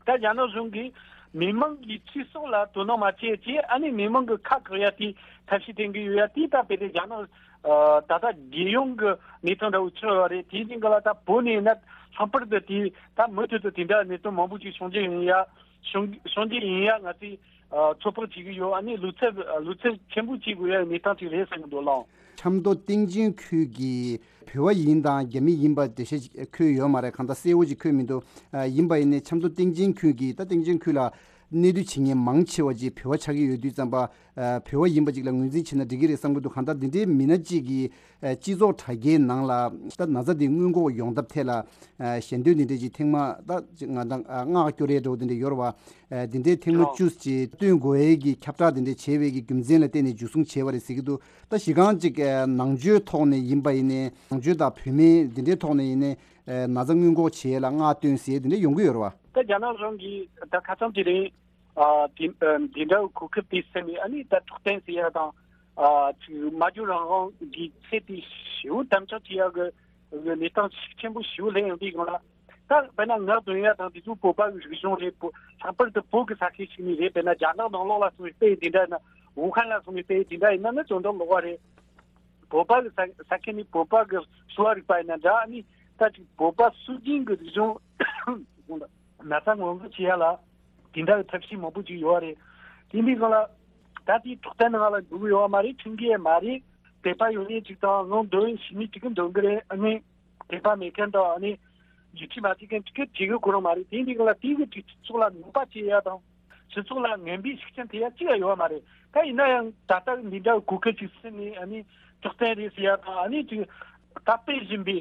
ད་རྒྱ་ནག་གཞུང་གིས་མི་མང་གི་ཚེ་སྲོག་ལ་དོ་སྣང་མ་བྱེད་ཅེས། ཨ་ནི་མི་མང་གི་ཁ་བཀག་ཡ་དེ་ཐབས་ཤེས་བསྟེན་གྱི་ཡོད་ཡ་དེ་ད་དཔེ་དེ་རྒྱ་ནག་ཨ། ད་ལྟ་རྒྱལ་ཡོངས་ཀྱི་གནས་སྟངས་འདྲ་བོ་ཆགས་ཡོད་རེད། དེ་ཡིན་དུས་སྒང་ལ་ད་བོད་ནས་ན་ལྷག་པར་དུ་དེ་ད་མུ་མཐུད་དུ་དེ་འདྲ་གནས་སྟངས་མང་པོ་ཅིག་བྱུང་རྒྱུ་ཡིན་ཡ། བྱུང་བྱུང་རྒྱུ་ཡིན་ཡ་ང་ཚོས་ཨ། ཚོད་དཔག་བྱེད་ཀྱི་ཡོད། ཨ་ནི་བློ་འཚབ་བློ་འཚབ་ཆེན་པོ་བྱེད་དགོས་ཡ་གནས་སྟངས་ཅིག་རེད་བསམ་གྱི་འདུག་ལགས། ཆབ་མདོ་སྟེང་ཆེན་ཁུལ་གྱི་བོད་པ་ཡིན་དང་རྒྱ་མི་ཡིན་པ་འགྲེལ་བཤད་འཁོད་ཡོད་མ་རེད། གང་ལྟར་གསལ་བོ་ཅིག་འཁོད་མི་འདུག། ཨ། ཡིན་པ་ཡིན་ནའི་ཆབ་མདོ་སྟེང་ཆེན་ཁུལ་གྱི་ད་སྟེང་ཆེན་ཁུལ་ལ་གནས་སྡོད་བྱེད་མཁན་མང་ཆེ་བ་ཅིག་བོད་པ་ཆགས་ཀྱི་ཡོད་དུས་ཙམ་པ། ཨ། བོད་པ་ཡིན་པ་ཅིག་ལ་ངོས་འཛིན་བྱས་ན་འགྲིག་གི་རེད་བསམ་གྱི་འདུག། གང་ལྟར་འདི་འདྲའི་མི་སྣ་གཅིག་གིས། ཨ། སྤྱི་ཚོགས་དྲ་རྒྱའི་ནང་ལ་ད་ན་ཚ་འདི་སྔོན་འགོག་ཡོང་ཐབས་ཐད་ལ། ཨ། ཞལ་འདོན་འདི་འདྲ་ཅིག་ཐེངས་མ་ད་ཅིག་ང་དང་ཨ། མངགས་སྐྱོར་ཡས་འདྲ་བོ་འདི་འདྲ་ཡོད་རེད་བ། ཨ། འདི་འདྲའི་ཐེངས་མ་བཅུ་ཅིག་བཏོན་དགོས་ཡས་ཀྱི་ཁྱབ་བསྒྲགས་འདི་འདྲ་བྱས་པའི་གི་རྒྱུ་མཚན་ལ་བརྟེན་ནས་འཇུ་བཟུང་བྱས་པ་རེད་ཟེར་གྱི་འདུག། ད་གཞི་རྐང་ཅིག་ཨ། ནང་ཆོས་ཐོག་ནས་ཡིན་པ་ཡིན་ནའི་ནང་ཆོས་དང་བོད་མི་འདི་འདྲའི་ཐོག་ནས་ཡིན་ནའི། ཨ། ན་ཚ་སྔོན་འགོག་བྱེད་ཡས་ལ་མངགས་བཏོན་ཟེར་འདི་འདྲ་ཡོང་གི་ཡོད་རེད་བ། ད་རྒྱ་ནག་གཞུང་གིས་ད་ཁ་སང་དེ་རིང་། ཨ། དེ་ཨ། དེ་འདྲ་བའི་གོ་སྐབས་དེ་བཙལ་ནས། ཨ་ནི་ད་གྲོགས་དན་ཟེར་ཡ་དང་། ཨ། ཅིག་སྨྲ་བརྗོད་རང་དབང་གི་ཚད་དེ་ཞེ་པོ་དམ་དྲག་བྱེད་ཡ་གི་གནས་སྟངས་ཤུགས་ཆེན་པོ་ཞེ་པོ་སླེབས་ཡོང་དུས་སྒང་ལ། ད་དཔེར་ན་ངག་འདོན་ཡ་དང་དེ་ཚོ་བོད་པ་གི་རིག་གཞུང་རེད། བོད། ལྷག་པར་དུ་བོད་ཀྱི་ས་ཁུལ་ཞིག་ནས་རེད། དཔེར་ན་རྒྱ་ནག་ནང་ལོགས་ལ་སོང་བའི་དཔེ་དེ་འདྲ་ཡིན་ན། ཝུ་ཧན་ལ་སོང་བའི་དཔེ་དེ་འདྲ་ཡིན་ན་ནི་དོན་དག་ལོགས་པ་རེད། བོད་པ་གི་ས་ས་ཁུལ་ནས་བོད་པ་གི་གསོ་བ་རིག་པ་ཡིན་ན་འདྲ། ཨ་ནི་ད་ཅིག་བོད་པ་སྲོལ་རྒྱུན་གྱི་རིག་གཞུང་ན་ཚ་སྔོན་འགོག་བྱེད་ཡ་ལ་དེ་འདྲ་གི་ཐབས་ཤེས་མང་པོ་ཅིག་ཡོད་རེད། དེ་འདྲའི་སྒང་ལ་ད་དེའི་གྲོགས་དན་ནང་ལ་འགྲོ་གི་ཡོད་མ་རེད། ཁྲིམས་འགལ་མ་རེད། དད་པ་ཡོད་མཁན་ཅིག་དང་ངག་འདོན་ཤེས་མཁན་ཅིག་གིས་འདོན་གི་རེད། ཨ་ནི་དད་པ་མེད་མཁན་དང་། ཨ་ནི་རྒྱུ་མཚན་མ་བྱེད་མཁན་ཅིག་གིས་བྱེད་གི་ཁོ་རང་མ་རེད། དེ་འདྲའི་སྒང་ལ་དེ་གི་ཅིག་སྤྱི་ཚོགས་ལ་ནུས་པ་སྐྱེད་ཡ་དང་། སྤྱི་ཚོགས་ལ་ངན་པའི་ཤུགས་རྐྱེན་ཐེབས་ཡ་གཅིག་ཡང་ཡོད་མ་རེད། ད་ཡིན་ན་ཡང་ད་ལྟ་འདི་འདྲ་གོ་སྐབས་ཅིག་བཙལ་ནས། ཨ་ནི་གྲོགས་དན་རེད་ཟེར་ཡ་དང་། ཨ་ནི་ཅིག་ད་སྤེལ་བཞིན་པའི་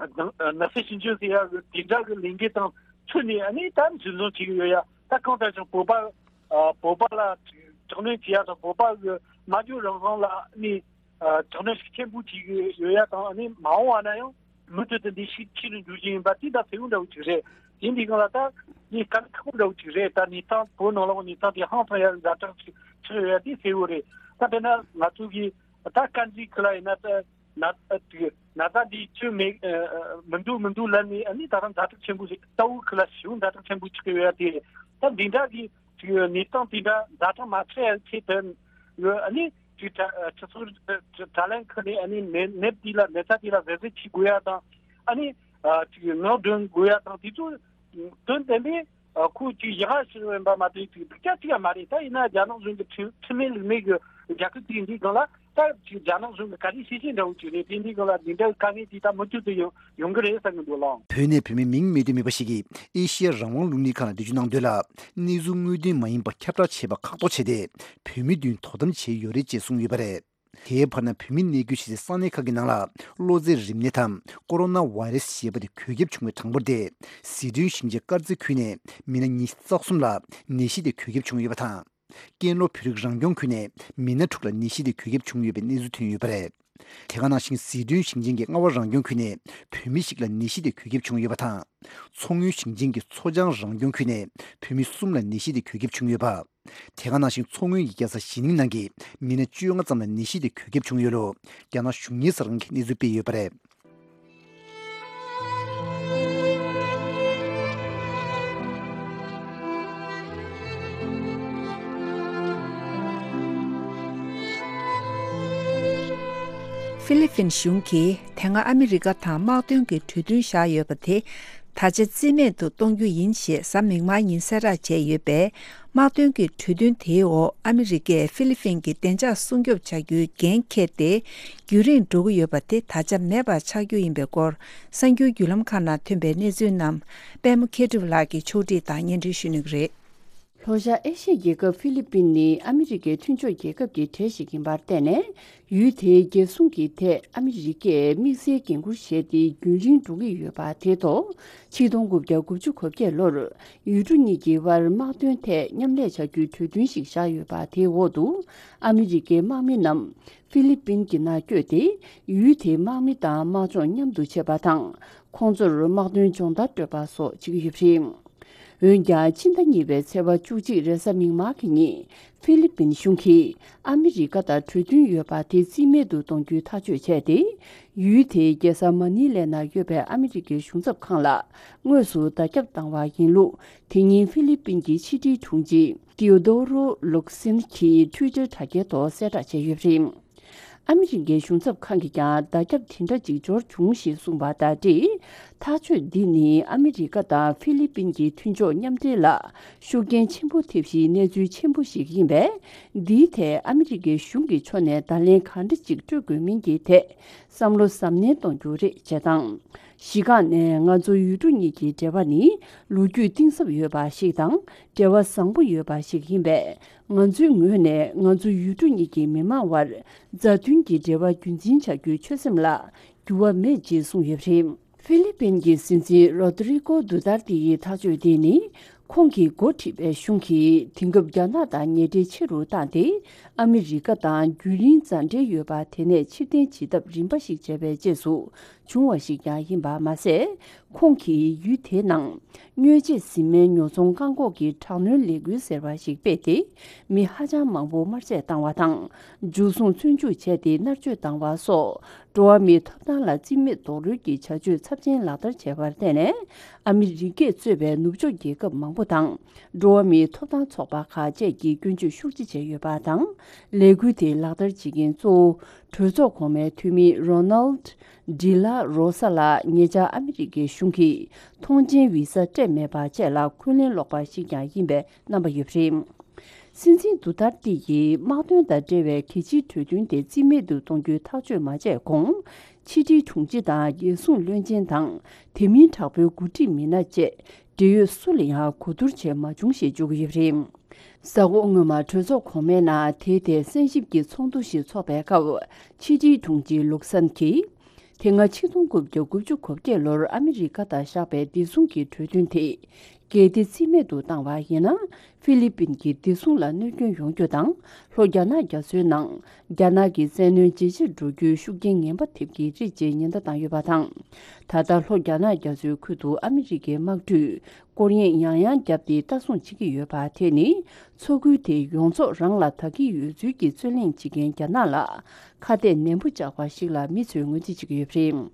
ན་ཚ་ཞིབ་འཇུག་ཟེར་ཡ་གི་དེ་འདྲ་གི་ལས་འགུལ་དང་མཐུད་ནས། ཨ་ནི་ད་འཛིན་བཟུང་བྱེད་ཀྱི་ཡོད་ཡ། ད་གང་ལྟར་ཀྱང་བོད་པ། ཨ། བོད་པ་ལ་དྲག་གནོན་བྱེད་ཡ་དང་། བོད་པ་གི་སྨྲ་བརྗོད་རང་དབང་ལ་ནི། ཨ། དྲག་གནོན་ཤུགས་ཆེན་པོ་བྱེད་ཀྱི་ཡོད་ཡ་དང་། ཨ་ནི་མ་འོངས་པ་ན་ཡང་མུ་མཐུད་དུ་འདི་ཤུགས་ཆེ་རུ་འགྲོ་གི་ཡིན་པ་དེ་ད་གསལ་བོ་འདྲ་བོ་ཅིག་རེད། དེ་འདི་སྒང་ལ་ད་ངས་དཀའ་ལས་ཁག་པོ་འདྲ་བོ་ཅིག་རེད། ད་གནས་སྟངས་བོད་ནང་ལོགས་གནས་སྟངས་དེ་ཧང་སང་ཡ་ཛ་དྲག་ཅིག་ཆགས་ཡོད་ཡ་དེ་གསལ་བོ་རེད། ད་དཔེར་ན་ང་ཚོ་གི་ད་དཀར་མཛེས་ཁུལ་ལ་ཡིན་ན། ད་ན་ཨ་དེ་ན་ཚ་འདི་ཁྱོན་མེད་ཨ་མི་འདུག་མི་འདུག་ལབ་ནས། ཨ་ནི་ད་རུང་ཛ་དྲག་ཆེན་པོ་ཞིག། རྟའུ་ཁུལ་ལ་ཞེ་པོ་ཛ་དྲག་ཆེན་པོ་ཆགས་ཀྱི་ཡོད་ཡ་དེ་རེད། ད་འདི་འདྲ་གི་ཅིག་གནས་སྟངས་དེ་འདྲ་ཛ་དྲག་མ་ཆགས་ཡ་ཆེད་དུ། ཨ་ནི་ཅིག་དྲ་སྤྱི་ཚོགས་དྲ་ལམ་ཁག་ནས། ཨ་ནི་ནད་ནད་དེ་ལ་ནད་ཚ་དེ་ལ་གཟབ་གཟབ་བྱེད་དགོས་ཡ་དང་། ཨ་ནི་ཨ་ཅིག་ངག་འདོན་དགོས་ཡ་དང་། དེ་ཚོ་དོན་དམ་པའི་ཨ་ཁོ་ཅིག་ཡག་ག་ཞིག་ཡིན་པ་མ་གཏོགས་ཅིག་སྡུག་ཅག་ཅིག་ཡང་མ་རེད། ད་ཡིན་ན་རྒྱ་ནག་གཞུང་གི་ཁྲིམས་ཁྲིམས་མེད་ལུགས་མེད་ཀྱི་རྒྱལ་ཁབ་ཅིག་ཡིན་དུས་སྒང་ལ། ད་ཅིག་རྒྱ་ནག་གཞུང་གི་ག་རེ་བྱེད་བཞིན་འདྲ་བོ་ཅིག་རེད། དེ་འདི་སྒང་ལ་འདི་འདྲ་གི་དཀའ་ངལ་དེ་ད་མུ་མཐུད་དུ་ཡོང་ཡོང་གི་རེད་བསམ་གྱི་འདུག་ལགས། བོད་ནས་བོད་མི་མིང་མི་བཏོན་མེད་པ་ཞིག་གིས་ཨེ་ཤི་ཡ་རང་དབང་རླུང་འཕྲིན་ཁང་ལ་འགྲེལ་བརྗོད་གནང་དོན་ལ། གནས་ཚུལ་དངོས་བདེན་མ་ཡིན་པ་ཁྱབ་བསྒྲགས་བྱས་པ་ཁག་ཐོག་བྱས་ཏེ། བོད་མི་མདུན་དོ་དམ་བྱས་ཡོད་རེད་ཅེས་གསུངས་ཡོད་པ་རེད། དེའི་བར་ན་བོད་མི་གནས་སྡོད་བྱེད་སའི་ས་གནས་ཁག་གི་ནང་ལ་གློ་ཚད་རིམས་ནད་དམ་ཀོ་རོ་ན་བྷའི་རེ་སི་ཞེས་པ་དེ་འགོས་ཁྱབ་བྱུང་བའི་གྲངས་འབོར་དེ། ཟི་ཁྲོན་ཞིང་ཆེན་དཀར་མཛེས་ཁུལ་ནས་མི་སྣ་ཉི་ཤུ་རྩ་གསུམ་ལ་ནད་གཞི་དེ་འགོས་ཁྱབ་བྱུང་ཡོད་པ་དང་། ཀན་ལྷོ་བོད་རིགས་རང་སྐྱོང་ཁུལ་ནས་མི་སྣ་དྲུག་ལ་ནད་གཞི་དེ་འགོས་ཁྱབ་བྱུང་ཡོད་པའི་གནས་ཚུལ་ཐོན་ཡོད་པ་རེད། དེ་ག་ནང་བཞིན་ཟི་ཁྲོན་ཞིང་ཆེན་གྱི་རྔ་བ་རང་སྐྱོང་ཁུལ་ནས་བོད་མི་ཞིག་ལ་ནད་གཞི་དེ་འགོས་ཁྱབ་བྱུང་ཡོད་པ་དང་། མཚོ་སྔོན་ཞིང་ཆེན་གྱི་མཚོ་བྱང་རང་སྐྱོང་ཁུལ་ནས་བོད་མི་གསུམ་ལ་ནད་གཞི་དེ་འགོས་ཁྱབ་བྱུང་ཡོད་པ། དེ་ག་ནང་བཞིན་མཚོ་སྔོན་གྱི་རྒྱལ་ས་ཞི་ནིང་ནང་གི་མི་སྣ་བཅོ་ལྔ་ཙམ་ལ་ནད་གཞི་དེ་འགོས་ཁྱབ་བྱུང་ཡོད་ལུགས་རྒྱ་ནག་གཞུང་གཉེར་གསར་ཁང་གིས་གནས་ཚུལ་སྤེལ་ཡོད་པ་རེད། ཧྥི་ལི་ཕིན་གཞུང་གིས་དེ་སྔ་ཨ་མི་རི་ཀ་དང་དམག་དོན་གྱི་གྲོས་མཐུན་བཞག་ཡོད་པ་དེ་ད་ཆ་རྩིས་མེད་དུ་གཏོང་རྒྱུ་ཡིན་ཞེས་གཟའ་མིག་དམར་ཉིན་གསལ་བསྒྲགས་བྱས་ཡོད་པས། དམག་དོན་གྱི་གྲོས་མཐུན་དེའི་འོག་ཨ་མི་རི་ཀས་ཧྥི་ལི་ཕིན་གྱི་བདེ་འཇགས་སྲུང་སྐྱོབ་བྱ་རྒྱུའི་འགན་འཁྱེར་ཏེ། རྒྱུན་རིང་འགྲོ་གི་ཡོད་པ་དེ་ད་ཆ་མེད་པ་ཆགས་རྒྱུ་ཡིན་པའི་སྐོར། གསར་འགྱུར་བརྒྱུད་ལམ་ཁག་ནང་ཐོན་པའི་གནས་ཚུལ་རྣམས་པད་མ་མཁས་གྲུབ་ལགས་ཀྱིས་ཕྱོགས་སྒྲིག་དང་སྙན་སྒྲོན་ཞུ་ནུས་ཀྱི་རེད། ལྷོ་ཤར་ཨེ་ཤི་ཡའི་རྒྱལ་ཁབ་ཧྥི་ལི་པིན་ནི་ཨ་མི་རི་ཀའི་མཐུན་ཕྱོགས་རྒྱལ་ཁབ་ཀྱི་གྲས་ཤིག་ཡིན་པར་བརྟེན་ནས། ཡུལ་དེའི་རྒྱལ་སྲུང་གི་ཐད་ཨ་མི་རི་ཀས་དམིགས་བསལ་འགན་འཁུར་བཞེས་ཏེ་རྒྱུན་རིང་འགྲོ་གི་ཡོད་པ་དེ་ཐོག་ཆིག་སྟོང་དགུ་བརྒྱ་དགུ་བཅུ་གོ་བརྒྱད་ལོར་ཡུལ་གྲུ་གཉིས་ཀྱི་དབར་དམག་དོན་ཐད་མཉམ་ལས་བྱ་རྒྱུའི་གྲོས་མཐུན་ཞིག་བཞག་ཡོད་པ། དེའི་འོག་ཏུ་ཨ་མི་རི་ཀའི་དམག་མི་རྣམས་ཧྥི་ལི་པིན་གྱི་ནང་བསྐྱོད་དེ། ཡུལ་དེའི་དམག་མི་དང་དམག་སྦྱོང་མཉམ་དུ་བྱེད་པ་དང་། ཁོང་ཚོར་དམག་དོན་སྦྱོང་བརྡར་སྤྲོད་པ་སོགས་བྱེད་ཀྱི་ཡོད་པ་རེད། འོན་ཀྱང་། ཕྱི་ཟླ་གཉིས་པའི་ཚེས་པ་བཅུ་གཅིག་རེས་གཟའ་མིག་དམར་གྱི་ཉིན། ཧྥི་ལི་པིན་གཞུང་གིས་ཨ་མི་རི་ཀ་དང་གྲོས་མཐུན་ཡོད་པ་དེ་རྩིས་མེད་དུ་གཏོང་རྒྱུའི་ཐག་གཅོད་བྱས་ཏེ། ཡུལ་དེའི་རྒྱལ་ས་མ་ནི་ལའི་ནང་ཡོད་པའི་ཨ་མི་རི་ཀའི་གཞུང་ཚབ་ཁང་ལ་དངོས་སུ་བརྡ་ཁྱབ་བཏང་བ་ཡིན་ལུགས། དེ་ཉིན་ཧྥི་ལི་པིན་གྱི་ཕྱི་དྲིལ་དྲུང་ཆེ་ཏིའོ་དོ་རོ་ལུག་སིན་གྱིས་ཊུའི་ཊར་དྲ་རྒྱའི་ཐོག་གསལ་བསྒྲགས་བྱས་ཡོད་པ་རེད། ཨ་མི་རི་ཀའི་གཞུང་ཚབ་ཁང་གིས་ཀྱང་བརྡ་ཁྱབ་དེ་འདྲ་ཅིག་འབྱོར་བྱུང་ཞེས་གསུངས་པ་དང་འབྲེལ། ཐག་གཅོད་འདི་ནི་ཨ་མི་རི་ཀ་དང་ཧྥི་ལི་པིན་གྱི་མཐུན་ཕྱོགས་མཉམ་འབྲེལ་ལ་ཤུགས་རྐྱེན་ཆེན་པོ་ཐེབས་གཞིའི་གནས་ཚུལ་ཆེན་པོ་ཞིག་ཡིན་པས། འདིའི་ཐད་ཨ་མི་རི་ཀའི་གཞུང་གི་ཕྱོགས་ནས་བརྡ་ལན་གང་འདྲ་ཅིག་སྤྲོད་དགོས་མིན་གྱི་ཐད་བསམ་བློ་གཟབ་ནན་གཏོང་རྒྱུ་རེད་ཅེས་དང་། གཞི་རྐང་ནས་ང་ཚོ་ཡུལ་གྲུ་གཉིས་ཀྱི་འབྲེལ་བ་ནི་ལོ་རྒྱུས་གཏིང་ཟབ་ཡོད་པ་ཞིག་དང་འབྲེལ་བ་བཟང་པོ་ཡོད་པ་ཞིག་ཡིན་པས། ང་ཚོའི་ངོས་ནས་ང་ཚོ་ཡུལ་གྲུ་གཉིས་ཀྱི་མི་མང་བར་མཛའ་མཐུན་གྱི་འབྲེལ་བ་རྒྱུན་འཛིན་བྱ་རྒྱུའི་ཆོད་སེམས་ལ་འགྱུར་བ་མེད་ཅེས་གསུངས་ཡོད་པ་རེད། ཧྥི་ལི་པིན་གྱི་སྲིད་འཛིན་རོ་ཏི་རི་ཀོ་དུ་ཏར་ཏི་ཡི་ཐག་གཅོད་དེ་ནི། ཁོང་གིས་འགོ་ཁྲིད་པའི་གཞུང་གིས་དེང་སྐབས་རྒྱ་ནག་དང་ཉེ་འབྲེལ་ཆེ་རུ་བཏང་སྟེ། ཨ་མི་རི་ཀ་དང་རྒྱུན་རིང་མཛའ་འབྲེལ་ཡོད་པ་དེ་ནས་ཕྱིར་འཐེན་བྱེད་ཐབས་རིམ་པ་ཞིག་བྱས་པའི་རྗེས་སུ་བྱུང་བ་ཞིག་ཀྱང་ཡིན་པ་མ་ཟད། ཁོང་གིས་ཡུལ་དེའི་ནང་། སྨྱོ་བྱེད་བཟི་སྨན་ཉོ་ཚོང་བཀག་འགོག་གི་དྲག་གནོན་ལས་འགུལ་ཟེར་བ་ཞིག་སྤེལ་ཏེ། མི་ཧ་ཅང་མང་པོ་དམར་གསོད་བཏང་བ་དང་། འཇུ་བཟུང་བཙོན་འཇུག་བྱས་ཏེ་མནར་གཅོད་བཏང་བ་སོགས། འགྲོ་བ་མིའི་ཐོབ་ཐང་ལ་རྩིས་མེད་རྡོག་རོལ་གྱི་བྱ་སྤྱོད་ཚབས་ཆེན་ལག་བསྟར་བྱས་པར་བརྟེན་ནས། ཨ་མི་རི་ཀས་གཙོས་པའི་ནུབ་ཕྱོགས་རྒྱལ་ཁབ་མང་པོ་དང་། འགྲོ་བ་མིའི་ཐོབ་ཐང་ཚོགས་པ་ཁག་བཅས་ཀྱིས་སྐྱོན་བརྗོད་ཤུགས་ཆེ་བྱས་ཡོད་པ་དང་། ལས་འགུལ་དེ་ལག་བསྟར་བྱེད་མཁན་གཙོ་བོ། གྲོས་ཚོགས་གོང་མའི་འཐུས་མི་རོ་ནལ་ཌི་ལ་རོ་ས་ལགས་ཉེ་ཆར་ཨ་མི་རི་ཀའི་གཞུང་གིས་ཐོངས་མཆན་བི་ས་སྤྲད་མེད་པ་བཅས་ལ་འཁོན་ལན་སློག་པ་ཞིག་ཀྱང་ཡིན་པའི་རྣམ་པ་ཡོད་པ་རེད། སྲིད་འཛིན་དུ་ཏར་ཏི་ཡིས་དམག་དོན་དང་འབྲེལ་བའི་གལ་ཆེའི་གྲོས་མཐུན་དེ་རྩིས་མེད་དུ་གཏོང་རྒྱུའི་ཐག་གཅོད་མ་བྱས་གོང་། ཕྱི་དྲིལ་དྲུང་ཆེ་དང་རྒྱལ་སྲུང་བློན་ཆེན་དང་། དེ་མིན་དྲག་པོའི་འགོ་ཁྲིད་མི་སྣ་བཅས་འབྲེལ་ཡོད་སུ་ལ་ཡང་གོ་བསྡུར་བྱས་མ་བྱུང་ཞེས་བརྗོད་ཀྱི་ཡོད་པ་རེད། གཟའ་འཁོར་སྔོན་མ་གྲོས་ཚོགས་གོང་མའི་ནང་དེའི་ཐད་གསན་ཞིབ་ཀྱི་ཚོགས་འདུ་ཞིག་འཚོགས་པའི་སྐབས། ཕྱི་དྲིལ་དྲུང་ཆེ་ལུག་སན་གྱིས། དེ་སྔ་ཆིག་སྟོང་དགུ་བརྒྱ་དགུ་བཅུ་གོ་བརྒྱད་ལོར་ཨ་མི་རི་ཀ་དང་བཞག་པའི་བདེ་སྲུང་གི་གྲོས་མཐུན་དེ། གལ་ཏེ་རྩིས་མེད་དུ་བཏང་བ་ཡིན་ན། ཧྥི་ལི་པིན་གྱི་བདེ་སྲུང་ལ་གནོད་སྐྱོན་ཡོང་རྒྱུ་དང་། ལྷོ་རྒྱ་ནག་རྒྱ་མཚོའི་ནང་རྒྱ་ནག་གི་བཙན་གནོན་ཇེ་ཆེར་འགྲོ་རྒྱུའི་ཤུགས་རྐྱེན་ངན་པ་ཐེབས་ཀྱི་རེད་ཅེས་ཉེན་བརྡ་བཏང་ཡོད་པ་དང་། ད་ལྟ་ལྷོ་རྒྱ་ནག་རྒྱ་མཚོའི་ཁུལ་དུ་ཨ་མི་རི་ཀའི་དམག་གྲུས་སྐོར་གཡེང་ཡང་ཡང་བརྒྱབ་སྟེ་ལྟ་སྲུང་བྱེད་ཀྱི་ཡོད་པ་དེ་ནི། མཚོ་ཁུལ་དེ་ཡོངས་རྫོགས་རང་ལ་བདག་གི་ཡོད་ཚུལ་གྱི་རྩོད་གླེང་བྱེད་མཁན་རྒྱ་ནག་ལ་ཁ་གཏད་ནན་པོ་བཅག་པ་ཞིག་ལ་མི་ཚོས་ངོས་འཛིན་བྱེད་ཀྱི་ཡོད་པ་རེད།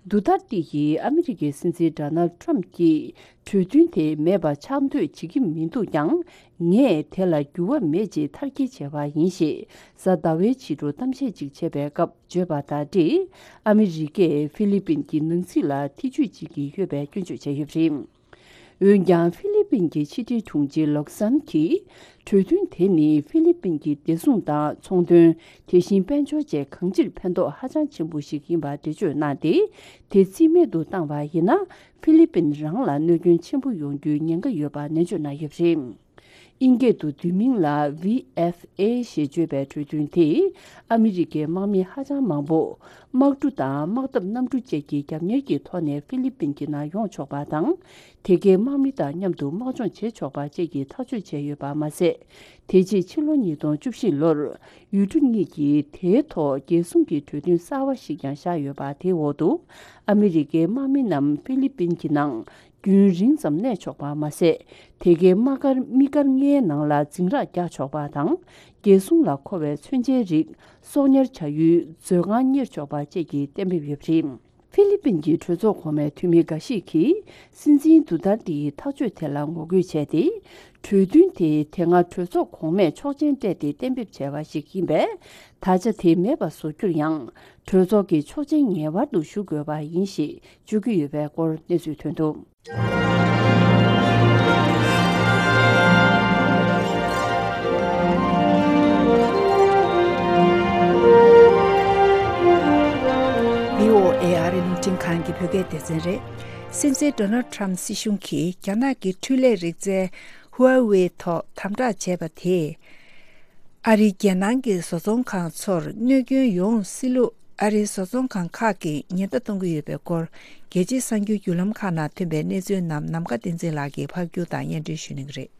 དུ་ཏར་ཏི་ཡིས་ཨ་མི་རི་ཀའི་སྲིད་འཛིན་ཌོ་ནལ་ཊམ་གྱིས་གྲོས་མཐུན་དེ་མེད་པ་ཆགས་འདོད་བྱེད་ཀྱི་མི་འདུག་ཀྱང་། ངས་དེ་ལ་འགྱུར་བ་མེད་ཅེས་མཐར་སྐྱེལ་བྱས་པ་ཡིན་ཞེས་གཟའ་ཟླ་བའི་ཕྱི་དྲོ་གཏམ་བཤད་ཅིག་བྱས་པའི་སྐབས་བརྗོད་པ་དང་འབྲེལ། ཨ་མི་རི་ཀས་ཧྥི་ལི་པིན་གྱི་ནང་སྲིད་ལ་ཐེ་ཇུས་བྱེད་ཀྱི་ཡོད་པའི་སྐྱོན་བརྗོད་བྱས་ཡོད་པ་རེད། འོན་ཀྱང་། ཧྥི་ལི་པིན་གྱི་ཕྱི་དྲིལ་དྲུང་ཆེ་ལོག་སན་གྱིས། གྲོས་མཐུན་དེ་ནི་ཧྥི་ལི་པིན་གྱི་བདེ་སྲུང་དང་ཚོང་དོན། དེ་བཞིན་དཔལ་འབྱོར་བཅས་གང་ཅིར་ཕན་ཐོགས་ཧ་ཅང་ཆེན་པོ་ཞིག་ཡིན་པ་འགྲེལ་བརྗོད་གནང་སྟེ། དེ་རྩིས་མེད་དུ་བཏང་བ་ཡིན་ན། ཧྥི་ལི་པིན་རང་ལ་གནོད་སྐྱོན་ཆེན་པོ་ཡོང་རྒྱུའི་ཉེན་ཁ་ཡོད་པ་ནན་བརྗོད་གནང་ཡོད་པ་རེད། དབྱིན་སྐད་དུ་བསྡུས་མིང་ལ་ཝི་ཨེཕ་ཨེ་ཞེས་བརྗོད་པའི་གྲོས་མཐུན་དེས། ཨ་མི་རི་ཀའི་དམག་མི་ཧ་ཅང་མང་པོ། དམག་གྲུ་དང་དམག་འཐབ་གནམ་གྲུ་བཅས་ཀྱི་རྒྱབ་གཉེར་གྱི་ཐོག་ནས་ཧྥི་ལི་པིན་གྱི་ནང་ཡོང་ཆོག་པ་དང་། དེ་གའི་དམག་མི་དང་མཉམ་དུ་དམག་སྦྱོང་བྱེད་ཆོག་པ་བཅས་ཀྱི་ཐག་གཅོད་བྱས་ཡོད་པ་མ་ཟད། དེ་རྗེས་ཕྱི་ལོ་ཉིས་སྟོང་བཅུ་བཞི་ལོར། ཡུལ་གྲུ་གཉིས་ཀྱིས་དེའི་ཐོག་རྒྱལ་སྲུང་གི་གྲོས་མཐུན་གསར་བ་ཞིག་ཀྱང་བཞག་ཡོད་པ། དེའི་འོག་ཏུ། ཨ་མི་རི་ཀའི་དམག་མི་རྣམས་ཧྥི་ལི་པིན་གྱི་ནང་རྒྱུན་རིང་ཙམ་གནས་ཆོག་པ་མ་ཟད། དེ་གའི་དམག་སྒར་དམིགས་བཀར་ལྔའི་ནང་ལ་འཛིང་རགས་རྒྱག་ཆོག་པ་དང་། རྒྱལ་སྲུང་ལ་མཁོ་བའི་མཚོན་ཆའི་རིགས་གསོག་ཉར་བྱ་ཡུལ་མཛོད་ཁང་གཉེར་ཆོག་པ་བཅས་ཀྱི་གཏན་འབེབས་ཡོད་པ་རེད། ཧྥི་ལི་པིན་གྱི་གྲོས་ཚོགས་གོང་མའི་འཐུས་མི་འགའ་ཞིག་གིས། སྲིད་འཛིན་དུ་ཏར་ཏིའི་ཐག་གཅོད་དེ་ལ་ངོ་རྒོལ་བྱས་ཏེ། གྲོས་མཐུན་དེ་དེ་སྔ་གྲོས་ཚོགས་གོང་མས་ཆོག་མཆན་སྤྲད་དེ་གཏན་འབེབས་བྱས་པ་ཞིག་ཡིན་པས། ད་ཆ་དེ་མེད་པ་བཟོ་རྒྱུར་ཡང་། གྲོས་ཚོགས་ཀྱི་ཆོག་མཆན་ངེས་པར་དུ་ཞུ་དགོས་པ་ཡིན་ཞེས་བརྗོད་ཀྱི་ཡོད་པའི་སྐོར་གནས་ཚུལ་ཐོན་འདུག། བྷི་ཨོ་ཨེ་ཨ་རི་རླུང་འཕྲིན་ཁང་གི་བོད་སྐད་སྡེ་ཚན་རེད། སྲིད་འཛིན་ཌོ་ནལ་ཊམ་སྲིད་གཞུང་གིས་རྒྱ་ནག་གི་འཕྲུལ་ལས་རིག་རྩལ་ ཧུའེ་ཝེ་ཐོག་དམ་དྲག་བྱས་པ་དེས། ཨ་རིའི་རྒྱལ་ནང་གི་བཟོ་ཚོང་ཁང་ཚོར་གནོད་སྐྱོན་ཡོང་སྲིད་ལུགས་ཨ་རིའི་བཟོ་ཚོང་ཁང་ཁག་གིས་ཉེན་བརྡ་གཏོང་གི་ཡོད་པའི་སྐོར། རྒྱལ་སྤྱིའི་གསར་འགྱུར་བརྒྱུད་ལམ་ཁག་ནང་ཐོན་པའི་གནས་ཚུལ་རྣམས་ནམ་མཁའ་བསྟན་འཛིན་ལགས་ཀྱིས་ཕབ་སྒྱུར་དང་སྙན་སྒྲོན་ཞུ་གནང་གི་རེད།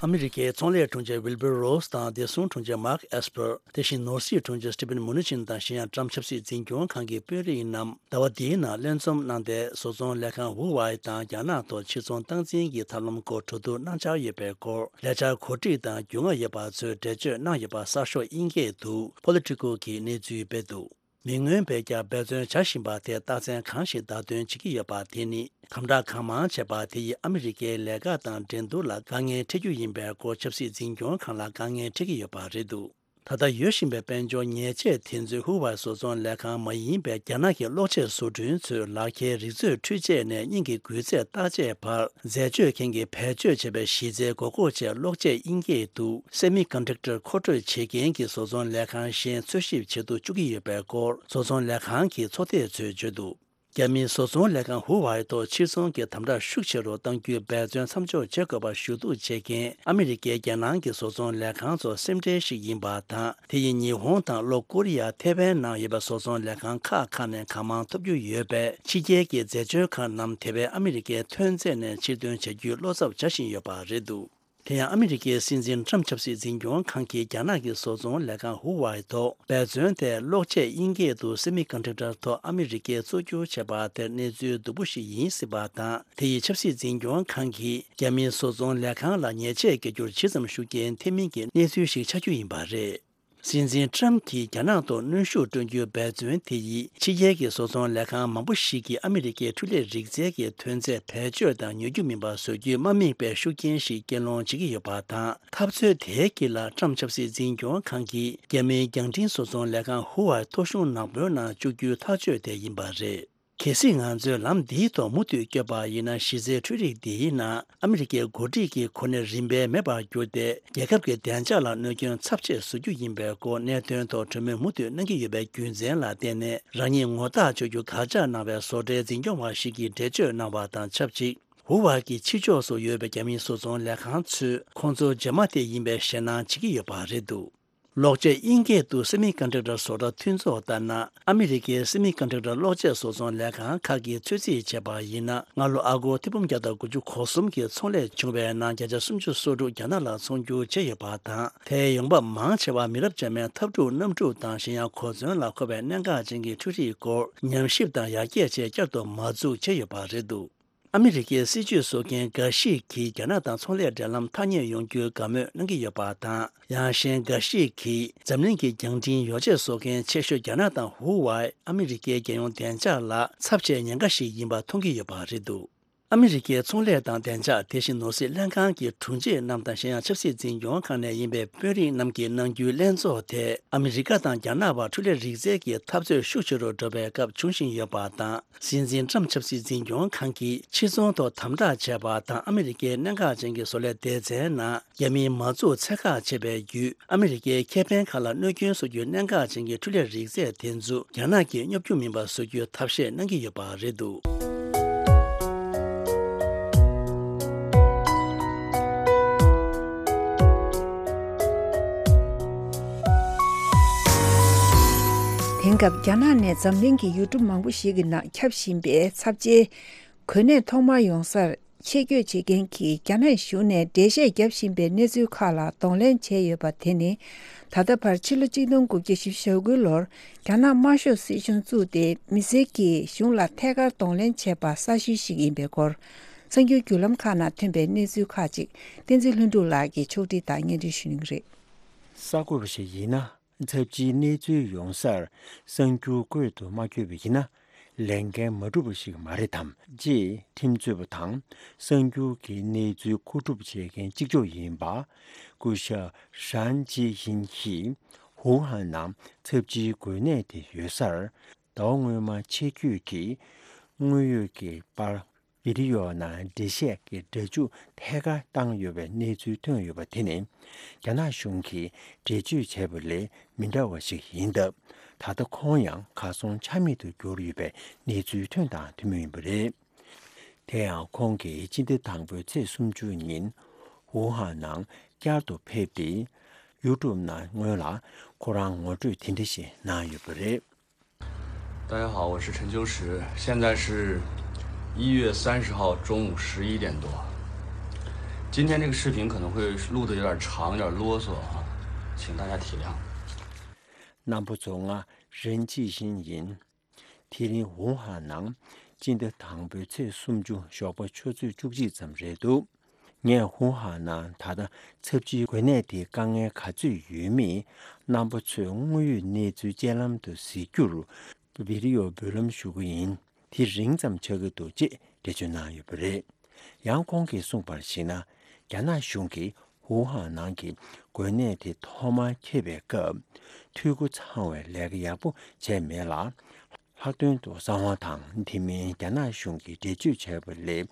ཨ་མི་རི་ཀའི་ཚོང་ལས་དྲུང་ཆེ་ཝིལ་བུར་རོ་སི་དང་བདེ་སྲུང་དྲུང་ཆེ་མཱག་ཨེས་པར། དེ་བཞིན་ནོར་སྲིད་དྲུང་ཆེ་སི་ཊི་ཕིན་མུ་ནུ་ཆིན་དང་གཞན་ཡང་ཊམ་ཆབ་སྲིད་འཛིན་སྐྱོང་ཁང་གི་དཔོན་རིགས་རྣམས་ཟླ་བ་འདིའི་ནང་ལྷན་འཛོམས་གནང་སྟེ། བཟོ་ཚོང་ལས་ཁང་ཧུ་ཝའེ་དང་རྒྱ་ནག་ཐོག་ཕྱིར་ཚོང་སྟངས་འཛིན་གྱི་ཐབས་ལམ་སྐོར་གྲོས་བསྡུར་གནང་འཆར་ཡོད་པའི་སྐོར། ལས་འཆར་གོ་སྒྲིག་དང་རྒྱུས་མངའ་ཡོད་པ་ཚོས་འགྲེལ་བརྗོད་གནང་ཡོད་པ་གསར་ཤོག་དབྱིན་སྐད་དུ་Politico གིས་གནས་ཚུལ་སྤེལ་འདུག་མི་མངོན་པའི་རྒྱ་འབད་བརྩོན་བྱ་བཞིན་པ་དེ་རྟགས་མཚན་གང་ཞིག་བརྡ་སྟོན་བྱེད་ཀྱི་ཡོད་པ་དེ་ནི། དམ་དྲག་གང་མང་བྱས་པ་དེ་ཡིས་ཨ་མི་རི་ཀའི་ལས་ཀ་དང་འགྲན་བསྡུར་ལ་དཀའ་ངལ་འཕྲད་རྒྱུ་ཡིན་པའི་སྐོར་ཆབ་སྲིད་འཛིན་སྐྱོང་ཁང་ལ་དཀའ་ངལ་འཕྲད་ཀྱི་ཡོད་པ་རེད་འདུག་ད་ལྟ་ཡོད་བཞིན་པའི་དཔལ་འབྱོར་ཉེས་ཆད་དེ་ཚོས་ཧུ་ཝའེ་བཟོ་ཚོང་ལས་ཁང་མ་ཡིན་པའི་རྒྱ་ནག་གི་གློག་ཆས་བཟོ་སྐྲུན་ཚོའི་ལག་ཁྱེར་རིག་མཛོད་འཕྲུལ་ཆས་ནས་སྙིང་གི་འགུལ་ཚད་བརྟག་དཔྱད་བར་འཛད་སྤྱོད་མཁན་གྱིས་བེད་སྤྱོད་བྱས་པའི་གཞི་རྩའི་མགོ་སྐོར་ཆེད་གློག་ཆས་དབྱིན་སྐད་དུ་Semiconductor མཁོ་སྤྲོད་བྱེད་མཁན་གྱི་བཟོ་ཚོང་ལས་ཁང་གཞན་འཚོལ་ཞིབ་བྱེད་དུ་བཅུག་གི་ཡོད་པའི་སྐོར་བཟོ་ཚོང་ལས་ཁང་གི་ཚོགས་སྡེ་ཚོས་བརྗོད་འདུག་རྒྱ་མིའི་བཟོ་ཚོང་ལས་ཁང་ཧུ་ཝའེ་ཐོག་ཕྱིར་ཚོང་གི་དམ་དྲག་ཤུགས་ཆེ་རུ་གཏང་རྒྱུའི་འབད་བརྩོན་མཚམས་འཇོག་བྱེད་དགོས་པར་ཞུ་གཏུག་བྱེད་མཁན་ཨ་མི་རི་ཀའི་རྒྱལ་ནང་གི་བཟོ་ཚོང་ལས་ཁང་ཚོར་སེམས་ཁྲལ་ཞིག་ཡིན་པ་དང་། དེ་ཡིས་ཉི་ཧོང་དང་ལྷོ་ཀོ་རི་ཡ། ཐེ་ཝན་ནང་ཡོད་པའི་བཟོ་ཚོང་ལས་ཁང་ཁག་ཁག་ནས་གང་མང་ཐོབ་རྒྱུ་ཡོད་པས། ཕྱི་རྒྱལ་གྱི་འཛད་སྤྱོད་ཁང་རྣམས་དེ་བས་ཨ་མི་རི་ཀའི་ཐོན་རྫས་ནས་ཕྱིར་འདོན་བྱ་རྒྱུའི་བློ་འཚབ་བྱ་བཞིན་ཡོད་པ་རེད་འདུག་དེ་ཡང་ཨ་མི་རི་ཀའི་སྲིད་འཛིན་ཊམ་ཆབ་སྲིད་འཛིན་སྐྱོང་ཁང་གིས་རྒྱ་ནག་གི་བཟོ་ཚོང་ལས་ཁང་ཧུ་ཝའེ་ཐོག་འབད་བརྩོན་དེ་གློག་ཆས་དབྱིན་སྐད་དུ་Semiconductor ཐོག་ཨ་མི་རི་ཀས་བཙོག་བསྒྱུར་བྱས་པ་དེར་གནས་ཚུལ་སྡུག་པོ་ཞིག་ཡིན་སྲིད་པ་དང་། དེ་ཡིས་ཆབ་སྲིད་འཛིན་སྐྱོང་ཁང་གིས་རྒྱ་མིའི་བཟོ་ཚོང་ལས་ཁང་ལ་ཉེས་ཆད་བཀལ་རྒྱུར་ཇི་ཙམ་ཤུགས་རྐྱེན་ཐེབས་མིན་གྱི་གནས་ཚུལ་ཞིག་ཆགས་རྒྱུ་ཡིན་པ་རེད། སྲིད་འཛིན་ཊམ་གྱིས་རྒྱ་ནག་ཐོག་གནོན་ཤུགས་སྤྲོད་རྒྱུའི་འབད་བརྩོན་དེ་ཡིས་ཕྱི་རྒྱལ་གྱི་བཟོ་ཚོང་ལས་ཁང་མང་པོ་ཞིག་གིས་ཨ་མི་རི་ཀའི་འཕྲུལ་ལས་རིག་རྩལ་གྱི་ཐོན་རྫས་བེད་སྤྱོད་དང་ཉོ་རྒྱུ་མིན་པ་བཟོ་རྒྱུའི་དམག་མིའི་དཔེ་ཤུགས་རྐྱེན་ཞིག་སྐྱེལ་སློང་བྱེད་ཀྱི་ཡོད་པ་དང་། འཐབ་རྩོད་དེའི་དཀྱིལ་ལ་ཊམ་ཆབ་སྲིད་འཛིན་སྐྱོང་ཁང་གིས་རྒྱ་མིའི་རྒྱང་འཕྲིན་བཟོ་ཚོང་ལས་ཁང་ཧུ་ཝའེ་ཐོ་གཞུང་ནག་པོའི་ནང་བཅུག་རྒྱུའི་ཐག་གཅོད་དེ་ཡིན་པ་རེད། གལ་སྲིད་ང་ཚོས་ལམ་འདིའི་ཐོག་མུ་མཐུད་བསྐྱོད་པ་ཡིན་ན། གཞི་རྩའི་འཕྲུལ་རིག་འདིའི་ནང་ཨ་མི་རི་ཀའི་འགོ་ཁྲིད་ཀྱི་གོ་གནས་རིམ་པས་མེད་པར་གྱུར་ཏེ། རྒྱལ་ཁབ་ཀྱི་བདེ་འཇགས་ལ་གནོད་སྐྱོན་ཚབས་ཆེ་བཟོ་རྒྱུ་ཡིན་པའི་སྐོར་གནད་དོན་ཐོག་གྲོས་མོལ་མུ་མཐུད་གནང་གི་ཡོད་པའི་རྒྱུ་མཚན་ལ་བརྟེན་ནས། རང་ཉིད་ངོ་རྟགས་ཆོད་རྒྱུ་དགག་བྱ་གནང་བའི་བཟོ་གྲྭའི་འཛིན་སྐྱོང་བ་ཞིག་གིས་འགྲེལ་བརྗོད་གནང་བ་དང་ཆབས་ཅིག་ཧུ་ཝའེ་གི་ཕྱི་ཕྱོགས་སུ་ཡོད་པའི་རྒྱ་མིའི་བཟོ་ཚོང་ལས་ཁང་ཚོས་ཁོང་ཚོ་རྗེས་མ་དེ་ཡིན་པའི་ཞེད་སྣང་བྱེད་ཀྱི་ཡོད་པ་རེད་འདུག་གློག་ཆས་དབྱིན་སྐད་དུ་Semiconductor བཟོ་གྲྭ་མཐུན་ཚོགས་ལྟར་ན། ཨ་མི་རི་ཀའི་Semiconductor གློག་ཆས་བཟོ་ཚོང་ལས་ཁང་ཁག་གིས་ཚོད་རྩིས་བྱས་པ་ཡིན་ན། སྔ་ལོ་ཨ་སྒོར་ཐེར་འབུམ་བརྒྱ་དང་དགུ་བཅུ་གོ་གསུམ་གྱི་ཚོང་ལས་བྱུང་བའི་ནང་བརྒྱ་ཆ་སུམ་ཅུ་སོ་དྲུག་རྒྱ་ནག་ལ་ཚོང་སྒྱུར་བྱས་ཡོད་པ་དང་། དེའི་ཡོང་འབབ་མང་ཆེ་བ་མི་རབས་འབྱམས་མའི་འཐབ་འཁྲུག་གནམ་གྲུ་དང་གཞན་ཡང་གོ་མཚོན་ལ་མཁོ་བའི་གནད་འགག་ཅན་གྱི་འཕྲུལ་རིག་སྐོར་ཉམས་ཞིབ་དང་ཡར་རྒྱས་ཆེད་བསྐྱར་དུ་མ་འཛུགས་བྱས་ཡོད་པ་རེད་འདུག་ཨ་མི་རི་ཀའི་སྲིད་ཇུས་བཟོ་མཁན་འགའ་ཞིག་གིས་རྒྱ་ནག་དང་ཚོང་ལས་འབྲེལ་ལམ་ཐག་ཉེ་ཡོང་རྒྱུའི་དགའ་མོས་གནང་གི་ཡོད་པ་དང་། ཡང་གཞན་འགའ་ཞིག་གིས་འཛམ་གླིང་གི་རྒྱང་འཕྲིན་ཡོ་བྱད་བཟོ་མཁན་ཆེ་ཤོས་རྒྱ་ནག་དང་ཧུ་ཝའེ་ཨ་མི་རི་ཀའི་རྒྱལ་ཡོངས་བདེ་འཇགས་ལ་ཚབས་ཆེའི་ཉེན་ཁ་ཞིག་ཡིན་པ་མཐོང་གི་ཡོད་པ་རེད་འདུག་ཨ་མི་རི་ཀའི་ཚོང་ལས་དང་བདེ་འཇགས། དེ་བཞིན་ནོར་སྲིད་ལྷན་ཁང་གི་དྲུང་ཆེ་རྣམས་དང་། གཞན་ཡང་ཆབ་སྲིད་འཛིན་སྐྱོང་ཁང་ནས་ཡིན་པའི་དཔོན་རིགས་རྣམས་ཀྱིས་གནང་རྒྱུའི་ལྷན་ཚོགས་དེ་ཨ་མི་རི་ཀ་དང་རྒྱ་ནག་བར་འཕྲུལ་ལས་རིག་རྩལ་གྱི་འཐབ་རྩོད་ཤུགས་ཆེ་རུ་འགྲོ་བའི་སྐབས་འབྱུང་བཞིན་ཡོད་པ་དང་། སྲིད་འཛིན་ཊམ་ཆབ་སྲིད་འཛིན་སྐྱོང་ཁང་གིས་ཕྱིར་ཚོང་ཐོག་དམ་དྲག་བྱས་པ་དང་། ཨ་མི་རི་ཀའི་གནད་འགག་ཅན་གྱི་བཟོ་ལས་སྡེ་ཚན་ནང་རྒྱ་མིའི་མ་འཛུགས་ཚད་བཀག་བྱས་པའི་བརྒྱུད། ཨ་མི་རི་ཀའི་ཁེ་ཕན་ཁག་ལ་གནོད་སྐྱོན་བཟོ་རྒྱུའི་གནད་འགག་ཅན་གྱི་འཕྲུལ་ལས་རིག་རྩལ་དེ་ཚོ་རྒྱ་ནག་གིས་སྙོབ་རྒྱུ་མིན་པ་བཟོ་རྒྱུའི་ཐབས་ཤེས་གནང་གི་ཡོད་པ་རེད་འདུག་དེང་སྐབས་རྒྱ་ནག་ནས་འཛམ་གླིང་གི་ཡུལ་གྲུ་མང་པོ་ཞིག་གི་ནང་ཁྱབ་བཞིན་པའི་ཚབས་ཆེའི་གོ་གནས་ཐོག་མར་ཡོང་སར་ཆེད་བསྐྱོད་བྱེད་མཁན་གྱི་རྒྱ་ནག་གཞུང་ནས་འགྲེལ་བཤད་བརྒྱབ་བཞིན་པའི་གནས་ཚུལ་ཁག་ལ་གདོང་ལེན་བྱས་ཡོད་པ་དེ་ནི། ད་ལྟ་བར་ཕྱི་ལོ་གཅིག་སྟོང་དགུ་བརྒྱ་བཞི་བཅུ་ཞེ་དགུའི་ལོར་རྒྱ་ནག་དམར་ཤོག་སྲིད་གཞུང་བཙུགས་ཏེ། མི་སེར་གྱིས་གཞུང་ལ་ཐད་ཀར་གདོང་ལེན་བྱས་པ་གསར་ཤོས་ཤིག་ཡིན་པའི་སྐོར། གསར་འགྱུར་བརྒྱུད་ལམ་ཁག་ནང་ཐོན་པའི་གནས་ཚུལ་ཁག་ཅིག་བསྟན་འཛིན་ལྷུན་གྲུབ་ལགས་ཀྱིས་ཕྱོགས་སྒྲིག་དང་སྙན་སྒྲོན་ཞུ་གནང་གི་རེད། གསར་འགོད་པ་ཞིག་ཡིན་ན། ཚབས་ཆེའི་གནས་ཚུལ་ཡོང་སར་གསར་འགྱུར་བཀོད་དུ་མ་བསྐྱོད་པ་ཡིན་ན། ལས་འགན་མ་འགྲུབ་པ་ཞིག་མ་རེད་དམ། ཅེས་ཁྲིམས་རྩོད་པ་དང་གསར་འགྱུར་གྱི་གནས་ཚུལ་མཁོ་སྒྲུབ་བྱེད་མཁན་གཅིག་ལྕོགས་ཡིན་པ། སྐུ་ཞབས་ཧྲན་ཅི་ཧིན་གྱིས་ཝུ་ཧན་ནང་ཚབས་ཆེའི་འགོས་ནད་དེ་ཡོད་སར། ཟླ་བ་སྔོན་མ་ཆེད་བསྐྱོད་ཀྱིས་དངོས་ཡོད་ཀྱི་པར། བི་ཌི་ཡོ་ནང་འགྲེལ་བཤད་ཀྱི་སྒྲ་འཇུག་ཐད་ཀར་བཏང་ཡོད་པའི་གནས་ཚུལ་ཐོན་ཡོད་པ་དེ་ནི། རྒྱ་ནག་གཞུང་གིས་འགྲེལ་བརྗོད་བྱས་པ་ལས་མི་འདྲ་བ་ཞིག་ཡིན་སྟབས། ད་ལྟ་ཁོང་ཡང་གར་སོང་ཆ་མེད་དུ་གྱུར་ཡོད་པའི་གནས་ཚུལ་ཐོན་དང་ཐོན་མུས་ཡིན་པ་རེད། དེ་ཡང་ཁོང་གིས་སྤྱི་ཟླ་དང་པོའི་ཚེས་སུམ་ཅུ་ཉིན། ཝུ་ཧན་ནང་བསྐྱར་དུ་ཕེབས་ཏེ། ཡུ་ཊུབ་ནང་སྔོན་ལ་ཁོ་རང་ངོ་སྤྲོད་དེ་འདྲ་ཞིག་གནང་ཡོད་པ་རེད། 大家好，我是陈秋实，现在是一月三十号中午十一点多。今天这个视频可能会录得有点长，有点啰嗦啊，请大家体谅。 རྣམ་པ་ཚོ། ང་རིན་ཅི་ཤིན་ཡིན། དེ་རིང་ཝུ་ཧན་ནང་སྤྱི་ཟླ་དང་པོའི་ཚེས་སུམ་ཅུ་ཞོགས་པ་ཆུ་ཚོད་བཅུ་གཅིག་ཙམ་རེད་འདུག་ངས་ཝུ་ཧན་ནང་ད་ལྟ་ཚབས་ཆེའི་འགོས་ནད་དེའི་དཀའ་ངལ་ག་ཚོད་ཡོད་མེད། རྣམ་པ་ཚོས་དངོས་ཡོད་གནས་ཚུལ་སྤྱན་ལམ་དུ་གཟིགས་རྒྱུར་བི་ཌི་ཡོ་འབུལ་ལམ་ཞུ་གི་ཡིན། དེ་རིང་ཙམ་ཆགས་ཀྱི་འདུག་ཅེས་འགྲེལ་བརྗོད་གནང་ཡོད་པ་རེད། ཡང་ཁོང་གིས་གསུངས་པར་གཞིགས་ན། རྒྱ་ནག་གཞུང་གིས་ཝུ་ཧན་ནང་གི་འགོས་ནད་དེ་ཐོག་མར་ཁྱབ་པའི་སྐབས། འཐུས་སྒོ་ཚང་བའི་ལས་ཀ་ཡག་པོ་བྱས་མེད་ལ། ལྷག་དོན་དུ་གསང་བ་དང་དེ་མིན་རྒྱ་ནག་གཞུང་གིས་འགྲེལ་བརྗོད་བྱས་པ་ལས།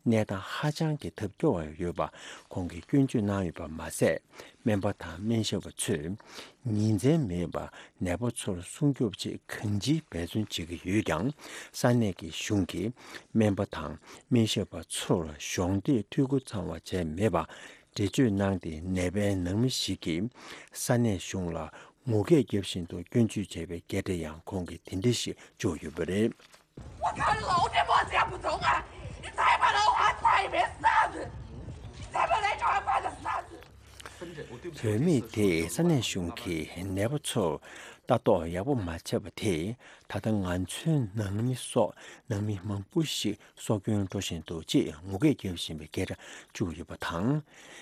གནས་སྟངས་ཧ་ཅང་གི་ཐབས་སྐྱོ་བ་ཡོད་པ་ཁོང་གིས་སྐྱོན་བརྗོད་གནང་ཡོད་པ་མ་ཟད། སྨན་པ་དང་སྨན་ཞབས་པ་ཚོས་ཉིན་མཚན་མེད་པར་ནད་པ་ཚོར་སྲུང་སྐྱོབ་ཆེད་གང་ཅིའི་འབད་བརྩོན་བྱེད་ཀྱི་ཡོད་ཀྱང་། ས་གནས་ཀྱི་གཞུང་གིས་སྨན་པ་དང་སྨན་ཞབས་པ་ཚོར་གཞོགས་འདེགས་འཐུས་སྒོ་ཚང་བ་བྱས་མེད་པ་འགྲེལ་བརྗོད་གནང་སྟེ། ནད་པའི་ནང་མི་ཞིག་གིས་ས་གནས་གཞུང་ལ་ངུ་སྐད་རྒྱབ་བཞིན་དུ་སྐྱོན་བརྗོད་བྱས་པའི་སྐད་སྒྲ་ཡང་ཁོང་གིས་དེ་འདྲ་ཞིག་བརྗོད་ཡོད་པ་རེད། 我看老这么也不中啊！你再把老话再没啥子，你再把那啥子。 བོད་མི་དེས་ས་གནས་གཞུང་གིས་ནད་པ་ཚོར་ལྟ་རྟོག་ཡག་པོ་མ་བྱས་པ་དེས། ད་ལྟ་ང་ཚོའི་ནང་མི་སོགས་ནང་མི་མང་པོ་ཞིག་སྲོག་སྐྱོན་འགྲོ་བཞིན་འདུག་ཅེས་ངུ་སྐད་རྒྱབ་བཞིན་པའི་སྐད་སྒྲ་བརྗོད་ཡོད་པ་དང་།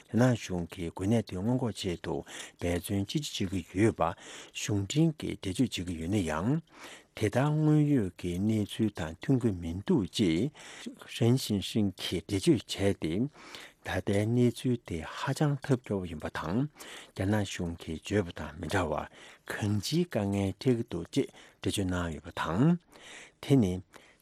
རྒྱ་ནག་གཞུང་གིས་འགོས་ནད་དེ་སྔོན་འགོག་ཆེད་དུ་འབད་བརྩོན་ཅི་ཆེ་བྱེད་ཀྱི་ཡོད་པ། གཞུང་འབྲེལ་གྱིས་འགྲེལ་བརྗོད་བྱེད་ཀྱི་ཡོད་ན་ཡང་། དེ་ལྟར་དངོས་ཡོད་ཀྱི་གནས་ཚུལ་དང་མཐུན་གྱི་མི་འདུག་ཅེས་རེན་ཞིན་ཧྲིན་གྱིས་འགྲེལ་བརྗོད་བྱས་ཏེ། ད་ལྟའི་གནས་ཚུལ་དེ་ཧ་ཅང་ཐབས་སྐྱོ་བོ་ཡིན་པ་དང་། རྒྱ་ནག་གཞུང་གིས་བརྗོད་པ་དང་མི་འདྲ་བར་གང་ཅིའི་དཀའ་ངལ་འཕྲད་ཀྱི་འདུག་ཅེས་འགྲེལ་བརྗོད་གནང་ཡོད་པ་དང་། དེ་ནི་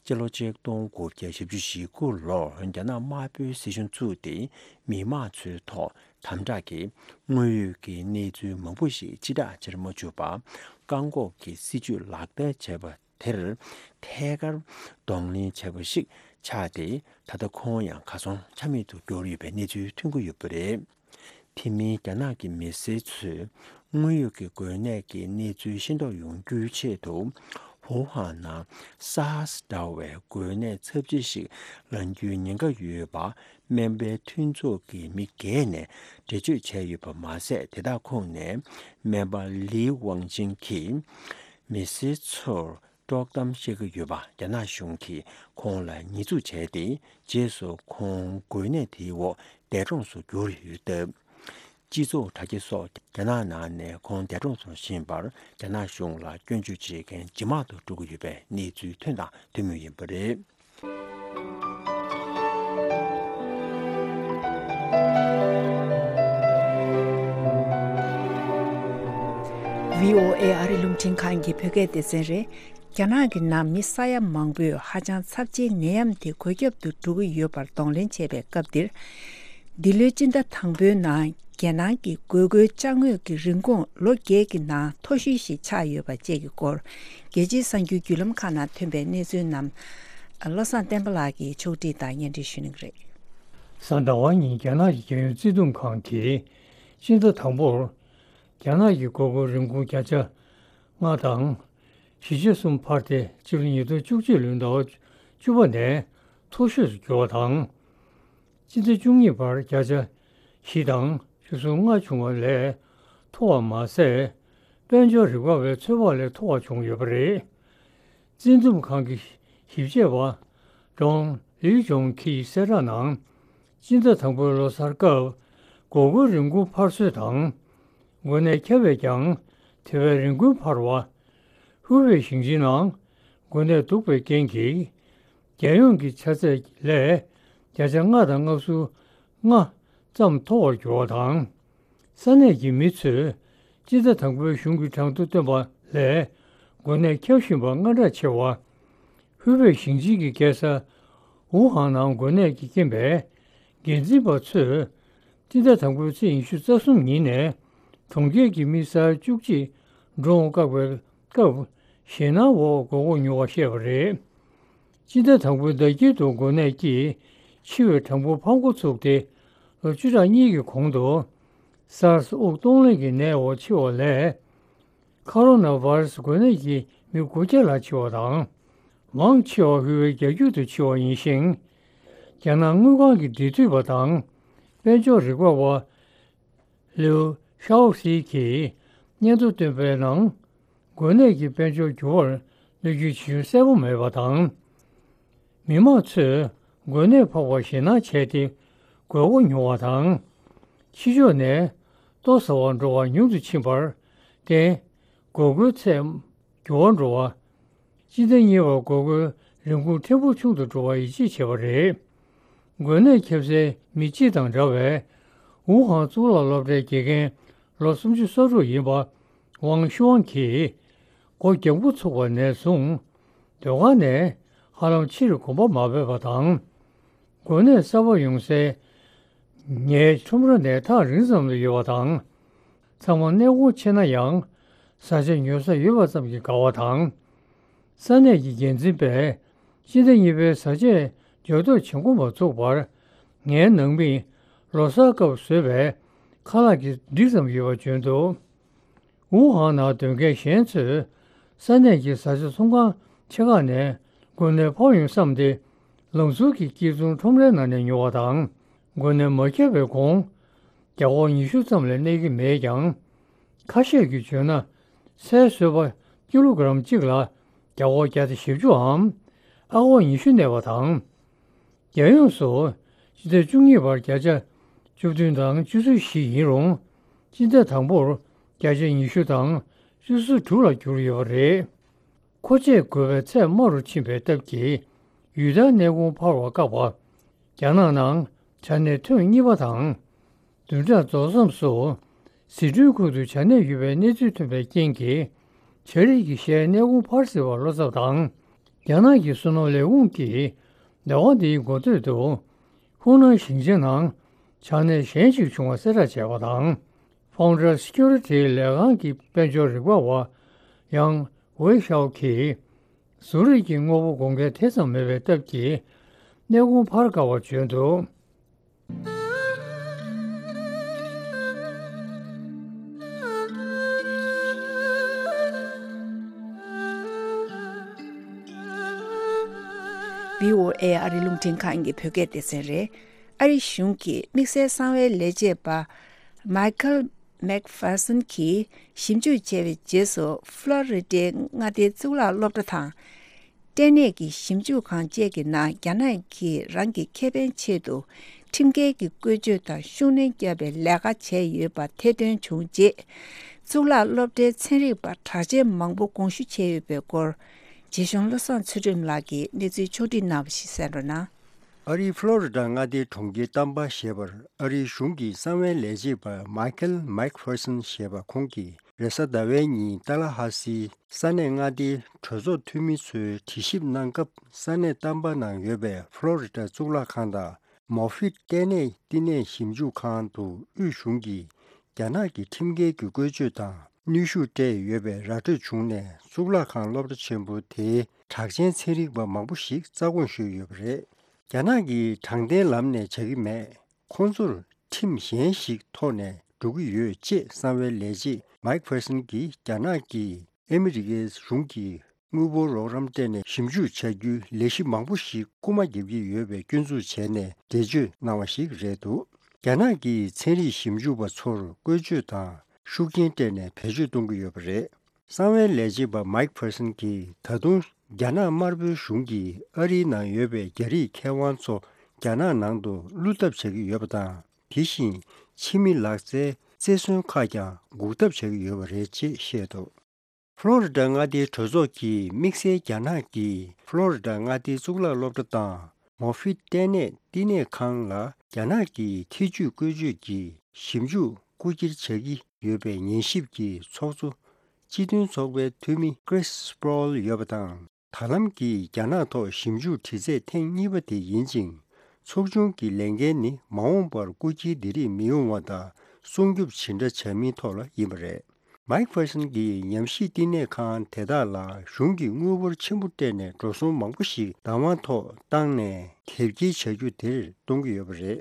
སྤྱི་ལོ་ཆིག་སྟོང་དགུ་བརྒྱ་བཞི་བཅུ་ཞེ་དགུ་ལོར་རྒྱ་ནག་དམར་པོའི་སྲིད་གཞུང་བཙུགས་ཏེ། མི་དམངས་ཚོའི་ཐོག་དམ་དྲག་གིས་དངོས་ཡོད་ཀྱི་གནས་ཚུལ་མང་པོ་ཞིག་ཕྱིར་བསྒྲགས་བྱེད་མ་བཅུག་པར་བཀག་འགོག་གི་སྲིད་ཇུས་ལག་བསྟར་བྱས་པ་དེར་ཐད་ཀར་གདོང་ལེན་བྱས་པ་ཞིག་ཆགས་ཏེ། ད་ལྟ་ཁོང་ཡང་གར་སོང་ཆ་མེད་དུ་གྱུར་ཡོད་པའི་གནས་ཚུལ་ཐོན་གྱི་ཡོད་པ་རེད། དེ་མིན་རྒྱ་ནག་གི་མི་སེར་ཚོས་དངོས་ཡོད་ཀྱི་འགོས་ནད་ཀྱི་གནས་ཚུལ་ཤེས་རྟོགས་ཡོང་རྒྱུའི་ཆེད་དུ། ཝུ་ཧན་ནང་སཱར་སི་འདྲ་བའི་འགོས་ནད་ཚབས་ཆེ་ཞིག་ལངས་རྒྱུའི་ཉེན་ཁ་ཡོད་པ། སྨན་པའི་མཐུན་ཚོགས་ཀྱི་མི་སྒེར་ནས་འགྲེལ་བརྗོད་བྱས་ཡོད་པ་མ་ཟད། དེ་དག་ཁོངས་ནས་སྨན་པ་ལི་ཝང་ཅིན་གྱིས་མི་སེར་ཚོར་དཀྲོག་གཏམ་བཤད་ཀྱི་ཡོད་པ་རྒྱ་ནག་གཞུང་གིས་ཁོང་ལ་ཉེས་འཛུགས་བྱས་ཏེ། རྗེས་སུ་ཁོང་འགོས་ནད་དེའི་འོག་འདས་གྲོངས་སུ་གྱུར་ཡོད་སྟབས། སྤྱི་ཚོགས་དྲ་རྒྱ་སོགས་རྒྱ་ནག་ནང་ནས་ཁོང་འདས་གྲོངས་སུ་ཕྱིན་པར་རྒྱ་ནག་གཞུང་ལ་སྐྱོན་བརྗོད་བྱེད་མཁན་ཇེ་མང་དུ་འགྲོ་གི་ཡོད་པའི་གནས་ཚུལ་ཐོན་དང་ཐོན་མུས་ཡིན་པ་རེད། བྷི་ཨོ་ཨེ་ཨ་རི་རླུང་འཕྲིན་ཁང་གི་བོད་སྐད་སྡེ་ཚན་རེད། རྒྱ་ནག་གི་ནང་མི་ས་ཡ་མང་པོས་ཧ་ཅང་ཚབས་ཆེའི་ནད་ཡམས་དེ་འགོས་ཁྱབ་ཏུ་འགྲོ་གི་ཡོད་པར་གདོང་ལེན་བྱས་པའི་སྐབས་འདིར། འདི་ལོའི་སྤྱི་ཟླ་དང་པོའི་ནང་རྒྱལ་ནང་གི་འགོས་མཁོའི་ཅ་དངོས་ཀྱི་རིན་གོང་ལོ་བརྒྱད་ཀྱི་ནང་མཐོ་ཤོས་ཤིག་ཆགས་ཡོད་པ་བཅས་ཀྱི་སྐོར། རྒྱལ་སྤྱིའི་གསར་འགྱུར་བརྒྱུད་ལམ་ཁག་ནང་ཐོན་པའི་གནས་ཚུལ་རྣམས་བློ་བཟང་བསྟན་པ་ལགས་ཀྱིས་ཕྱོགས་སྒྲིག་དང་སྙན་སྒྲོན་ཞུ་གནང་གི་རེད། གཟའ་ཟླ་བ་ཉིན་རྒྱ་ནག་གི་རྒྱལ་ཡོངས་བརྩེ་དུང་ཁང་གིས་སྤྱི་ཟླ་དང་པོར་རྒྱ་ནག་གི་འགོས་མཁོའི་རིན་གོང་བརྒྱ་ཆ་ལྔ་དང་བཞི་ཆ་གསུམ་འཕར་ཏེ། སྤྱི་ལོ་ཉིས་སྟོང་བཅུ་གཅིག་ལོའི་ཟླ་བ་བཅུ་པ་ནས་མཐོ་ཤོས་སུ་གྱུར་བ་དང་། སྤྱི་ཟླ་བཅུ་གཉིས་བར་བརྒྱ་ཆ་བཞི་དང་བཅུ་གསུམ་ལྔ་བྱུང་བ་ལས་མཐོ་བ་མ་ཟད། དཔལ་འབྱོར་རིག་པ་བའི་ཚོད་དཔག་ལས་མཐོ་བ་བྱུང་ཡོད་པ་རེད། བཙན་འཛུལ་ཁང་གི་ཞིབ་དཔྱད་པ་ཀྲོང་ལི་ཀྲོང་གིས་གསལ་བསྒྲགས་ནང་། སྤྱི་ཟླ་དང་པོའི་ལོ་གསར་སྐབས་འགོས་མཁོའི་རིན་གོང་འཕར་སྲོལ་དང་། འགོས་ནད་ཁྱབ་པས་ཀྱང་དེ་བས་རིན་གོང་འཕར་བ། ཧུའུ་པེ་ཞིང་ཆེན་ནང་འགོས་ནད་འདུག་པའི་རྐྱེན་གྱིས། རྒྱལ་ཡོངས་ཀྱི་ཆ་ཚད་ལས་བརྒྱ་ཆ་ལྔ་དང་ལྔ་བཅུ་ང་ཙམ་མཐོ་བར་གྱུར་བ་དང་། ས་གནས་ཀྱི་མི་ཚོས་སྤྱི་ཟླ་དང་པོའི་གཞུང་གི་གྲངས་ཐོ་བཏོན་པ་ལས་འགོས་ནད་ཁྱབ་བཞིན་པ་སྔ་དྲགས་ཆེ་བ། ཧུའུ་པེ་ཞིང་ཆེན་གྱི་རྒྱལ་ས་ཝུ་ཧན་ནང་འགོས་ནད་ཀྱི་རྐྱེན་པས། འགན་འཛིན་པ་ཚོས་སྤྱི་ཟླ་དང་པོའི་ཚེས་ཉི་ཤུ་རྩ་གསུམ་ཉིན་ནས་གྲོང་ཁྱེར་གྱི་མི་ས་ཡ་བཅུ་གཅིག་འགྲོ་འོང་བཀག་པའི་སྐབས། ཞེད་སྣང་འོག་སྒོ་སྒོ་ཉོ་བར་བཤད་པ་རེད། སྤྱི་ཟླ་དང་པོའི་ཟླ་དཀྱིལ་དུ་འགོས་ནད་ཀྱིས་འཆི་བའི་གྲངས་འབོར་ཕར་འགོ་ཚུགས་ཏེ། ལོ་བཅུ་ཕྲག་གཉིས་ཀྱི་གོང་དུ་སཱར་སི་དབུགས་གཏོང་ལེན་གྱི་ནད་འོག་འཆི་བ་ལས། ཁ་རོ་ན་བྷ་ར་སི་འགོས་ནད་ཀྱིས་མི་དགུ་བརྒྱ་ལྷག་འཆི་བ་དང་། མང་ཆེ་བ་ཧུའེ་བརྒྱད་འགྱུར་དུ་འཆི་བ་ཡིན་ཞིང་། རྒྱ་ནག་དངུལ་ཁང་གི་འབྲེལ་མཐུད་པ་དང་། དཔལ་འབྱོར་རིག་པ་བ། ལིའུ་ཤའོ་སི་གིས་སྙན་ཐོ་བཏོན་པའི་ནང་། འགོས་ནད་ཀྱིས་དཔལ་འབྱོར་འགྱུར་བར་གནོད་སྐྱོན་ཇི་བྱུང་གསལ་པོ་མེད་པ་དང་། མི་མང་ཚོས་འགོས་ནད་ཕོག་པར་ཞེད་སྣང་བྱས་ཏེ། དགོས་མཁོ་ཉུང་བ་དང་། ཕྱི་ཕྱོགས་ནས་ལྟོ་ཟ་བར་འགྲོ་བ་ཉུང་དུ་ཕྱིན་པར་བརྟེན། དགོས་མཁོའི་ཚད་འགྱུར་བ་འགྲོ་བ། སྤྱི་ཟླ་གཉིས་པར་དགོས་མཁོའི་རིན་གོང་ཕྲན་བུ་ཆུང་དུ་འགྲོ་བར་ཡིད་ཆེས་བྱས་པ་རེད། འགོས་ནད་ཁྱབ་སའི་མི་སྤྱི་དང་འདྲ་བའི་ཝུ་ཧན་གཙུག་ལག་སློབ་གྲྭའི་དགེ་རྒན་ལོ་སུམ་ཅུ་སོ་དྲུག་ཡིན་པ་ཝང་ཤུའང་གིས་སྒོ་རྒྱབ་འགོ་ཚུགས་པ་ནས་བཟུང་སྡོད་ཁང་ནས་ཧ་ལམ་ཕྱིར་གོམ་པ་མ་སྤོས་པ་དང་། འགོས་ནད་གསར་པ་ཡོང་སའི་ངའི་ཁྲོམ་ར་ནས་ཐག་རིང་ཙམ་དུ་ཡོད་པ་དང་། ཚང་མ་གནས་སྐོར་ཆེ་ན་ཡང་བཟའ་བཅའ་ཉོ་ས་ཡོད་པ་ཙམ་གྱིས་དགའ་བ་དང་། ས་གནས་ཀྱི་འགན་འཛིན་པས་སྤྱི་ཟླ་གཉིས་པའི་བཟའ་ཆས་འཇོག་འདོད་བྱེད་ཁོམ་པ་ཚུགས་པར། ངའི་ནང་མིས་ལོ་གསར་སྐབས་བཟོས་པའི་ཁ་ལག་གི་སྒྲིག་ཙམ་ཡོད་པ་བྱོན་འདུག་ཝུ་ཧན་ནང་སྡོད་མཁན་གཞན་ཚོས་ས་གནས་ཀྱི་བཟའ་བཅའ་ཚོང་ཁང་ཆེ་ཁག་ནས་འགོས་ནད་ཕོག་ཡོང་བསམ་སྟེ། ལམ་ཟུར་གྱི་སྐྱིད་ཚོང་ཁྲོམ་རའི་ནང་ནས་ཉོ་བ་དང་། འགོས་ནད་མ་ཁྱབ་པའི་གོང་རྒྱ་སྒོར་ཉི་ཤུ་ཙམ་ལས་གནས་ཀྱི་མེད་ཀྱང་། ཁ་ཤས་ཀྱིས་བརྗོད་ན། ཚལ་བཟོས་པ་ཀི་ལོ་གྲམ་གཅིག་ལ་རྒྱ་སྒོར་བརྒྱ་དང་བཞི་བཅུའམ་ཨ་སྒོར་ཉི་ཤུ་གནས་པ་དང་། རྒྱལ་ཡོངས་སུ་སྤྱི་ཟླ་བཅུ་གཉིས་བར་བརྒྱ་ཆ་བཅུ་བདུན་དང་བཅུ་གསུམ་བཞི་ཡིན་རུང་། སྤྱི་ཟླ་དང་པོར་བརྒྱ་ཆ་ཉི་ཤུ་དང་བཅུ་གསུམ་དྲུག་ལ་གྱུར་ཡོད་པ་རེད། མཁོ་ཆས་དགོས་པའི་ཚད་དམའ་རུ་ཕྱིན་པའི་སྟབས་ཀྱིས། ཡུལ་ལྟར་གནས་གོང་འཕར་བ་བཀག་པ། རྒྱ་ནག་ནང་བྱ་ནད་ཐེངས་གཉིས་པ་དང་། བདུན་ཕྲག་རྫོགས་མཚམས་སུ་ཟི་ཁྲོན་ཁུལ་དུ་བྱ་ནད་ཡོད་པའི་གནས་ཚུལ་ཐོན་པའི་རྐྱེན་གྱིས། བྱ་རིགས་ཀྱི་གཞས་གནས་གོང་འཕར་སྲིད་པར་བློ་འཚབ་དང་། རྒྱ་ནག་གི་བསོད་ནམས་ལས་ཁུངས་ཀྱིས་ཟླ་བ་འདིའི་འགོ་སྟོད་དུ། ཧུའུ་ནན་ཞིང་ཆེན་ནང་བྱ་ནད་གཞན་ཞིག་བྱུང་བ་གསལ་བསྒྲགས་བྱས་པ་དང་། Founder Security ལས་ཁང་གི་དཔལ་འབྱོར་རིག་པ་བ་ཡང་ཝེ་ཤའོ་གིས། ཟུར་རིགས་ཀྱི་དངོས་པོ་དགོས་མཁན་དེ་ཙམ་མེད་པའི་སྟབས་ཀྱིས། གནས་གོང་འཕར་དཀའ་བར་བྱོན་འདུག་བྷི་ཨོ་ཨེ་ཨ་རིའི་རླུང་འཕྲིན་ཁང་གི་བོད་སྐད་སྡེ་ཚན་རེད། ཨ་རི་གཞུང་གིས་དམིགས་བསལ་གསང་བའི་ལས་བྱེད་པ་Michael McPherson གྱིས་ཞིབ་འཇུག་བྱས་པའི་རྗེས་སུ། ཕློ་རི་ཌའི་མངའ་སྡེའི་གཙུག་ལག་སློབ་གྲྭ་དང་། ལྟེ་གནས་ཀྱི་ཞིབ་འཇུག་ཁང་བཅས་ཀྱི་ནང་རྒྱ་ནག་གིས་རང་གི་ཁེ་ཕན་ཆེད་དུ་ཁྲིམས་འགལ་གྱི་བཀོལ་སྤྱོད་དང་ཤུགས་སྣོན་བརྒྱབ་པའི་ལས་ཀ་བྱས་ཡོད་པ་ཐེར་འདོན་བྱུང་རྗེས། གཙུག་ལག་སློབ་གྲྭའི་ཚན་རིག་པ་གྲགས་ཅན་མང་པོ་དགོངས་ཞུ་བྱས་ཡོད་པའི་སྐོར། རྗེ་གཞུང་བློ་བཟང་ཚུལ་ཁྲིམས་ལགས་ཀྱིས་གནས་ཚུལ་ཕྱོགས་བསྒྲིགས་གནང་བ་ཞིག་གསན་རོགས་གནང་། ཨ་རིའི་ཕློ་རི་ཌ་མངའ་སྡེའི་གྲོང་ཁྱེར་ཏམ་པ་ཞེས་པར་ཨ་རིའི་གཞུང་གི་གསང་བའི་ལས་བྱེད་པ་Michael McPherson ཞེས་པ་ཁོང་གིས་རེས་གཟའ་ཟླ་བའི་ཉིན་ཏཱ་ལ་ཧ་སིའི་ས་གནས་མངའ་སྡེའི་གྲོས་ཚོགས་འཐུས་མི་ཚོའི་དྲི་ཞིབ་གནང་སྐབས། ས་གནས་ཏམ་པ་ནང་ཡོད་པའི་ཕློ་རི་ཌ་གཙུག་ལག་ཁང་དང་མོ་ཕིད་ལྟེ་གནས་བསྟི་གནས་ཞིབ་འཇུག་ཁང་དུ་དབུས་གཞུང་གིས་རྒྱ་ནག་གི་ཁྲིམས་འགལ་གྱི་བཀོལ་སྤྱོད་དང་གནོན་ཤུགས་སྤྲད་ཡོད་པའི་ར་སྤྲོད་བྱུང་ནས། གཙུག་ལག་ཁང་སློབ་གྲྭ་ཆེན་པོ་དེའི་གྲགས་ཅན་ཚན་རིག་པ་མང་པོ་ཞིག་རྩ་དགོངས་ཞུས་ཡོད་པ་རེད། རྒྱ་ནག་གིས་དྲང་བདེན་ལམ་ནས་བྱ་གི་མེད། ཁོང་ཚོར་ཁྲིམས་གཞན་ཞིག་ཐོག་ནས་འགྲོ་གི་ཡོད་ཅེས་གསང་བའི་ལས་བྱེད་Mike Ferguson གྱིས་རྒྱ་ནག་གིས་ཨ་མི་རི་ཀའི་གཞུང་གིས་དངུལ་འབོར་རོགས་རམ་སྤྲད་ནས་ཞིབ་འཇུག་བྱ་རྒྱུའི་ལས་གཞི་མང་པོ་ཞིག་རྐུ་མ་རྒྱབ་ཀྱི་ཡོད་པའི་སྐྱོན་འཛུགས་བྱས་ནས་འགྲེལ་བརྗོད་གནང་བ་ཞིག་རེད་འདུག་རྒྱ་ནག་གིས་ཚན་རིག་ཞིབ་འཇུག་པ་ཚོར་བཀོལ་སྤྱོད་དང་ཤུགས་རྐྱེན་སྤྲད་ནས་བེད་སྤྱོད་གཏོང་གི་ཡོད་པ་རེད། གསང་བའི་ལས་བྱེད་པ་Mike Ferguson གྱིས་ད་དུང་རྒྱ་ནག་དམར་པོའི་གཞུང་གིས་ཨ་རིའི་ནང་ཡོད་པའི་རྒྱ་རིགས་མཁས་དབང་ཚོ་རྒྱ་ནག་ནང་དུ་བླུག་ཐབས་བྱ་གི་ཡོད་པ་དང་། དེ་བཞིན་ཕྱི་མི་ལག་རྩལ་རྩེར་སོན་ཁག་ཀྱང་འགུག་ཐབས་བྱ་གི་ཡོད་པ་རེད་ཅེས་བཤད་འདུག་ཕློ་རི་ཌ་མངའ་སྡེའི་གྲོས་ཚོགས་ཀྱིས་དམིགས་བསལ་རྒྱ་ནག་གིས་ཕློ་རི་ཌ་མངའ་སྡེའི་གཙུག་ལག་སློབ་གྲྭ་དང་མོ་ཕིད་ལྟེ་གནས་བསྟི་གནས་ཁང་ལ་རྒྱ་ནག་གིས་ཐེ་ཇུས་བཀོལ་སྤྱོད་ཀྱི་ཞིབ་འཇུག་རྐུ་འཁྱེར་བྱ་གི་ཡོད་པའི་ཉན་ཞིབ་ཀྱི་ཚོགས་གཙོ་སྤྱི་མཐུན་ཚོགས་པའི་འཐུས་མི་Chris Sproul ཡོད་པ་དང་། ད་ལམ་གྱིས་རྒྱ་ནག་ཐོག་ཞིབ་འཇུག་དྲི་རྩད་ཐེངས་གཉིས་པ་དེ་ཡིན་ཅིང་། ཚོགས་ཆུང་གི་ལས་འགན་ནི་མ་འོངས་པར་རྐུ་འཁྱེར་འདི་རིགས་མི་ཡོང་བ་དང་སྲུང་སྐྱོབ་ཇི་འདྲ་བྱ་མིན་ཐོག་ལ་ཡིན་པ་རེད། Mike Ferguson གྱིས་ཉམས་ཞིབ་བསྟི་གནས་ཁང་དེ་དག་ལ་གཞུང་གིས་དངུལ་འབོར་ཆེན་པོ་སྤྲད་ནས་འགྲོ་སོང་མང་པོ་ཞིག་བདག་དབང་ཐོག་བཏང་ནས་དེབ་སྐྱེལ་བྱ་རྒྱུ་དེར་གཏོང་གི་ཡོད་པ་རེད།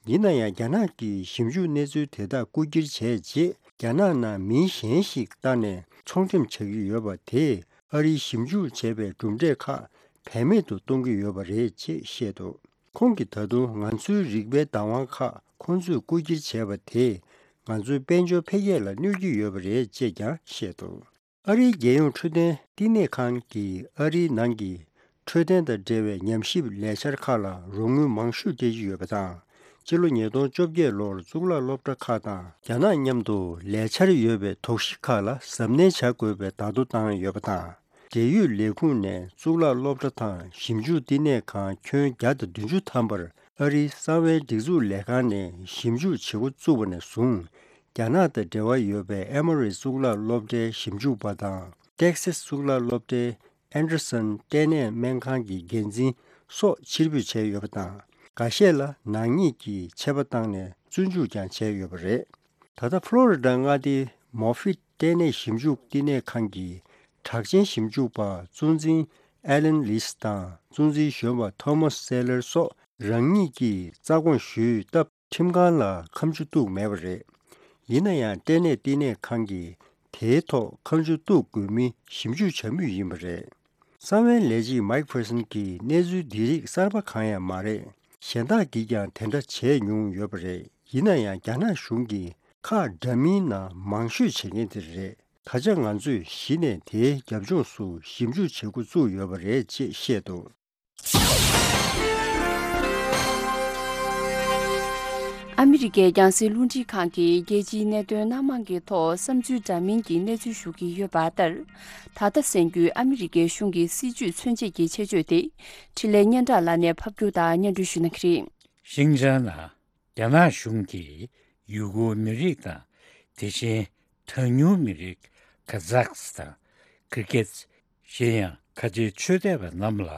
ཡིན་ན་ཡང་རྒྱ་ནག་གིས་ཞིབ་འཇུག་གནས་ཚུལ་དེ་དག་རྐུ་འཁྱེར་བྱས་རྗེས། རྒྱ་ནག་ནང་མི་གཞན་ཞིག་བཏང་ནས་ཚོང་འགྲེམས་བྱ་གི་ཡོད་པ་དེས་ཨ་རིའི་ཞིབ་འཇུག་བྱས་པའི་གྲུབ་འབྲས་ཁག་བེད་མེད་དུ་གཏོང་གི་ཡོད་པ་རེད་ཅེས་བཤད་འདུག་ཁོང་གིས་ད་དུང་ང་ཚོའི་རིག་པའི་བདག་དབང་ཁག་ཁོང་ཚོས་རྐུ་འཁྱེར་བྱས་པ་དེས་ང་ཚོའི་དཔལ་འབྱོར་འཕེལ་རྒྱས་ལ་གནོད་ཀྱི་ཡོད་པ་རེད་ཅེས་ཀྱང་བཤད་འདུག་ཨ་རིའི་རྒྱལ་ཡོངས་འཕྲོད་བསྟེན་བསྟི་གནས་ཁང་གིས་ཨ་རིའི་ནང་གི་འཕྲོད་བསྟེན་དང་འབྲེལ་བའི་ཉམས་ཞིབ་ལས་འཆར་ཁག་ལ་རོགས་དངུལ་མང་ཤོས་སྤྲད་ཀྱི་ཡོད་པ་དང་། ཕྱི་ལོ་ཉིས་སྟོང་བཅོ་བརྒྱད་ལོར་གཙུག་ལག་སློབ་གྲྭ་ཁག་དང་རྒྱ་ནག་མཉམ་དུ་ལས་འཆར་ཡོད་པའི་དོགས་གཞི་ཁག་ལ་གཟབ་ནན་བྱ་དགོས་པའི་བརྡ་ཐོ་བཏང་ཡོད་པ་དང་། འབྲེལ་ཡོད་ལས་ཁུངས་ནས་གཙུག་ལག་སློབ་གྲྭ་དང་ཞིབ་འཇུག་བསྟི་གནས་ཁང་ཁྱོན་བརྒྱ་དང་བདུན་ཅུ་ཐམ་པར་ཨ་རིའི་གསང་བའི་སྒྲིག་འཛུགས་ལས་ཁང་ནས་ཞིབ་འཇུག་བྱེད་འགོ་བཙུགས་པ་ནས་བཟུང་། རྒྱ་ནག་དང་འབྲེལ་བ་ཡོད་པའི་ཨེ་མོ་རི་གཙུག་ལག་སློབ་གྲྭའི་ཞིབ་འཇུག་པ་དང་། ཏེག་སེ་སི་གཙུག་ལག་སློབ་གྲྭའི་ཨན་ཌར་སན་ལྟེ་གནས་སྨན་ཁང་གི་འགན་འཛིན་སོགས་ཕྱིར་འབུད་བྱས་ཡོད་པ་དང་། འགའ་ཤས་ལ་ནག་ཉེས་ཀྱི་ཆད་པ་བཏང་ནས་བཙོན་འཇུག་ཀྱང་བྱས་ཡོད་པ་རེད། ད་ལྟ་ཕློ་རི་ཌ་མངའ་སྡེའི་མོ་ཕིད་ལྟེ་གནས་ཞིབ་འཇུག་བསྟི་གནས་ཁང་གི་གྲགས་ཅན་ཞིབ་འཇུག་པ་གཙོ་འཛིན་ཨེ་ལན་ལིས་དང་གཙོ་འཛིན་གཞོན་པ་ཐོ་མཱས་སེ་ལར་སོགས་རང་ཉིད་ཀྱིས་རྩ་དགོངས་ཞུས་སྟབས། ཁྲིམས་ཁང་ལ་ཁ་མཆུ་གཏུགས་མེད་པ་རེད། ཡིན་ན་ཡང་ལྟེ་གནས་བསྟི་གནས་ཁང་གིས་དེའི་ཐོག་ཁ་མཆུ་གཏུགས་དགོས་མིན་ཞིབ་འཇུག་བྱ་མུས་ཡིན་པ་རེད། གསང་བའི་ལས་བྱེད་མཱིག་ཕེར་སན་གྱིས་གནས་ཚུལ་འདི་རིགས་གསར་པ་གང་ཡང་མ་རེད། གཞན་དག་གིས་ཀྱང་དེ་འདྲ་བྱས་མྱོང་ཡོད་པ་རེད། ཡིན་ན་ཡང་རྒྱ་ནག་གཞུང་གིས་ཁག་འདྲ་མིན་ནང་མང་ཤོས་བྱེད་མཁན་དེ་རེད། ད་ཆ་ང་ཚོས་གཞི་ནས་དེའི་རྒྱབ་ལྗོངས་སུ་ཞིབ་འཇུག་བྱེད་འགོ་བཙུགས་ཡོད་པ་རེད་ཅེས་བཤད་འདུག་ཨ་མི་རི་ཀའི་རྒྱང་སྲིང་རླུང་འཕྲིན་ཁང་གིས་རྒྱལ་སྤྱིའི་གནད་དོན་སྣ་མང་གི་ཐོག་བསམ་ཚུལ་འདྲ་མིན་གྱི་གནས་ཚུལ་ཞུ་གི་ཡོད་པ་ལྟར། ད་ལྟ་གསན་རྒྱུའི་ཨ་མི་རི་ཀའི་གཞུང་གི་སྲིད་ཇུས་མཚོན་བྱེད་ཀྱི་ཆེད་བརྗོད་དེ། འཕྲིན་ལས་སྙན་གྲགས་ལགས་ནས་ཕབ་སྒྱུར་དང་སྙན་སྒྲོན་ཞུ་གནང་གི་རེད། ཤིང་ཅང་ནང་རྒྱ་ནག་གཞུང་གིས་ཡུ་གུར་མི་རིགས་དང་། དེ་བཞིན་གྲངས་ཉུང་མི་རིགས་ཁ་ཛག་སི་དང་། ཀིར་གེ་ཛི། གཞན་ཡང་ཁ་ཆེའི་ཆོས་དད་པ་རྣམས་ལ་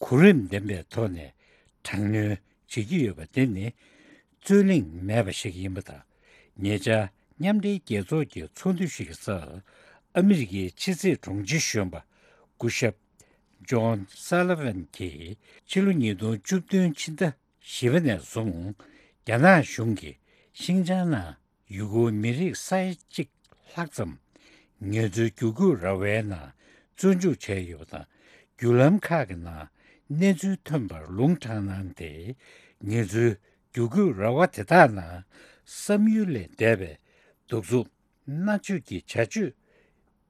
གོ་རིམ་ལྡན་པའི་ཐོག་ནས་དྲག་གནོན་བྱེད་ཀྱི་ཡོད་པ་དེ་ནི་རྩོད་གླེང་མེད་པ་ཞིག་ཡིན་པ་དང་། ཉེ་ཆར་མཉམ་འབྲེལ་རྒྱལ་ཚོགས་ཀྱི་ཚོགས་འདུ་ཞིག་གི་སར་ཨ་མི་རི་ཀའི་ཕྱི་སྲིད་དྲུང་ཆེ་གཞོན་པ་སྐུ་ཞབས་ཇོན་སཱ་ལི་ཝན་གྱིས་ཕྱི་ལོ་ཉིས་སྟོང་བཅུ་བདུན་ཕྱི་ཟླ་བཞི་པ་ནས་བཟུང་རྒྱ་ནག་གཞུང་གིས་ཤིང་ཅང་ནང་ཡུ་གུར་མི་རིགས་ས་ཡ་གཅིག་ལྷག་ཙམ་ངལ་རྩོལ་བསྒྱུར་བཀོད་ར་བའི་ནང་བཙོན་འཇུག་བྱས་ཡོད་པ་དང་། བརྒྱུད་ལམ་ཁག་གི་ནང་གནས་ཚུལ་ཐོན་པར་ལུང་དྲངས་གནང་སྟེ། ངལ་རྩོལ་བསྒྱུར་བཀོད་ར་བ་དེ་དག་ནང་བསམ་ཡུལ་ལས་འདས་པའི་གདུག་རྩུབ་མནར་གཅོད་ཀྱི་བྱ་སྤྱོད་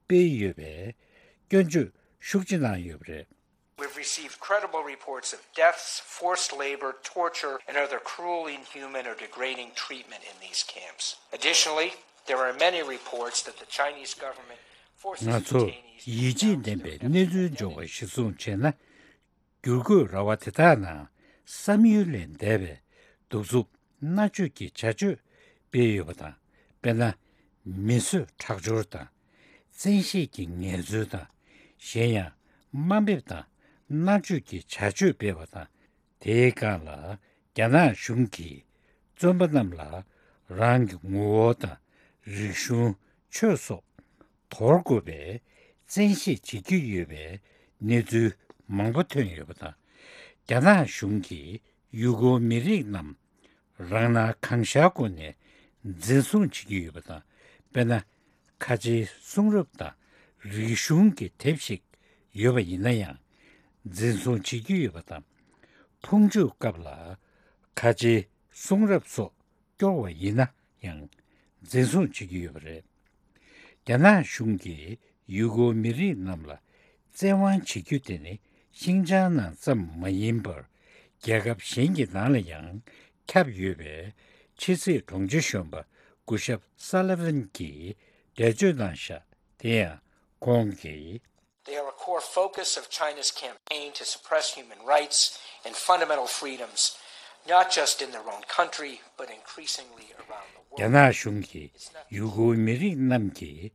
སྤེལ་ཡོད་པའི་སྐྱོན་བརྗོད་ཤུགས་ཆེ་གནང་ཡོད་པ་རེད། We've received credible reports of deaths, forced labor, torture, and other cruel, inhuman, or degrading treatment in these camps. Additionally, there are many reports that the Chinese government forces ང་ཚོར་detainees ཡིད་ཆེས་ལྡན་པའི་གནས་ཚུལ་འབྱོར་བ་གཞིར་བཟུང་བྱས་ན། བསྒྱུར་བཀོད་ར་བ་དེ་དག་ནང་བསམ་ཡུལ་ལས་འདས་པའི་གདུག་རྩུབ་མནར་གཅོད་ཀྱི་བྱ་སྤྱོད་སྤེལ་ཡོད་པ་དང་། དཔེར་ན། མི་གསོད་ཁྲག་སྦྱོར་དང་། བཙན་ཤེད་ཀྱི་ངལ་རྩོལ་དང་། གཞན་ཡང་དམའ་འབེབས་དང་མནར་གཅོད་ཀྱི་བྱ་སྤྱོད་སྤེལ་བ་དང་། དེའི་སྒང་ལ་རྒྱ་ནག་གཞུང་གིས་བཙོན་པ་རྣམས་ལ་རང་གི་ངོ་བོ་དང་། རིག་གཞུང་། ཆོས་སོགས་དོར་དགོས་པའི་བཙན་ཤེད་བྱེད་ཀྱི་ཡོད་པའི་གནས་ཚུལ་མང་པོ་ཐོན་ཡོད་པ་དང་། རྒྱ་ནག་གཞུང་གིས་ཡུ་གུར་མི་རིགས་རྣམས་རང་སྣང་གང་ཤར་སྒོ་ནས་འཛིན་བཟུང་བྱེད་ཀྱི་ཡོད་པ་དང་། དཔེར་ན། ཁ་ཆེའི་གསུང་རབ་དང་རིག་གཞུང་གི་དེབ་ཞིག་ཡོད་པ་ཡིན་ན་ཡང་། འཛིན་བཟུང་བྱེད་ཀྱི་ཡོད་པ་དང་། ཕུང་མཆོད་སྐབས་ལ་ཁ་ཆེའི་གསུང་རབ་སོགས་སྐྱོར་བ་ཡིན་ན་ཡང་འཛིན་བཟུང་བྱེད་ཀྱི་ཡོད་པ་རེད། རྒྱ་ནག་གཞུང་གིས་ཡུ་གུར་མི་རིགས་རྣམས་ལ་བཙན་དབང་བྱེད་རྒྱུ་དེ་ནི་ཤིང་ཅང་ནང་ཙམ་མ་ཡིན་པར། རྒྱལ་ཁབ་གཞན་གྱི་ནང་ལ་ཡང་ཁྱབ་ཡོད་པའི་ཕྱི་སྲིད་དྲུང་ཆེ་གཞོན་པ་སྐུ་ཞབས་སཱ་ལི་ཝན་གྱིས་འགྲེལ་བརྗོད་གནང་བཞག་དེ་ཡང་ཁོང་གིས། They are a core focus of China's campaign to suppress human rights and fundamental freedoms, not just in their own country, but increasingly around the world. རྒྱ་ནག་གཞུང་གིས་ཡུ་གུར་མི་རིགས་རྣམས་ཀྱི་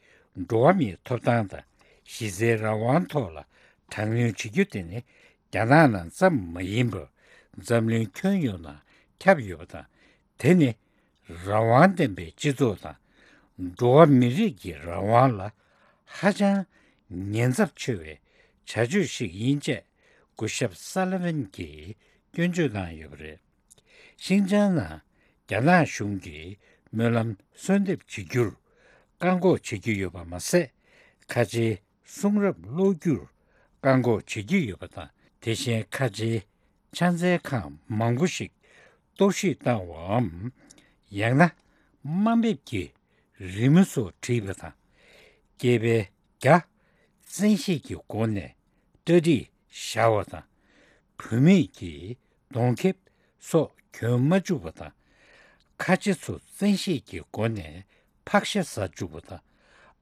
འགྲོ་བ་མིའི་ཐོབ་ཐང་དང་གཞི་རྩའི་རང་དབང་ཐོག་ལ་དྲག་གནོན་བྱེད་རྒྱུ་དེ་ནི་རྒྱ་ནག་ནང་ཙམ་མ་ཡིན་པར་འཛམ་གླིང་ཁྱོན་ཡོངས་ནང་ཁྱབ་ཡོད་པ་དང་། དེ་ནི་རང་དབང་ལྡན་པའི་སྤྱི་ཚོགས་དང་འགྲོ་བ་མི་རིགས་ཀྱི་རང་དབང་ལ་ཧ་ཅང་ཉེན་ཚབས་ཆེ་བའི་བྱ་སྤྱོད་ཞིག་ཡིན་ཅེས་སྐུ་ཞབས་སཱ་ལི་ཝན་གྱིས་སྐྱོན་བརྗོད་གནང་ཡོད་པ་རེད། ཤིན་ཅང་ནང་རྒྱ་ནག་གཞུང་གིས་སྨོན་ལམ་གསོལ་འདེབས་བྱེད་རྒྱུར་བཀག་འགོག་བྱེད་ཀྱི་ཡོད་པ་མ་ཟད། ཁ་ཆེའི་གསུང་རབ་ཀློག་རྒྱུར་བཀག་འགོག་བྱེད་ཀྱི་ཡོད་པ་དང་། དེ་བཞིན་ཁ་ཆེའི་ཕྱག་འཚལ་ཁང་མང་པོ་ཞིག་གཏོར་བཤིག་བཏང་བའམ། ཡང་ན་དམའ་འབེབས་ཀྱི་རི་མོ་སོགས་བྲིས་པ་དང་། སྐྱེས་པའི་བརྒྱ་བཙན་ཤེད་ཀྱི་སྒོ་ནས་གྲ་སྒྲིག་བཞག་པ་དང་། བུད་མེད་ཀྱི་གདོང་ཁེབས་སོགས་གྱོན་མ་བཅུག་པ་དང་། ཁ་ཆེ་ཚོ་བཙན་ཤེད་ཀྱི་སྒོ་ནས་ཕག་ཤ་ཟ་བཅུག་པ་དང་།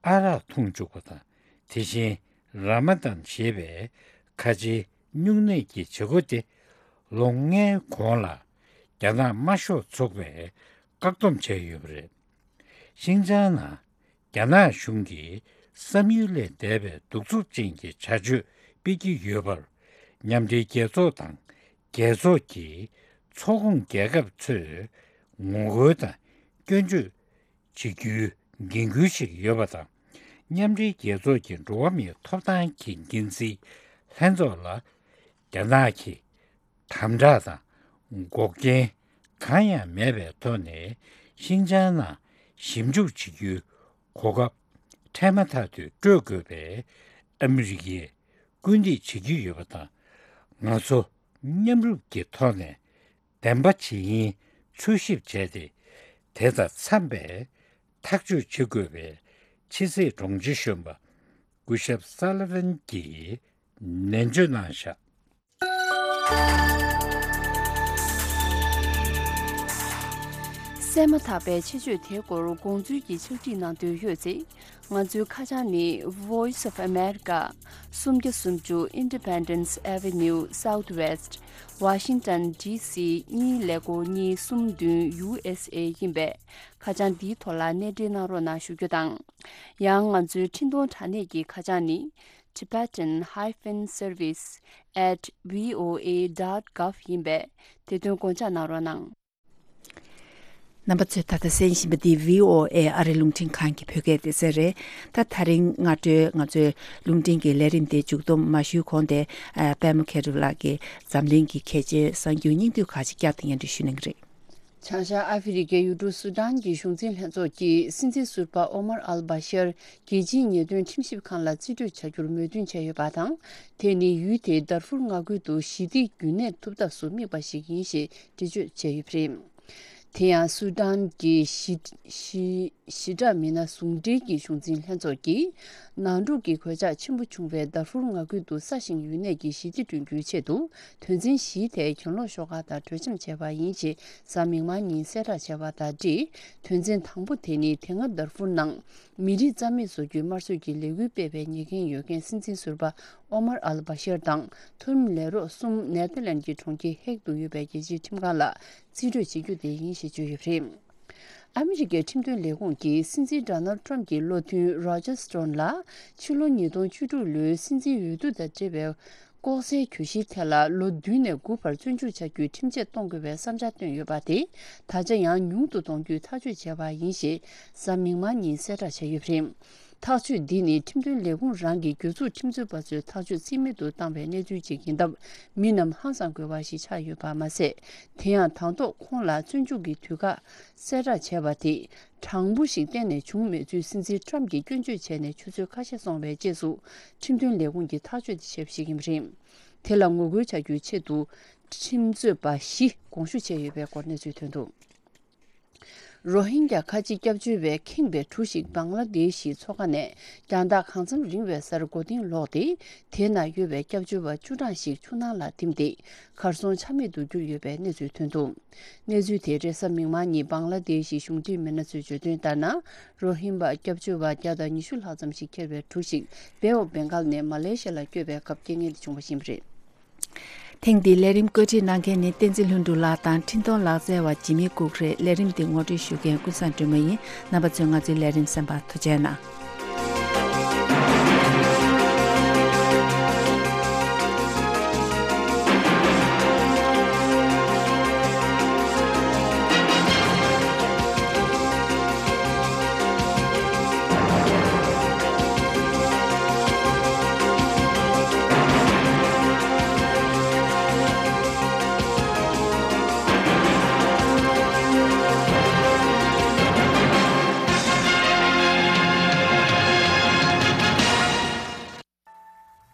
ཨ་རག་འཐུང་བཅུག་པ་དང་། དེ་བཞིན་ར་མ་དན་ཞེས་པའི་ཁ་ཆེའི་སྨྱུང་གནས་ཀྱི་བྱེད་སྒོ་དེ་ལོ་ལྔའི་གོང་ལ་རྒྱ་ནག་དམར་ཤོག་ཚོགས་པས་བཀག་སྡོམ་བྱས་ཡོད་པ་རེད། ཤིན་ཅང་ནང་རྒྱ་ནག་གཞུང་གིས་བསམ་ཡུལ་ལས་འདས་པའི་གདུག་རྩུབ་ཅན་གྱི་བྱ་སྤྱོད་སྤེལ་གྱི་ཡོད་པར། མཉམ་འབྲེལ་རྒྱལ་ཚོགས་དང་རྒྱལ་ཚོགས་ཀྱི་ཚོགས་ཁོངས་རྒྱལ་ཁབ་ཚོས་ངོ་རྒོལ་དང་སྐྱོན་བརྗོད་བྱེད་རྒྱུའི་འགན་འཁུར་ཞིག་ཡོད་པ་དང་། མཉམ་འབྲེལ་རྒྱལ་ཚོགས་ཀྱི་འགྲོ་བ་མིའི་ཐོབ་ཐང་གི་འགན་འཛིན་ལྷན་ཚོགས་ལ་རྒྱ་ནག་གིས་དམ་དྲག་དང་འགོག་རྐྱེན་གང་ཡང་མེད་པའི་ཐོག་ནས་ཤིན་ཅང་ནང་ཞིབ་འཇུག་བྱེད་རྒྱུའི་གོ་སྐབས་འཕྲལ་མ་ཐག་ཏུ་སྤྲོད་དགོས་པའི་ཨ་མི་རི་ཀས་སྐུལ་འདེད་བྱེད་ཀྱི་ཡོད་པ་དང་། ང་ཚོ་མཉམ་རུབ་ཀྱི་ཐོག་ནས་བདེན་པ་ཇི་ཡིན་འཚོལ་ཞིབ་བྱས་ཏེ། དེ་དང་འཚམས་པའི་ཐག་གཅོད་བྱེད་དགོས་པའི་ཕྱི་སྲིད་དྲུང་ཆེ་གཞོན་པ་སྐུ་ཞབས་སཱ་ལི་ཝན་གྱིས་ནན་བརྗོད་གནང་བཞག། གསན་མ་ཐག་པའི་ཆེད་བརྗོད་དེའི་སྐོར་དགོངས་ཚུལ་གྱི་ཕྱག་བྲིས་གནང་འདོད་ཡོད་ཚེ། ང་ཚོའི་ཁ་བྱང་ནི་Voice of America། སུམ་བརྒྱ་སུམ་ཅུ་Independence Avenue Southwest Washington D C གཉིས་ཀླད་ཀོར་གཉིས་གསུམ་བདུན་U S A ཡིན་པས། ཁ་བྱང་འདིའི་ཐོག་ལ་གནས་འབྲེལ་གནང་རོགས་གནང་ཞུ་རྒྱུ་དང་། ཡང་ང་ཚོའི་འཕྲིན་གཏོང་དྲ་གནས་ཀྱི་ཁ་བྱང་ནི། Tibetan hyphen service at V O A dot gov ཡིན་པས། དེ་དོན་དགོངས་འཇགས་གནང་རོགས་གནང་། རྣམ་པ་ཚོས་ད་ལྟ་གསན་བཞིན་པ་འདི་V O A ཨ་རི་རླུང་འཕྲིན་ཁང་གི་བོད་སྐད་སྡེ་ཚན་རེད། ད་དེ་རིང་སྔ་དྲོའི་ང་ཚོའི་རླུང་འཕྲིན་གྱི་ལས་རིམ་དེ་མཇུག་སྡོམ་མ་ཞུས་གོང་དེ། ཨ། པད་མ་མཁས་གྲུབ་ལགས་ཀྱིས་འཛམ་གླིང་གི་གལ་ཆེའི་གསར་འགྱུར་སྙིང་བསྡུས་ཁག་ཅིག་བསྐྱར་དུ་སྙན་སྒྲོན་ཞུ་གནང་གི་རེད། བྱང་ཤར་ཨ་ཧྥེ་རི་ཁའི་ཡུལ་གྲུ་སུ་ཌན་གྱི་གཞུང་འཛིན་ལྷན་ཚོགས་ཀྱིས་སྲིད་འཛིན་ཟུར་པ་ཨོ་མར་ཨལ་བྷ་ཤར་རྒྱལ་སྤྱིའི་ཉེས་དོན་ཁྲིམས་ཞིབ་ཁང་ལ་རྩིས་སྤྲོད་བྱ་རྒྱུར་མོས་མཐུན་བྱས་ཡོད་པ་དང་། དེ་ནི་ཡུལ་དེའི་དར་ཧྥུར་མངའ་ཁུལ་དུ་ཞི་བདེ་རྒྱུན་གནས་ཐུབ་ཐབས་སུ་དམིགས་པ་ཞིག་ཡིན་ཞེས་འགྲེལ་བརྗོད་བྱས་ཡོད་པ་རེད། དེ་ཡང་སུ་ཌན་གྱི་ཞི་ཞི་ཞི་དྲག་མི་སྣ་ཟུང་འབྲེལ་གྱི་གཞུང་འཛིན་ལྷན་ཚོགས་ཀྱིས། ནང་འཁྲུག་གི་གོད་ཆག་ཆེན་པོ་བྱུང་བའི་དར་ཧྥུར་མངའ་ཁུལ་དུ་ས་ཞིང་ཡུལ་གནས་ཀྱི་ཞི་བདེ་བསྐྲུན་རྒྱུའི་ཆེད་དུ། དོན་ཚན་བཞིའི་ཐད་གྱེན་ལོག་ཤོག་ཁག་དང་གྲོས་འཆམ་བྱས་པ་ཡིན་ཞེས་གཟའ་མིག་དམར་ཉིན་གསལ་བསྒྲགས་བྱས་པ་དང་འབྲེལ། དོན་ཚན་དང་པོ་དེ་ནི་དེ་སྔ་དར་ཧྥུར་ནང་མི་རིགས་རྩ་མེད་བཟོ་རྒྱུའི་དམར་གསོད་ཀྱི་ལས་འགུལ་སྤེལ་བའི་ཉེས་འགན་ཡོད་མཁན་སྲིད་འཛིན་ཟུར་པ་ཨོ་མར་ཨལ་བྷ་ཤར་དང་མཐོ་རིམ་ལས་རོགས་གསུམ་ནེ་ཐར་ལན་གྱི་གྲོང་ཁྱེར་ཧེག་ཏུ་ཡོད་པའི་རྒྱལ་སྤྱིའི་ཁྲིམས་ཁང་ལ་རྩིས་སྤྲོད་བྱེད་རྒྱུ་དེ་ཡིན་ཞེས་བརྗོད་ཡོད་པ་རེད། ཨ་མི་རི་ཀའི་ཁྲིམས་དོན་ལས་ཁུངས་ཀྱིས་སྲིད་འཛིན་Donald Trump གྱི་བློ་མཐུན་Roger Stone ལ་ཕྱི་ལོ་ཉིས་སྟོང་བཅུ་དྲུག་ལོའི་སྲིད་འཛིན་འོས་བསྡུ་དང་འབྲེལ་བའི་ལྐོག་ཟའི་གྱོད་གཞིའི་ཐད་ལ་ལོ་བདུན་ནས་དགུ་བར་བཙོན་འཇུག་བྱ་རྒྱུའི་ཁྲིམས་ཆད་གཏོང་དགོས་པའི་བསམ་འཆར་བཏོན་ཡོད་པ་དེ་ད་ཆ་ཡང་ཉུང་དུ་གཏོང་རྒྱུའི་ཐག་གཅོད་བྱས་པ་ཡིན་ཞེས་གཟའ་མིག་དམར་ཉིན་གསལ་བསྒྲགས་བྱས་ཡོད་པ་རེད། ཐག་གཅོད་འདི་ནི་ཁྲིམས་དོན་ལས་ཁུངས་རང་གི་གྱོད་འཛུགས་ཁྲིམས་རྩོད་པ་ཚོའི་ཐག་གཅོད་རྩིས་མེད་དུ་བཏང་བའི་གནས་ཚུལ་ཅིག་ཡིན་སྟབས། མི་རྣམས་ཧང་སང་དགོས་པ་ཞིག་ཆགས་ཡོད་པ་མ་ཟད། དེ་ཡང་དང་ཐོག་ཁོང་ལ་བཙོན་འཇུག་གི་དུས་བཀག་གསལ་བསྒྲགས་བྱས་པ་དེ་དྲང་པོ་ཞིག་གཏན་ནས་བྱུང་མེད་ཚུལ་སྲིད་འཛིན་ཊམ་གྱིས་སྐྱོན་བརྗོད་བྱས་ནས་ཆུ་ཚོད་ཁ་ཤས་སོང་བའི་རྗེས་སུ་ཁྲིམས་དོན་ལས་ཁུངས་ཀྱིས་ཐག་གཅོད་དེ་བྱས་པ་ཞིག་ཡིན་པ་རེད། དེ་ལ་ངོ་རྒོལ་བྱ་རྒྱུའི་ཆེད་དུ་ཁྲིམས་རྩོད་པ་བཞི་དགོངས་ཞུ་བྱས་ཡོད་པའི་སྐོར་གནས་ཚུལ་ཐོན་འདུག་རོ་ཧིན་རྒྱ་ཁ་ཆེ་སྐྱབས་བཅོལ་བས་ཁེངས་པའི་གྲུ་ཞིག་བང་ལ་དེ་ཤི་མཚོ་ཁ་ནས་རྒྱང་ཐག་གང་འཚམ་རིང་བའི་སར་མགོ་རྟིང་ལོག་སྟེ། དེ་ན་ཡོད་པའི་སྐྱབས་བཅོལ་བ་བཅུ་གྲངས་ཤིག་ཆུ་ནང་ལ་ཐིམ་སྟེ་གར་སོང་ཆ་མེད་དུ་གྱུར་ཡོད་པའི་གནས་ཚུལ་ཐོན་འདུག་གནས་ཚུལ་དེ་རེས་གཟའ་མིག་དམར་ཉིན་བང་ལ་དེ་ཤི་གཞུང་འབྲེལ་མི་སྣ་ཚོས་བརྗོད་དོན་ལྟར་ན། རོ་ཧིན་པ་སྐྱབས་བཅོལ་བ་བརྒྱ་དང་ཉི་ཤུ་ལྷག་ཙམ་ཞིག་འཁྱེར་བའི་གྲུ་ཞིག་བེ་ཨོ་བེང་གལ་ནས་མ་ལེ་ཤི་ཡ་ལ་བསྐྱོད་པའི་སྐབས་རྐྱེན་ངན་དེ་བྱུང་བ་ཡིན་པ་རེད། ཐེངས་འདིའི་ལས་རིམ་བཀོད་སྒྲིག་གནང་མཁན་ནི་བསྟན་འཛིན་ལྷུན་གྲུབ་ལགས་དང་འཕྲིན་གཏོང་ལག་རྩལ་བ་འཇིགས་མེད་ལྐུགས་རེད། ལས་རིམ་འདི་ངོ་སྤྲོད་ཞུ་མཁན་ཀུན་བཟང་སྒྲོལ་མ་ཡིན། རྣམ་པ་ཚོས་ང་ཚོའི་ལས་རིམ་གསན་པར་ཐུགས་རྗེ་གནང་།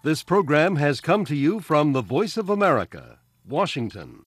This program has come to you from the Voice of America, Washington.